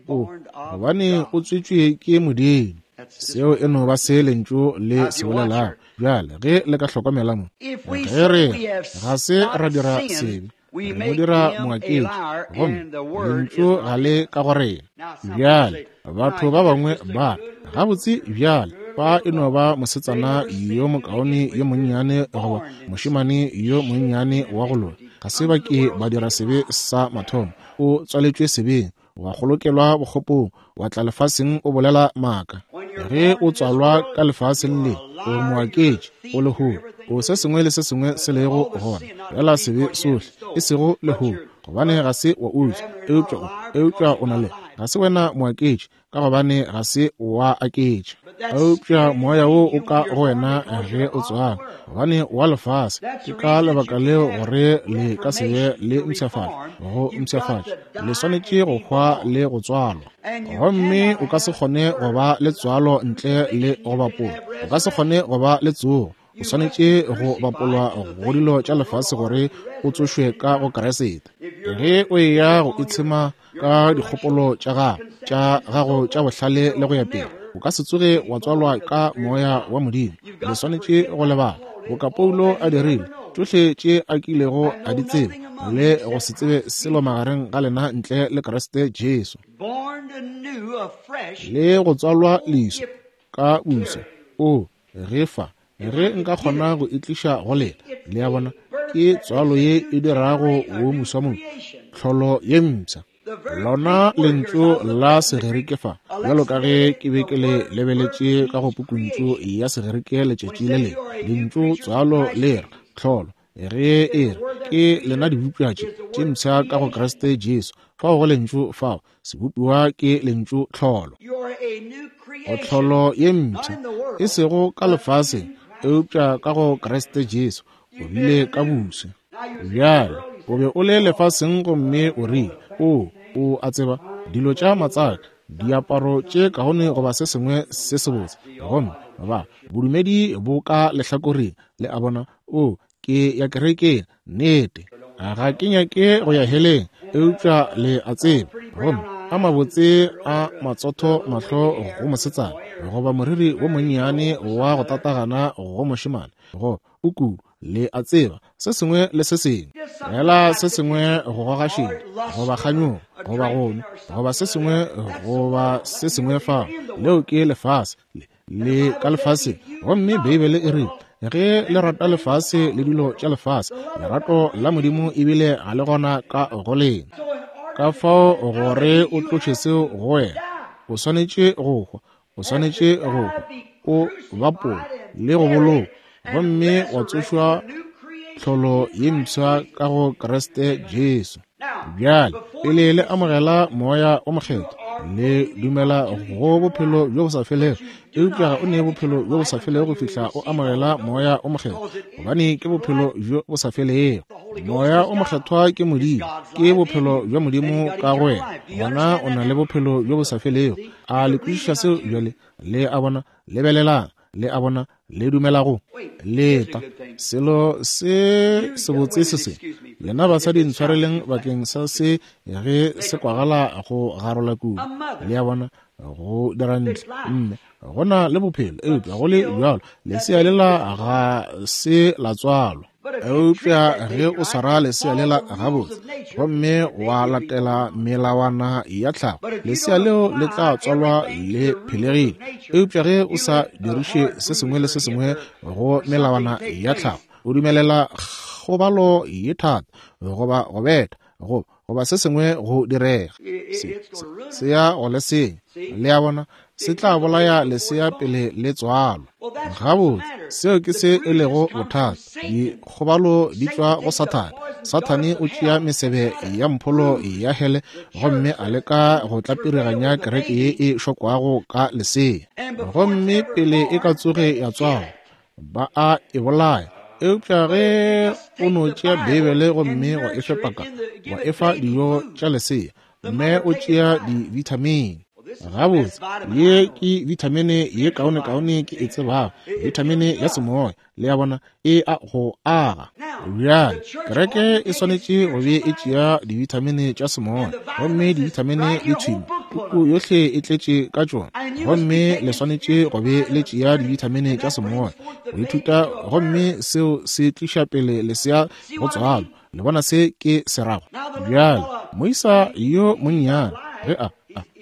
o gobane o tswetšwe ke Modimo. Seo e no ba se lentšu le se bolelago. Bjale ge le ka hlokomela mo, ge re ga se ra dira sebe, Re mo dira moaketši, gomme lentšu ga le ka go rena. Bjale, batho ba bangwe ba re, gabotse bjale, fa e no ba mosetsana yo mokaone yo monnyane goba mošemane yo monnyane wa go loka. Ga se ba ke ba dira sebe sa mathomo. O tswaletšwe sebeng, wa kgolokelwa bokgopong, wa tla lefaseng o bolela maaka. Ge o tswalwa ka lefaseng le, o moaketši, o lehodu, o se sengwe le se sengwe se lego gona, fela sebe sohle, e sego lehodu, gobane ga se wa utswa, eupša o, eupša o na le, ga se wena moaketši, ka gobane ga se wa aketša. Eupša moya wo o ka go wena ge o tswalwa, gobane wa lefase. Ke ka lebaka leo gore le ka se be le mpshafatšo, go mpshafatša le swanetše go hwa le go tswalwa. Gomme o ka se kgone go ba le tswalo ntle le go bapolwa, o ka se kgone go ba le tsogo. O swanetše go bapolwa go dilo tša lefase gore o tsošwe ka go Kriste. Ge o eya go itshema ka dikgopolo tša gago tša gago tša bohlale le go ya pele, o ka se tsoge wa tswalwa ka moya wa Modimo. Le swanetše go lebala boka Paulo a dirile, tšohle tše a kilego a di tseba, le go se tsebe selo magareng ga lena ntle le Kriste Jesu. Le go tswalwa leswa ka buso. O ge fa ge nka kgona go itliša go lena, le a bona, ke tswalo ye e dirago wo moswa mo, tlholo ye mpsha. Lona lentšu la Segerike fa, bjalo ka ge ke be ke le lebeletše ka go pukuntšu ya Segerike letšatši le lengwe, lentšu tswalo le re tlholo. Ge e re ke lena dibopša tše tše mpsha ka go Kriste Jesu, fao go lentšu fao, sebopiwa ke lentšu tlholo. Go tlholo ye mpsha, e sego ka lefaseng, eupša ka go Kriste Jesu, o bile ka boswa. Bjale o be o le lefaseng gomme o rile, o, o a tseba, dilo tša matsaka, diaparo tše kaone goba se sengwe se sebotse, gomme ba bodumedi bo ka lehlakoreng, le a bona, o, ke ya kerekeng, nnete, ga ke nyake go ya heleng, eupša le a tseba, gomme a mabotse a matsotho mahlo go mosetsana, goba moriri wo monnyane wa go tatagana go mošemane, go o kudu, le a tseba, se sengwe le se sengwe, fela se sengwe go goga šedi, goba kganyogo, goba go nwa, goba se sengwe, goba se sengwe fao. Leo ke lefase, le, le ka lefaseng. Gomme Beibele e rile, ge le rata lefase le dilo tša lefase, lerato la Modimo ebile ga le gona ka go lena. Ka fao gore o tloše seo go wena, o swanetše go hwa, o swanetše go hwa, o bapolwa le go bolokwa, gomme wa tsošwa tlholo ye mpsha ka go Kriste Jesu. Bjale pele le amogela moya o mokgethwa, le dumela go bophelo bjo bo sa felego, eupša ga o ne bophelo bjo bo sa felego go fihla o amogela moya o mokgethwa, gobane ke bophelo bjo bo sa felego. Moya o mokgethwa ke Modimo, ke bophelo bja Modimo ka go wena, gona o na le bophelo bjo bo sa felego. A le kwešiša seo bjale? Le a bona, lebelelang, le a bona, le dumela go leta selo se sebotse se se. Lena basadi ntshwareleng bakeng sa se ge se kwagala go garola kudu, le a bona, go dira ntle. Mme go na le bophelo, eupša go le bjalo lesea lela ga se la tswalwa. Eupša ge o swara lesea lela gabotse gomme wa latela melawana ya tlhago, lesea leo le tla tswalwa le phelegile. Eupša ge o sa diriše se sengwe le se sengwe go melawana ya tlhago, o dumelela kgobalo ye thata goba go betha go goba se sengwe go direga, se, se, se ya go le senya. Le a bona, se tla bolaya lesea pele le tswalwa. Gabotse, seo ke se e lego bothata. Dikgobalo di tšwa go Sathane. Sathane o tšea mesebe ya mpholo ya hele gomme a leka go tlapiriganya kereke ye e šokwago ka lesea, gomme pele e ka tsoge ya tswalwa ba a e bolaya. Eupša ge o no tšea Beibele gomme wa e fepa ka, wa e fa dijo tša lesea, mme o tšea di-vitamine. Gabotse, ye ke vitamine ye kaonekaone ke e tsebago, vitamine ya semoya, le a bona, e a go aga. Bjale kereke e swanetše go be e tšea divitamine tša semoya, gomme divitamine di thwime, puku yohle e tletše ka tšona, gomme le swanetše go be le tšea divitamine tša semoya go ithuta, gomme seo se tliša pele lesea go tswalwa. Le bona se ke se rago? Bjale, moisa yo monnyane ge a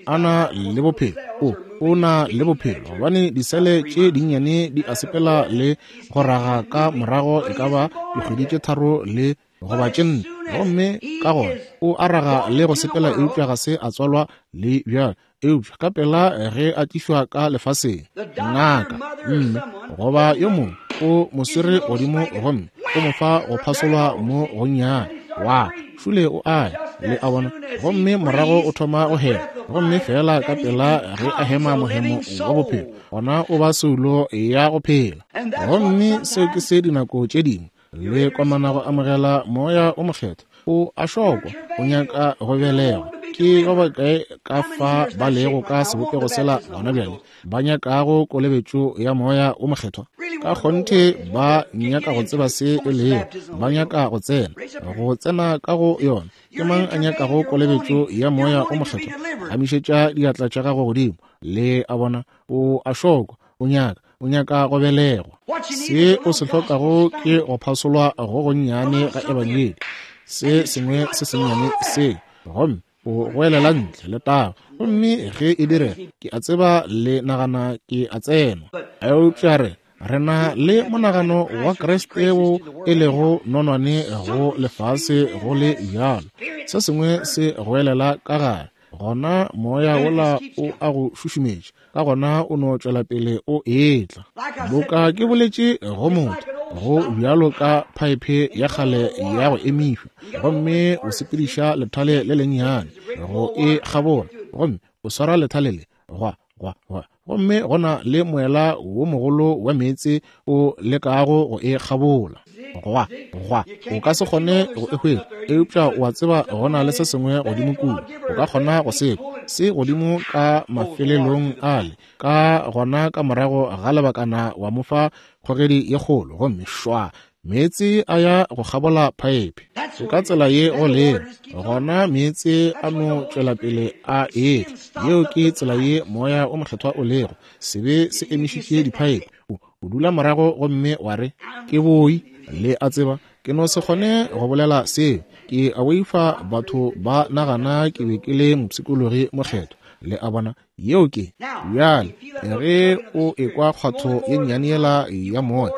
a na le bophelo, o o na le bophelo gobane disele tše dinnyane di a sepela le go raga ka morago e ka ba dikgwedi tše tharo le goba tše nne, gomme ka gona o araga le go sepela, eupša ga se a tswalwa le bjalo. Eupša ka pela ge a tlišwa ka lefaseng, ngaka mme goba yo mongwe o mo swere godimo gomme o mo fa go phasolwa mo gonnyane, wa šule o aya, le a bona, gomme morago o thoma go hema, gomme fela ka pela ge a hema mohemo wa bophelo, gona o ba soulo ya go phela. Gomme seo ke se dinako tše dingwe le komana go amogela moya o mokgethwa, o a šokwa, o nyaka go belegwa. Ke ba bakae ka fa ba lego ka sebopego sela gona bjale ba nyakago kolobetšo ya moya o mokgethwa? Ka kgonthe ba nyaka go tseba se e lego, ba nyaka go tsena, go tsena ka go yona. Ke mang a nyakago kolobetšo ya moya o mokgethwa? Amišetša diatla tša gago godimo. Le a bona, o a šokwa, o nyaka, o nyaka go belegwa. Se o se hlokago ke go phasolwa go gonnyane ga ebangedi, se sengwe se sennyane se, gomme o goelela ntle le taba. Gomme ge e direga, ke a tseba le nagana ke a tsenwa, eupša re re na le monagano wa Kriste wo e lego nonwane go lefase go le bjalo. Se sengwe se goelela ka gare, gona moya wola o a go šušumetša, ka gona o no tšwela pele o etla. Boka ke boletše go motho, go bjalo ka phaephe ya kgale ya go emišwa, gomme o sepediša lethale le lennyane go e kgabola, gomme o swara lethale le gwa gwa gwa, gomme gona le moela wo mogolo wa meetse o lekago go e kgabola, gwa gwa, o ka se kgone go e hwetša, eupša o a tseba gona le se sengwe godimo kua, o ka kgona go se se godimo ka mafelelong ale. Ka gona ka morago ga lebakana wa mo fa kgogedi ye kgolo, gomme šwa, meetse a ya go kgabola phaephe. Ka tsela ye go lego gona, meetse a no tšwela pele a etla. Yeo ke tsela ye moya o mokgethwa o lego. Sebe se emišitše diphaephe. O dula morago gomme wa re, ke boi, le a tseba, ke no se kgone go bolela seo, ke a boifa batho ba nagana ke be ke le mopshikologi mokgethwa. Le a bona, yeo ke bjale. Ge o ekwa kgwatho ye nnyane yela ya moya,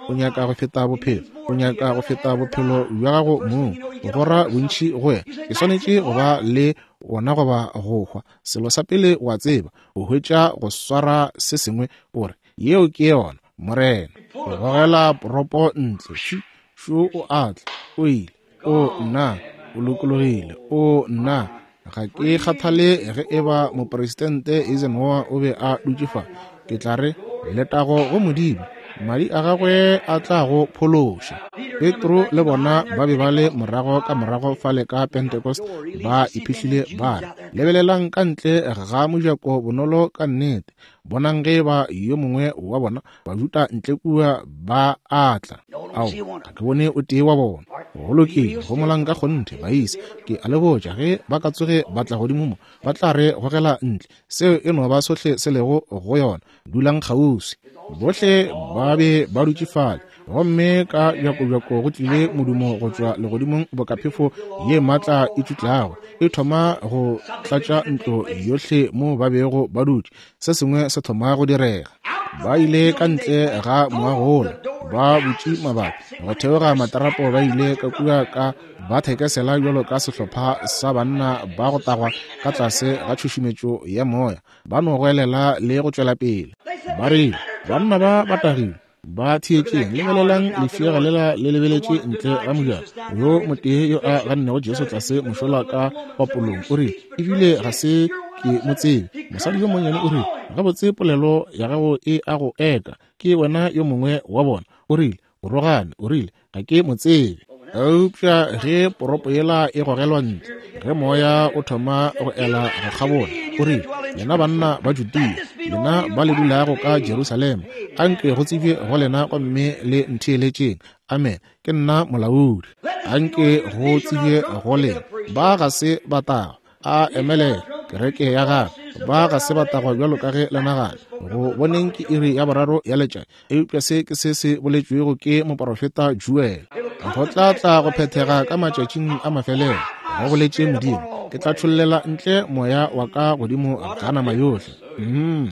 o nyaka go feta bophelo, o nyaka go feta bophelo bja gago mong, go gora bontši go wena. Ke swanetše go ba le wona goba go hwa. Selo sa pele o a tseba, o hwetša go swara se sengwe, o re, yeo ke yona, Morena. O gogela poropo ntle, šu, šu o atla, o ile, o nna, o lokologile, o nna. Ga ke kgathale ge eba mopresidente Eisenhower o be a dutše fa, ke tla re, letago go Modimo, madi a gagwe a tla go phološa. Petro le bona ba be ba le morago ka morago fale ka Pentecost, ba iphihlile ba re, lebelelang ka ntle ga mojako bonolo ka nnete, bonang ge ba yo mongwe wa bona Bajuda ntle kua ba atla. Ao, ga ke bone o tee wa bona. Go lokile, homolang ka kgonthe, baisa. Ke a le botša, ge ba ka tsoge ba tla godimo mo, ba tla re gogela ntle. Seo e no ba sohle se lego go yona. Dulang kgauswi. Bohle ba be ba dutše fale, gomme ka bjakobjako go tlile modumo go tšwa legodimong boka phefo ye maatla e tšutlago, e thoma go tlatša ntlo yohle mo ba bego ba dutše. Se sengwe se thoma go direga. Ba ile ka ntle ga moago wola, ba butše mabati go theoga matarapo, ba ile ka kua ka ba thekesela bjalo ka sehlopha sa banna ba go tagwa ka tlase ga tšhušumetšo ya moya, ba no goelela le go tšwela pele. Ba rile, banna ba ba tagile, ba theetšeng, lebelelang lefšega lela le lebeletše ntle ga mojako. Yo motee yo a gannego Jesu tlase mošola ka papolong o rile, ebile ga se ke mo tsebe. Mosadi yo monnyane o rile, gabotse polelo ya gago e a go eka, ke wena yo mongwe wa bona. O rile, o rogane, o rile, ga ke mo tsebe. Eupša ge poropo yela e gogelwa ntle, ge moya o thoma go ela go kgabola, o rile, lena banna ba Judea, lena ba le dulago ka Jerusalema, anke go tsebje go lena gomme le ntheeletšeng. Amen. Ke nna molaodi. Anke go tsebje go lena, ba ga se ba tagwa. A emelela kereke ya gagwe, ba ga se ba tagwa bjalo ka ge le nagana. Go boneng ke iri ya boraro ya letšatši, eupša se ke se se boletšwego ke moporofeta Joel. Go tla tla go phethega ka matšatšing a mafelelo, go boletše Modimo, ke tla tšhollela ntle moya wa ka godimo ga nama yohle. Mm,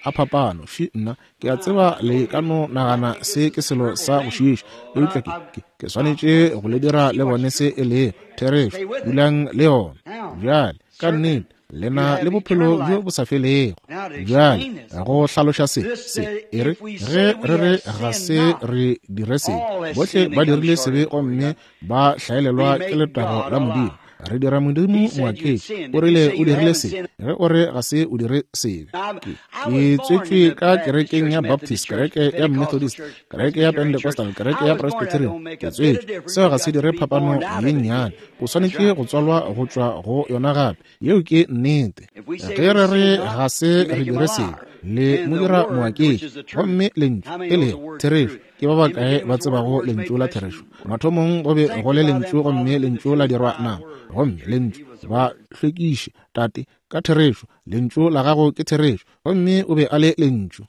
a phapano, fi nna, ke a tseba le ka no nagana se ke selo sa go šiiša, eupša ke, ke, ke swanetše go le dira le bone se e lego therešo. Dulang le yona. Bjale, ka nnete, le na le bophelo bjo bo sa felego. Bjale, go hlaloša se, se, e re, ge re re ga se re dire sebe, bohle ba dirile sebe gomme ba hlaelelwa ke letago la Modimo. Re dira Modimo moaketši. O rile o dirile sebe, ge o re ga se o dire sebe. Ke, ke tswetšwe ka kerekeng ya Baptist, kereke ya Methodist, kereke ya Pentecostal, kereke ya Presbyterian. Ke tswetšwe. Seo ga se dire phapano ye nnyane. O swanetše go tswalwa go tšwa go yona gape. Yeo ke nnete. Ge re re ga se re dire sebe, le mo dira moaketši. Gomme lentšu e lego therešo. Ke ba bakae ba tsebago lentšu la therešo? Mathomong go be go le lentšu, gomme lentšu la dirwa nama. Gomme lentšu ba hlwekiše, Tate, ka therešo. Lentšu la gago ke therešo. Gomme o be a le lentšu.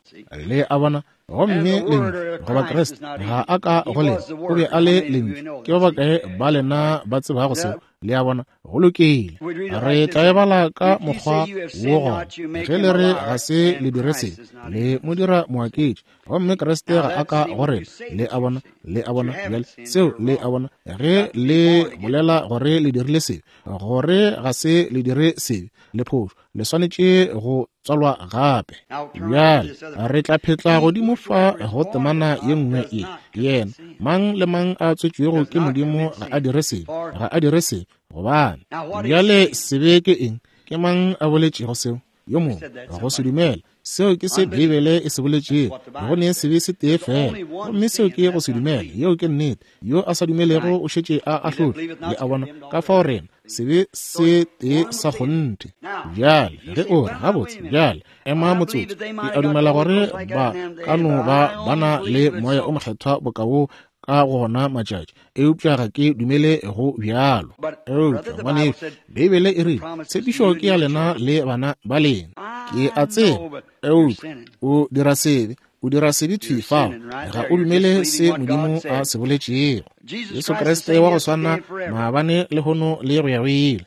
Le a bona? Gomme lentšu goba Kriste ga a ka go lena, o be a le lentšu. Ke ba bakae ba lena ba tsebago seo? Le a bona? Go lokile. Re tla e bala ka mokgwa wo gona. Ge le re ga se le dire sebe, le mo dira moaketši, gomme Kriste ga a ka go rena. Le a bona? Le a bona? Bjale seo le a bona. Ge le bolela gore le dirile sebe, gore ga se le dire sebe, le phošo, le swanetše go tswalwa gape. Bjale re tla phetla godimo fa go temana ye nngwe ye. Yena mang le mang a tswetšwego ke Modimo ga a dire sebe, ga a dire sebe. Gobane bjale sebe ke eng? Ke mang a boletšego seo? Yo mongwe go se dumela. Seo ke se Beibele e se boletšego. Go ne sebe se tee fela, gomme seo ke go se dumela. Yeo ke nnete. Yo a sa dumelego o šetše a ahlotšwe. Le a bona? Ka fao rena sebe se tee sa kgonthe. Bjale ge o re gabotse, bjale ema motsotso, ke a dumela gore ba ka no ba ba na le moya o mokgethwa boka wo ka gona matšatši, eupša ga ke dumele go bjalo. Eupša ngwanešu, Beibele e rile tshepišo ke ya lena le bana ba lena. Ke a tseba, eupša o dira sebe, o dira sebe thwi fao, ga o dumele se Modimo a se boletšego. Jesu Kriste wa go swana maabane, lehono le go ya go ile.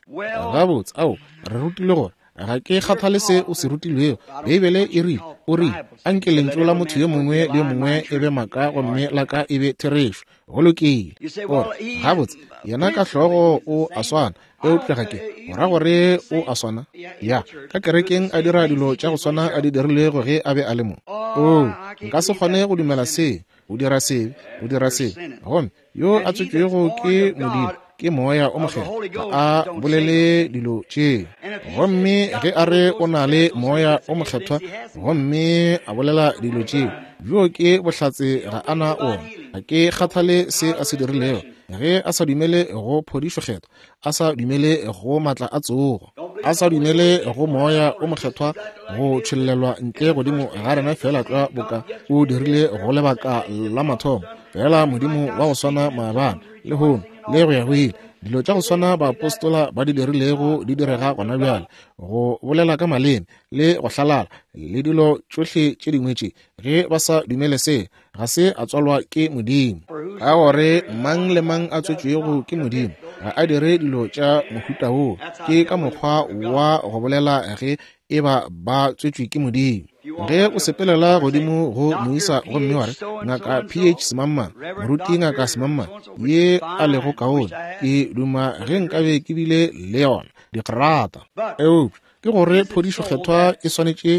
Gabotse, ao re rutile gore ga ke kgathale se o se rutilwego. Beibele e rile, o rile, anke lentšu la motho yo mongwe le yo mongwe e be maaka gomme la ka e be therešo. Go lokile. Ore gabotse, yena ka hlogo o a swana, eupša ga ke go ra gore o a swana. Ya, ka kerekeng a dira dilo tša go swana a di dirilego ge a be a le mo. Oo, nka se kgone go dumela se. O dira sebe, o dira sebe. Gomme yo a tswetšwego ke Modimo ke moya o mokgethwa, ga a bolele dilo tše. Gomme ge a re o na le moya o mokgethwa gomme a bolela dilo tše, bjo ke bohlatse ga a na ona. Ga ke kgathale se a se dirilego. Ge a sa dumele go phodišo kgethwa, a sa dumele go matla a tsogo, a sa dumele go moya o mokgethwa go tšhollelwa ntle godimo ga rena fela tlwa boka o dirile go lebaka la mathomo, fela Modimo wa go swana maabane, lehono le go ya go ile. Dilo tša go swana baapostola ba di dirilego di direga gona bjale, go bolela ka maleme le go hlalala le dilo tšohle tše dingwe tše. Ge ba sa dumele se, ga se a tswalwa ke Modimo. Ka gore mang le mang a tswetšwego ke Modimo ga a dire dilo tša mohuta woo. Ke ka mokgwa wa go bolela ge e ba ba tswetšwe ke Modimo. Ge o sepelela godimo go moisa gomme wa re, Ngaka P H Semangmang, moruti Ngaka Semangmang, ye a lego kaone, ke duma ge nkabe ke bile le yona digrata. Eupša ke gore phodišo kgethwa e swanetše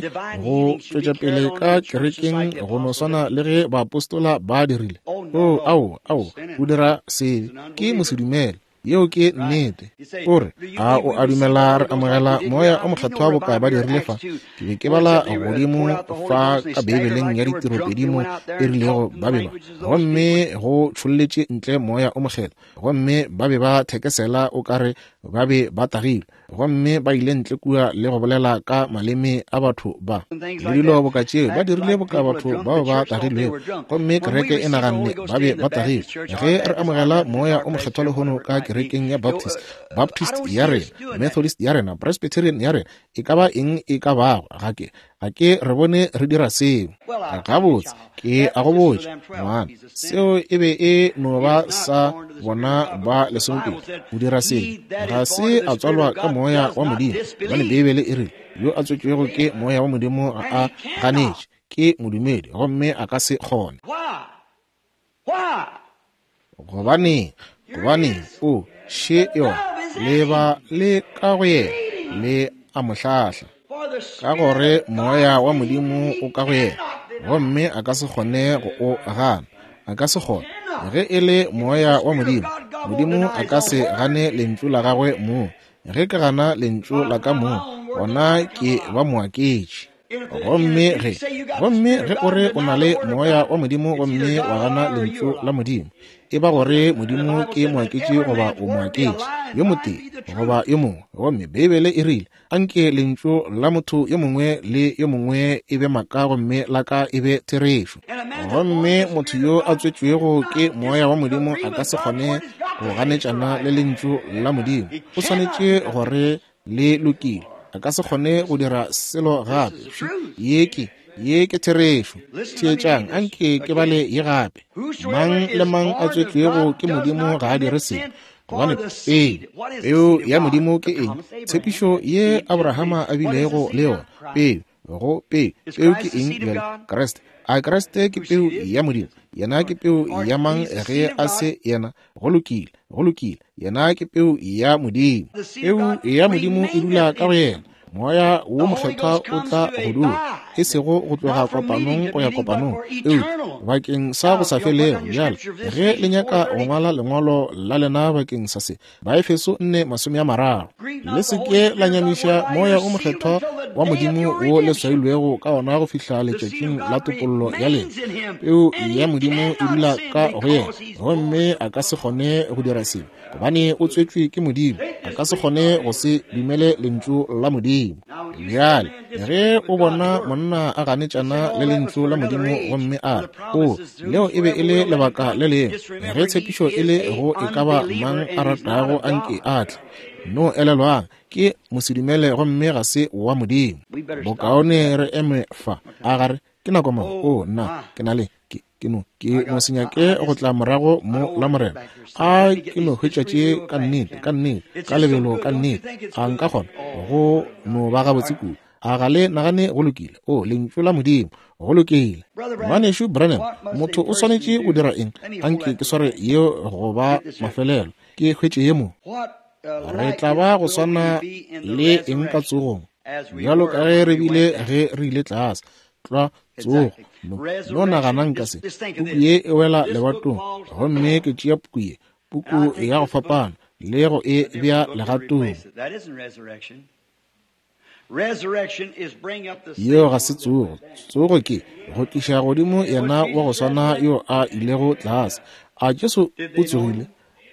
go tšwetša pele ka kerekeng go no swana le ge baapostola ba dirile. Oh, ao, ao, o dira sebe, ke mosedumele. Yeo ke nnete. O re, a o a dumela re amogela moya o mokgethwa boka ba dirile fa? Ke be ke bala godimo fa ka Beibeleng ya ditiropedi mo e rilego ba be ba, gomme go tšholletše ntle moya o mokgethwa, gomme ba be ba thekesela o ka re ba be ba tagilwe, gomme ba ile ntle kua le go bolela ka maleme a batho ba le dilo boka tšeo. Ba dirile boka batho bao ba tagilwego, gomme kereke e naganne ba be ba tagilwe. Ge re amogela moya o mokgethwa lehono ka kerekeng ya Baptist, Baptist ya rena, Methodist ya rena, Presbyterian ya rena, e ka ba eng e ka bago, ga ke Ga ke re bone re dira seo. Gabotse, ke a go botša, ngwana, seo e be e no ba sa bona ba lesomepedi go dira seo. Ga se a tswalwa ka moya wa Modimo, gobane Beibele e rile, yo a tswetšwego ke moya wa Modimo ga a ganetše, ke modumedi, gomme a ka se kgone. Gobaneng? Gobaneng? O še yona, le ba le ka go yena, le a mo hlahla, ka gore moya wa Modimo o ka go yena, gomme a ka se kgone go o gana. A ka se kgone. Ge e le moya wa Modimo, Modimo a ka se gane lentšu la gagwe mong. Ge ke gana lentšu la ka mong, gona ke ba moaketši. Gomme ge, gomme ge o re o na le moya wa Modimo gomme wa gana lentšu la Modimo, e ba gore Modimo ke moaketši goba o moaketši, yo motee goba yo mongwe. Gomme Beibele e rile, anke lentšu la motho yo mongwe le yo mongwe e be maaka gomme la ka e be therešo. Gomme motho yo a tswetšwego ke moya wa Modimo a ka se kgone go ganetšana le lentšu la Modimo. O swanetše gore le lokile. A ka se kgone go dira selo gape. Ye ke, ye ke therešo. Theetšang, anke ke bale ye gape. Mang le mang a tswetšwego ke Modimo ga a dire sebe, gobane peo, peo ya Modimo ke eng? Tshepišo ye Abrahama a bilego le yona. Peo, go peo, peo ke eng bjale? Kriste. A Kriste ke peu ya Modimo? Yena ke peu ya mang ge a se yena? Go lokile, go lokile. Yena ke peu ya Modimo. Peu ya Modimo e dula ka go yena. Moya wo mokgethwa o tla go dula, e sego go tloga kopanong go ya kopanong, eupša bakeng sa go sa felego. Bjale ge le nyaka go ngwala lengwalo la lena bakeng sa se, Baefeso nne masome a mararo, le se ke la nyamiša moya o mokgethwa wa Modimo wo le swailwego ka ona go fihla letšatšing la topollo ya lena. Peu ya Modimo e dula ka go yena, gomme a ka se kgone go dira sebe, gobane o tswetšwe ke Modimo. A ka se kgone go se dumele lentšu la Modimo. Bjale ge o bona monna a ganetšana le lentšu la Modimo gomme a re, o, leo e be e le lebaka le lengwe, ge tshepišo e le go e ka ba mang a ratago anke a tle, no elelwang, ke mosedumele gomme ga se wa Modimo. Bokaone re eme fa. A gare ke nako mang? O, nna ke na le ke ke no ke no se nyake go tla morago mo la Morena. A ke no hwetša tše ka nnete, ka nnete, ka lebelo, ka nnete. A nka kgona go no ba gabotse kudu. A ga le nagane go lokile? O, lentšu la Modimo, go lokile. Ngwanešu Branham, motho o swanetše go dira eng? Anke ke sware yeo go ba mafelelo, ke hwetše ye mo. Re tla ba go swana le eng ka tsogong, bjalo ka ge re bile ge re ile tlase. Tlwa tsogo. No, no naganang ka se. Puku ye e wela lebatong, gomme ke tšea puku ye, puku ya go fapana, le go e bea legatong. Yeo ga se tsogo. Tsogo ke go tliša godimo yena wa go swana yo a ilego tlase. A Jesu o tsogile?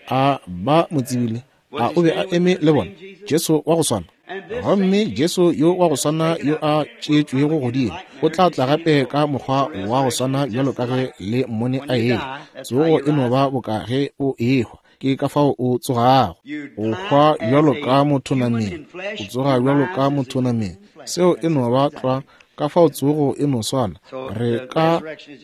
A ba mo tsebile? A o be a eme le bona? Jesu wa go swana. Gomme Jesu yo wa go swana yo a tšeetšwego godimo o tla tla gape ka mokgwa wa go swana bjalo ka ge le mmone a ehwa. Tsogo e no ba boka ge o ehwa, ke ka fao o tsogago. O hwa bjalo ka motho nameng, o tsoga bjalo ka motho nameng. Seo e no ba tlwa, ka fao tsogo e no swana. Re ka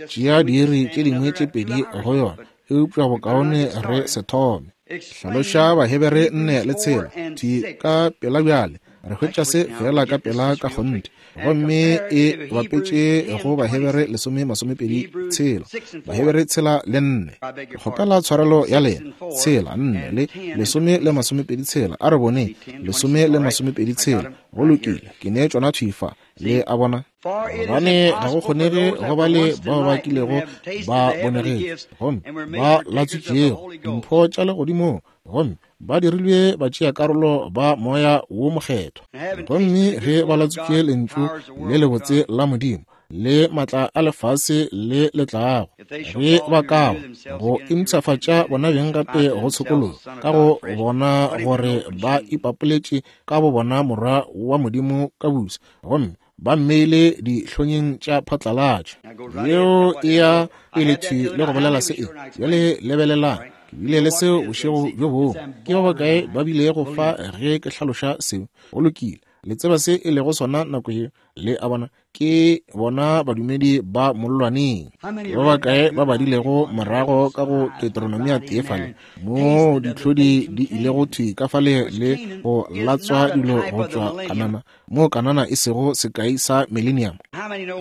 tšea diiri tše dingwe tše pedi go yona, eupša bokaone re se thome. Hlaloša Bahebere nne le tshela thi ka pela bjale. Re hwetša se fela ka pela ka kgonthe, gomme e bapetše go Bahebere lesome masomepedi tshela, Bahebere tshela le nne. Ke kgopela tshwarelo ya lena. Tshela nne le lesome le masomepedi tshela. A re boneng lesome le masomepedi tshela. Go lokile, ke ne tšona thwi fa. Le a bona? Gobane ga go kgonege go ba le bao ba kilego ba bonegetše gomme ba latswitšego dimpho tša legodimong, gomme ba dirilwe ba tšea karolo ba moya wo mokgethwa, gomme ge ba latswitše lentšu le lebotse la Modimo le matla a lefase le le tlago, ge ba ka go impshafatša bona beng gape go tshokologo, ka go bona gore ba ipapoletše ka bo bona morwa wa Modimo ka busa, gomme ba mmeile dihlonyeng tša phatlalatšo. Yeo e ya pele thwi le go bolela se e. Bjale lebelelang, ke bile le seo bošego bjo bongwe. Ke ba bakae ba bilego fa ge ke hlaloša seo? Go lokile. Le tseba se e lego sona nako ye. Le a bona, ke bona badumedi ba mollwaneng. Ba bakae ba badilego morago ka go Deuteronomia tee fale, moo ditlhodi di ilego thwi ka fale le go latswa dilo go tšwa Kanana, moo Kanana e sego sekai sa millennium.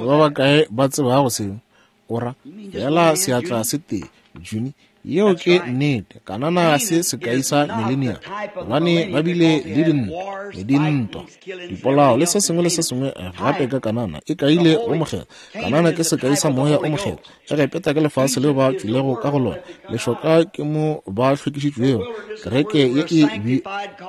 Ba bakae ba tsebago seo? Ora fela seatla se tee, Juni. Yeo ke nnete. Kanana se sekai sa millennium, gobane ba bile le dintwa, le dintwa, dipolao le se sengwe le se sengwe gape ka Kanana. E kaile o mokgethwa. Kanana ke sekai sa moya o mokgethwa. Egepeta ke lefase leo ba tšwilego ka go lona. Lešoka ke mo ba hlwekišitšwego, kereke ye e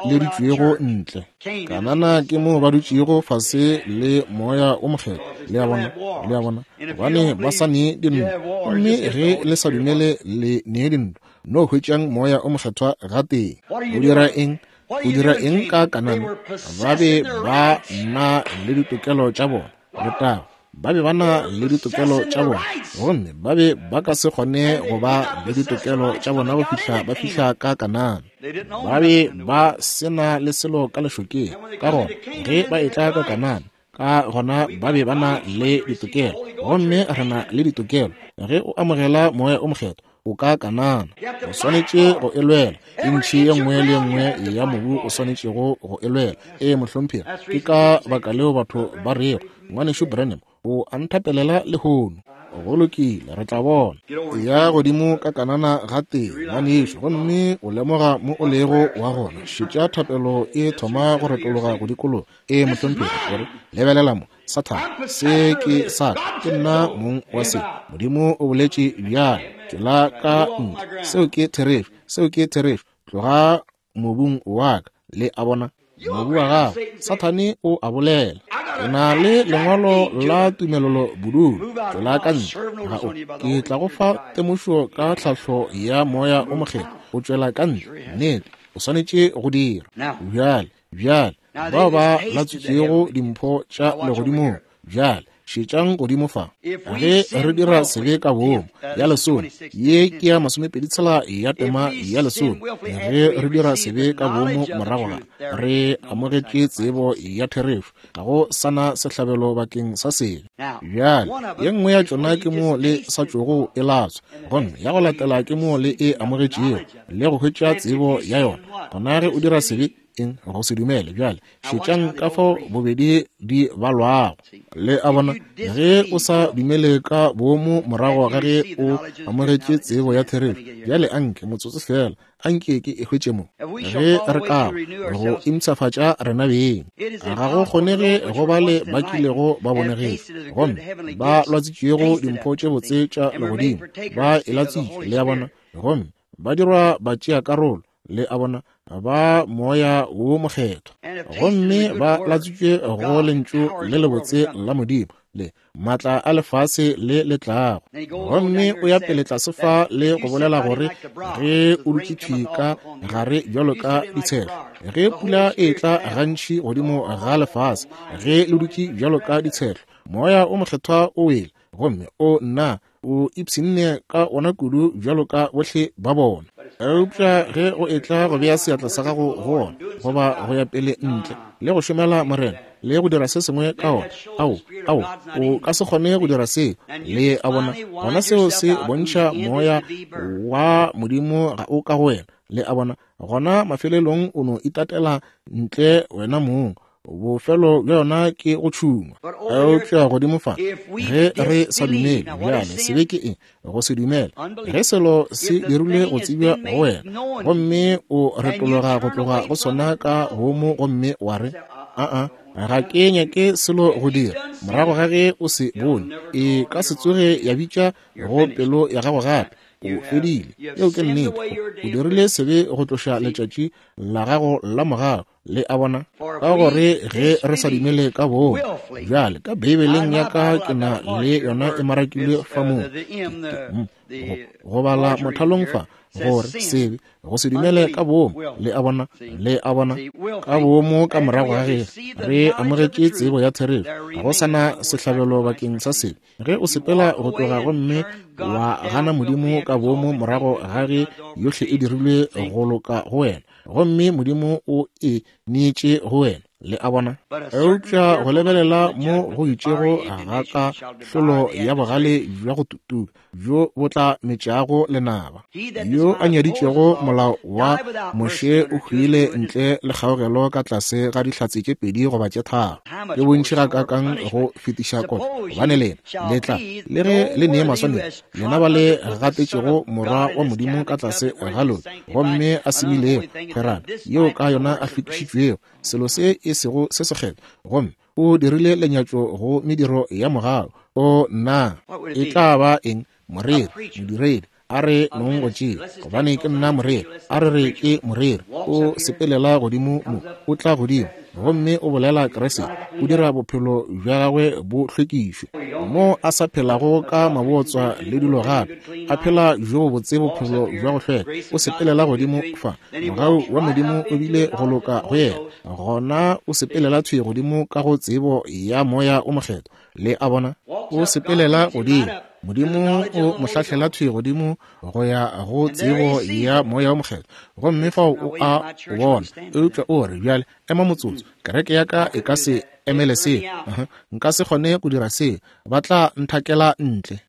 bileditšwego ntle. Kanana ke mo ba dutšego fase le moya o mokgethwa. Le a bona, le a bona, gobane ba sa nee dintwa. Gomme ge le sa dumele le nee dintwa, no hwetšang moya o mokgethwa gatee. O dira eng? O dira eng ka Kanana? Ba be ba na le ditokelo tša bona. Letago. Ba be ba na le ditokelo tša bona, gomme ba be ba ka se kgone go ba le ditokelo tša bona go fihla ba fihla ka Kanana. Ba be ba se na le selo ka lešokeng. Ka gona ge ba etla ka Kanana, ka gona ba be ba na le ditokelo, gomme re na le ditokelo. Ge o amogela moya o mokgethwa, o ka Kanana. O swanetše go e lwela. Intšhi ye nngwe le ye nngwe ya mobu o swanetšego go e lwela. Ee, mohlomphegi. Ke ka baka leo batho ba rego, Ngwanešu Branham o a nthapelela lehono. Go lokile, re tla bona. Ya godimo ka Kanana gatee, ngwanešu, gomme o lemoga mo o lego wa gona. Šetša thapelo e thoma go retologa go dikologa. Ee, mohlomphegi, gore lebelela mo, Sathane, se ke sa ka, ke nna mong wa se. Modimo o boletše bjalo, tšwela ka ntle. Seo ke therešo, seo ke therešo. Tloga mobung wa ka. Le a bona, mobu wa gago. Sathane o a bolela. Ke na le lengwalo la tumelelo bodulo. Tšwela ka ntle. Ga o, ke tla go fa temošo ka tlhahlo ya moya o mokgethwa. O tšwela ka ntle. Nnete, o swanetše go dira. Bjale, bjale, bao ba latswitšego dimpho tša legodimong, bjale šetšang godimo fa. Ge re dira sebe ka boomo, ya lesome, ye ke ya masomepedi tshela ya tema ya lesome. Ge re dira sebe ka boomo morago ga re amogetše tsebo ya therešo, ga go sana sehlabelo bakeng sa sebe. Bjale ye nngwe ya tšona ke mo le sa tšogo e latswa, gomme ya go latela ke mo le e amogetšego le go hwetša tsebo ya yona. Gona ge o dira sebe, eng? Go se dumele. Bjale šetšang ka fao bobedi di balwago. Le a bona, ge o sa dumele ka boomo morago ga ge o amogetše tsebo ya therešo. Bjale anke motsotso fela, anke ke e hwetše mo. Ge re ka go impshafatša rena beng, ga go kgonege go ba le ba kilego ba bonegetše, gomme ba lwatsitšwego dimpho tše botse tša legodimo, ba e latswitše. Le a bona, gomme ba dirwa ba tšea karolo. Le a bona, ba moya wo mokgethwa, gomme ba latswitšwe go lentšu le lebotse la Modimo le maatla a lefase le le tlago. Gomme o ya pele tlase fa le go bolela gore ge o dutše thwi ka gare bjalo ka ditshehlo, ge pula e tla gantši godimo ga lefase, ge le dutše bjalo ka ditshehlo, moya o mokgethwa o wele, gomme o nna o ipshinne ka ona kudu bjalo ka bohle ba bona. Eupša ge o etla go bea seatla sa gago go ona, goba go ya pele ntle le go šomela Morena le go dira se sengwe ka ona, ao, ao, o ka se kgone go dira seo. Le a bona, gona seo se bontšha moya wa Modimo ga o ka go wena. Le a bona, gona mafelelong o no itatela ntle wena mong. Bofelo bja yona ke go tšhungwa. Eupša godimo fa, ge re sa dumele, bjale sebe ke eng? Go se dumele. Ge selo se dirilwe go tsebja go wena, gomme o retologa go tloga go sona ka boomo, gomme wa re, aa, ga ke nyake selo go dira, morago ga ge o se bone, e ka se tsoge ya bitša go pelo ya gago gape. O fedile. Yeo ke nnete. O dirile sebe go tloša letšatši la gago la morago. Le a bona, ka gore ge re sa dumele ka boomo. Bjale ka Beibeleng ya ka ke na le yona e marakilwe fa moo, go bala mothalong fa, gore sebe go se dumele ka boomo. Le a bona, le a bona, ka boomo ka morago ga ge re amogetše tsebo ya therešo, ga go sana sehlabelo bakeng sa sebe. Ge o sepela go tloga gomme wa gana Modimo ka boomo morago ga ge yohle e dirilwe go loka go wena, gomme Modimo o e neetše go wena. Le a bona? Eupša go lebelela mo go itšego ga ka hlolo ya bogale bja go tutuka bjo bo tla metšago lenaba. Yo a nyaditšego molao wa Moshe o hwile ntle le kgaogelo ka tlase ga dihlatse tše pedi goba tše tharo. Ke bontši gakaakang go fetiša kotlo, gobane lena le tla le ge le nee maswanedi, lena ba le gatetšego Morwa wa Modimo ka tlase ga lona, gomme a semilego kgwerano yeo ka yona a hlwekišitšwego, selo se e sego se sekgethwa, gomme o dirile lenyatšo go mediro ya mogau. O nna e tla ba eng? Moreri, modiredi, a re nong go tšea, gobane ke nna moreri, a re re ke moreri. O sepelela godimo mo, o tla godimo gomme o bolela Kriste, o dira bophelo bja gagwe bo hlwekišwe, mo a sa phelago ka mabotswa le dilo gape, a phela bjo botse bophelo bja go hlweka. O sepelela godimo fa, mogau wa Modimo o bile go loka go yena, gona o sepelela thwi godimo ka go tsebo ya Moya o Mokgethwa. Le a bona? O sepelela godimo, Modimo o mo hlahlela thwi godimo go ya go tsebo ya Moya o Mokgethwa, gomme fao o a o bona. Eupša o re, bjale ema motsotso, kereke ya ka e ka se emele seo, uh-huh. Nka se kgone go dira seo, ba tla nthakela ntle,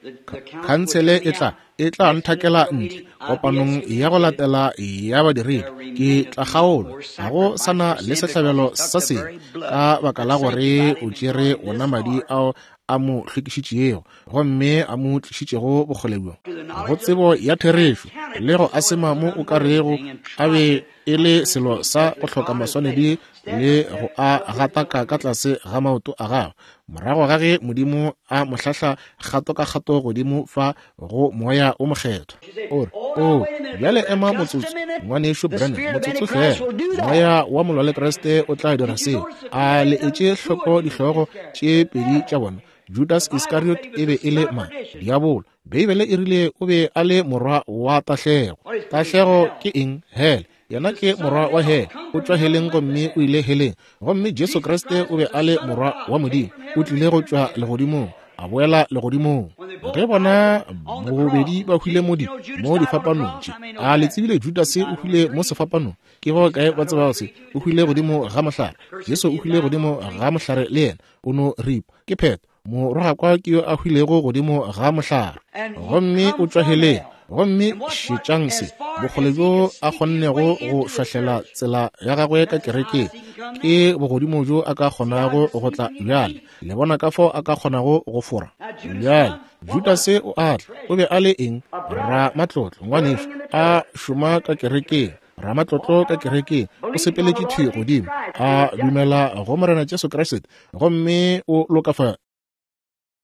khansele e tla e tla nthakela ntle kopanong ya go latela ya badiredi, ke tla kgaolwa, ga go sana le sehlabelo sa sebe, ka baka la gore o tšere ona madi ao a mo hlwekišitšego gomme a mo tlišitšego bokgole bjo go tsebo ya therešo le go asema mo o ka rego a be e le selo sa go hloka maswanedi le go a gataka ka tlase ga maoto a gagwe, morago ga ge Modimo a mo hlahla kgato ka kgato godimo fa go Moya o Mokgethwa. O re, o bjale ema motsotso, ngwanešo Branham, motsotso fela, Moya wa molwa le Kriste o tla dira seo. A le etše hloko dihlogo tše pedi tša bona? Judas Iscariot e be e le mang? Diabolo. Beibele e rile o be a le morwa wa tahlego. Tahlego ke eng? Hele. Yena ke morwa wa hele, o tšwa heleng gomme o ile heleng. Gomme Jesu Kriste o be a le morwa wa Modimo, o tlile go tšwa legodimong, a boela legodimong. Ge bona bobedi ba hwile mo di mo difapanong tše, a le tsebile Judase o hwile mo sefapanong? Ke bao kae ba tsebago se? O hwile godimo ga mohlare. Jesu o hwile godimo ga mohlare le yena, o no ripa. Ke phetho, morogakwa ke yo a hwilego godimo ga mohlare, gomme o tšwa heleng. Gomme šetšang se, bokgole bjo a kgonnego go šwahlela tsela ya gagwe ka kerekeng, ke bogodimo bjo a ka kgonago go tla bjale. Le bona ka fao a ka kgonago go fora bjale. Judase o a tla, o be a le eng? Ramatlotlo, ngwanešo, a šoma ka kerekeng, ramatlotlo ka kerekeng, o sepeletše thwi godimo, a dumela go Morena Jesu Kriste, gomme o lokafa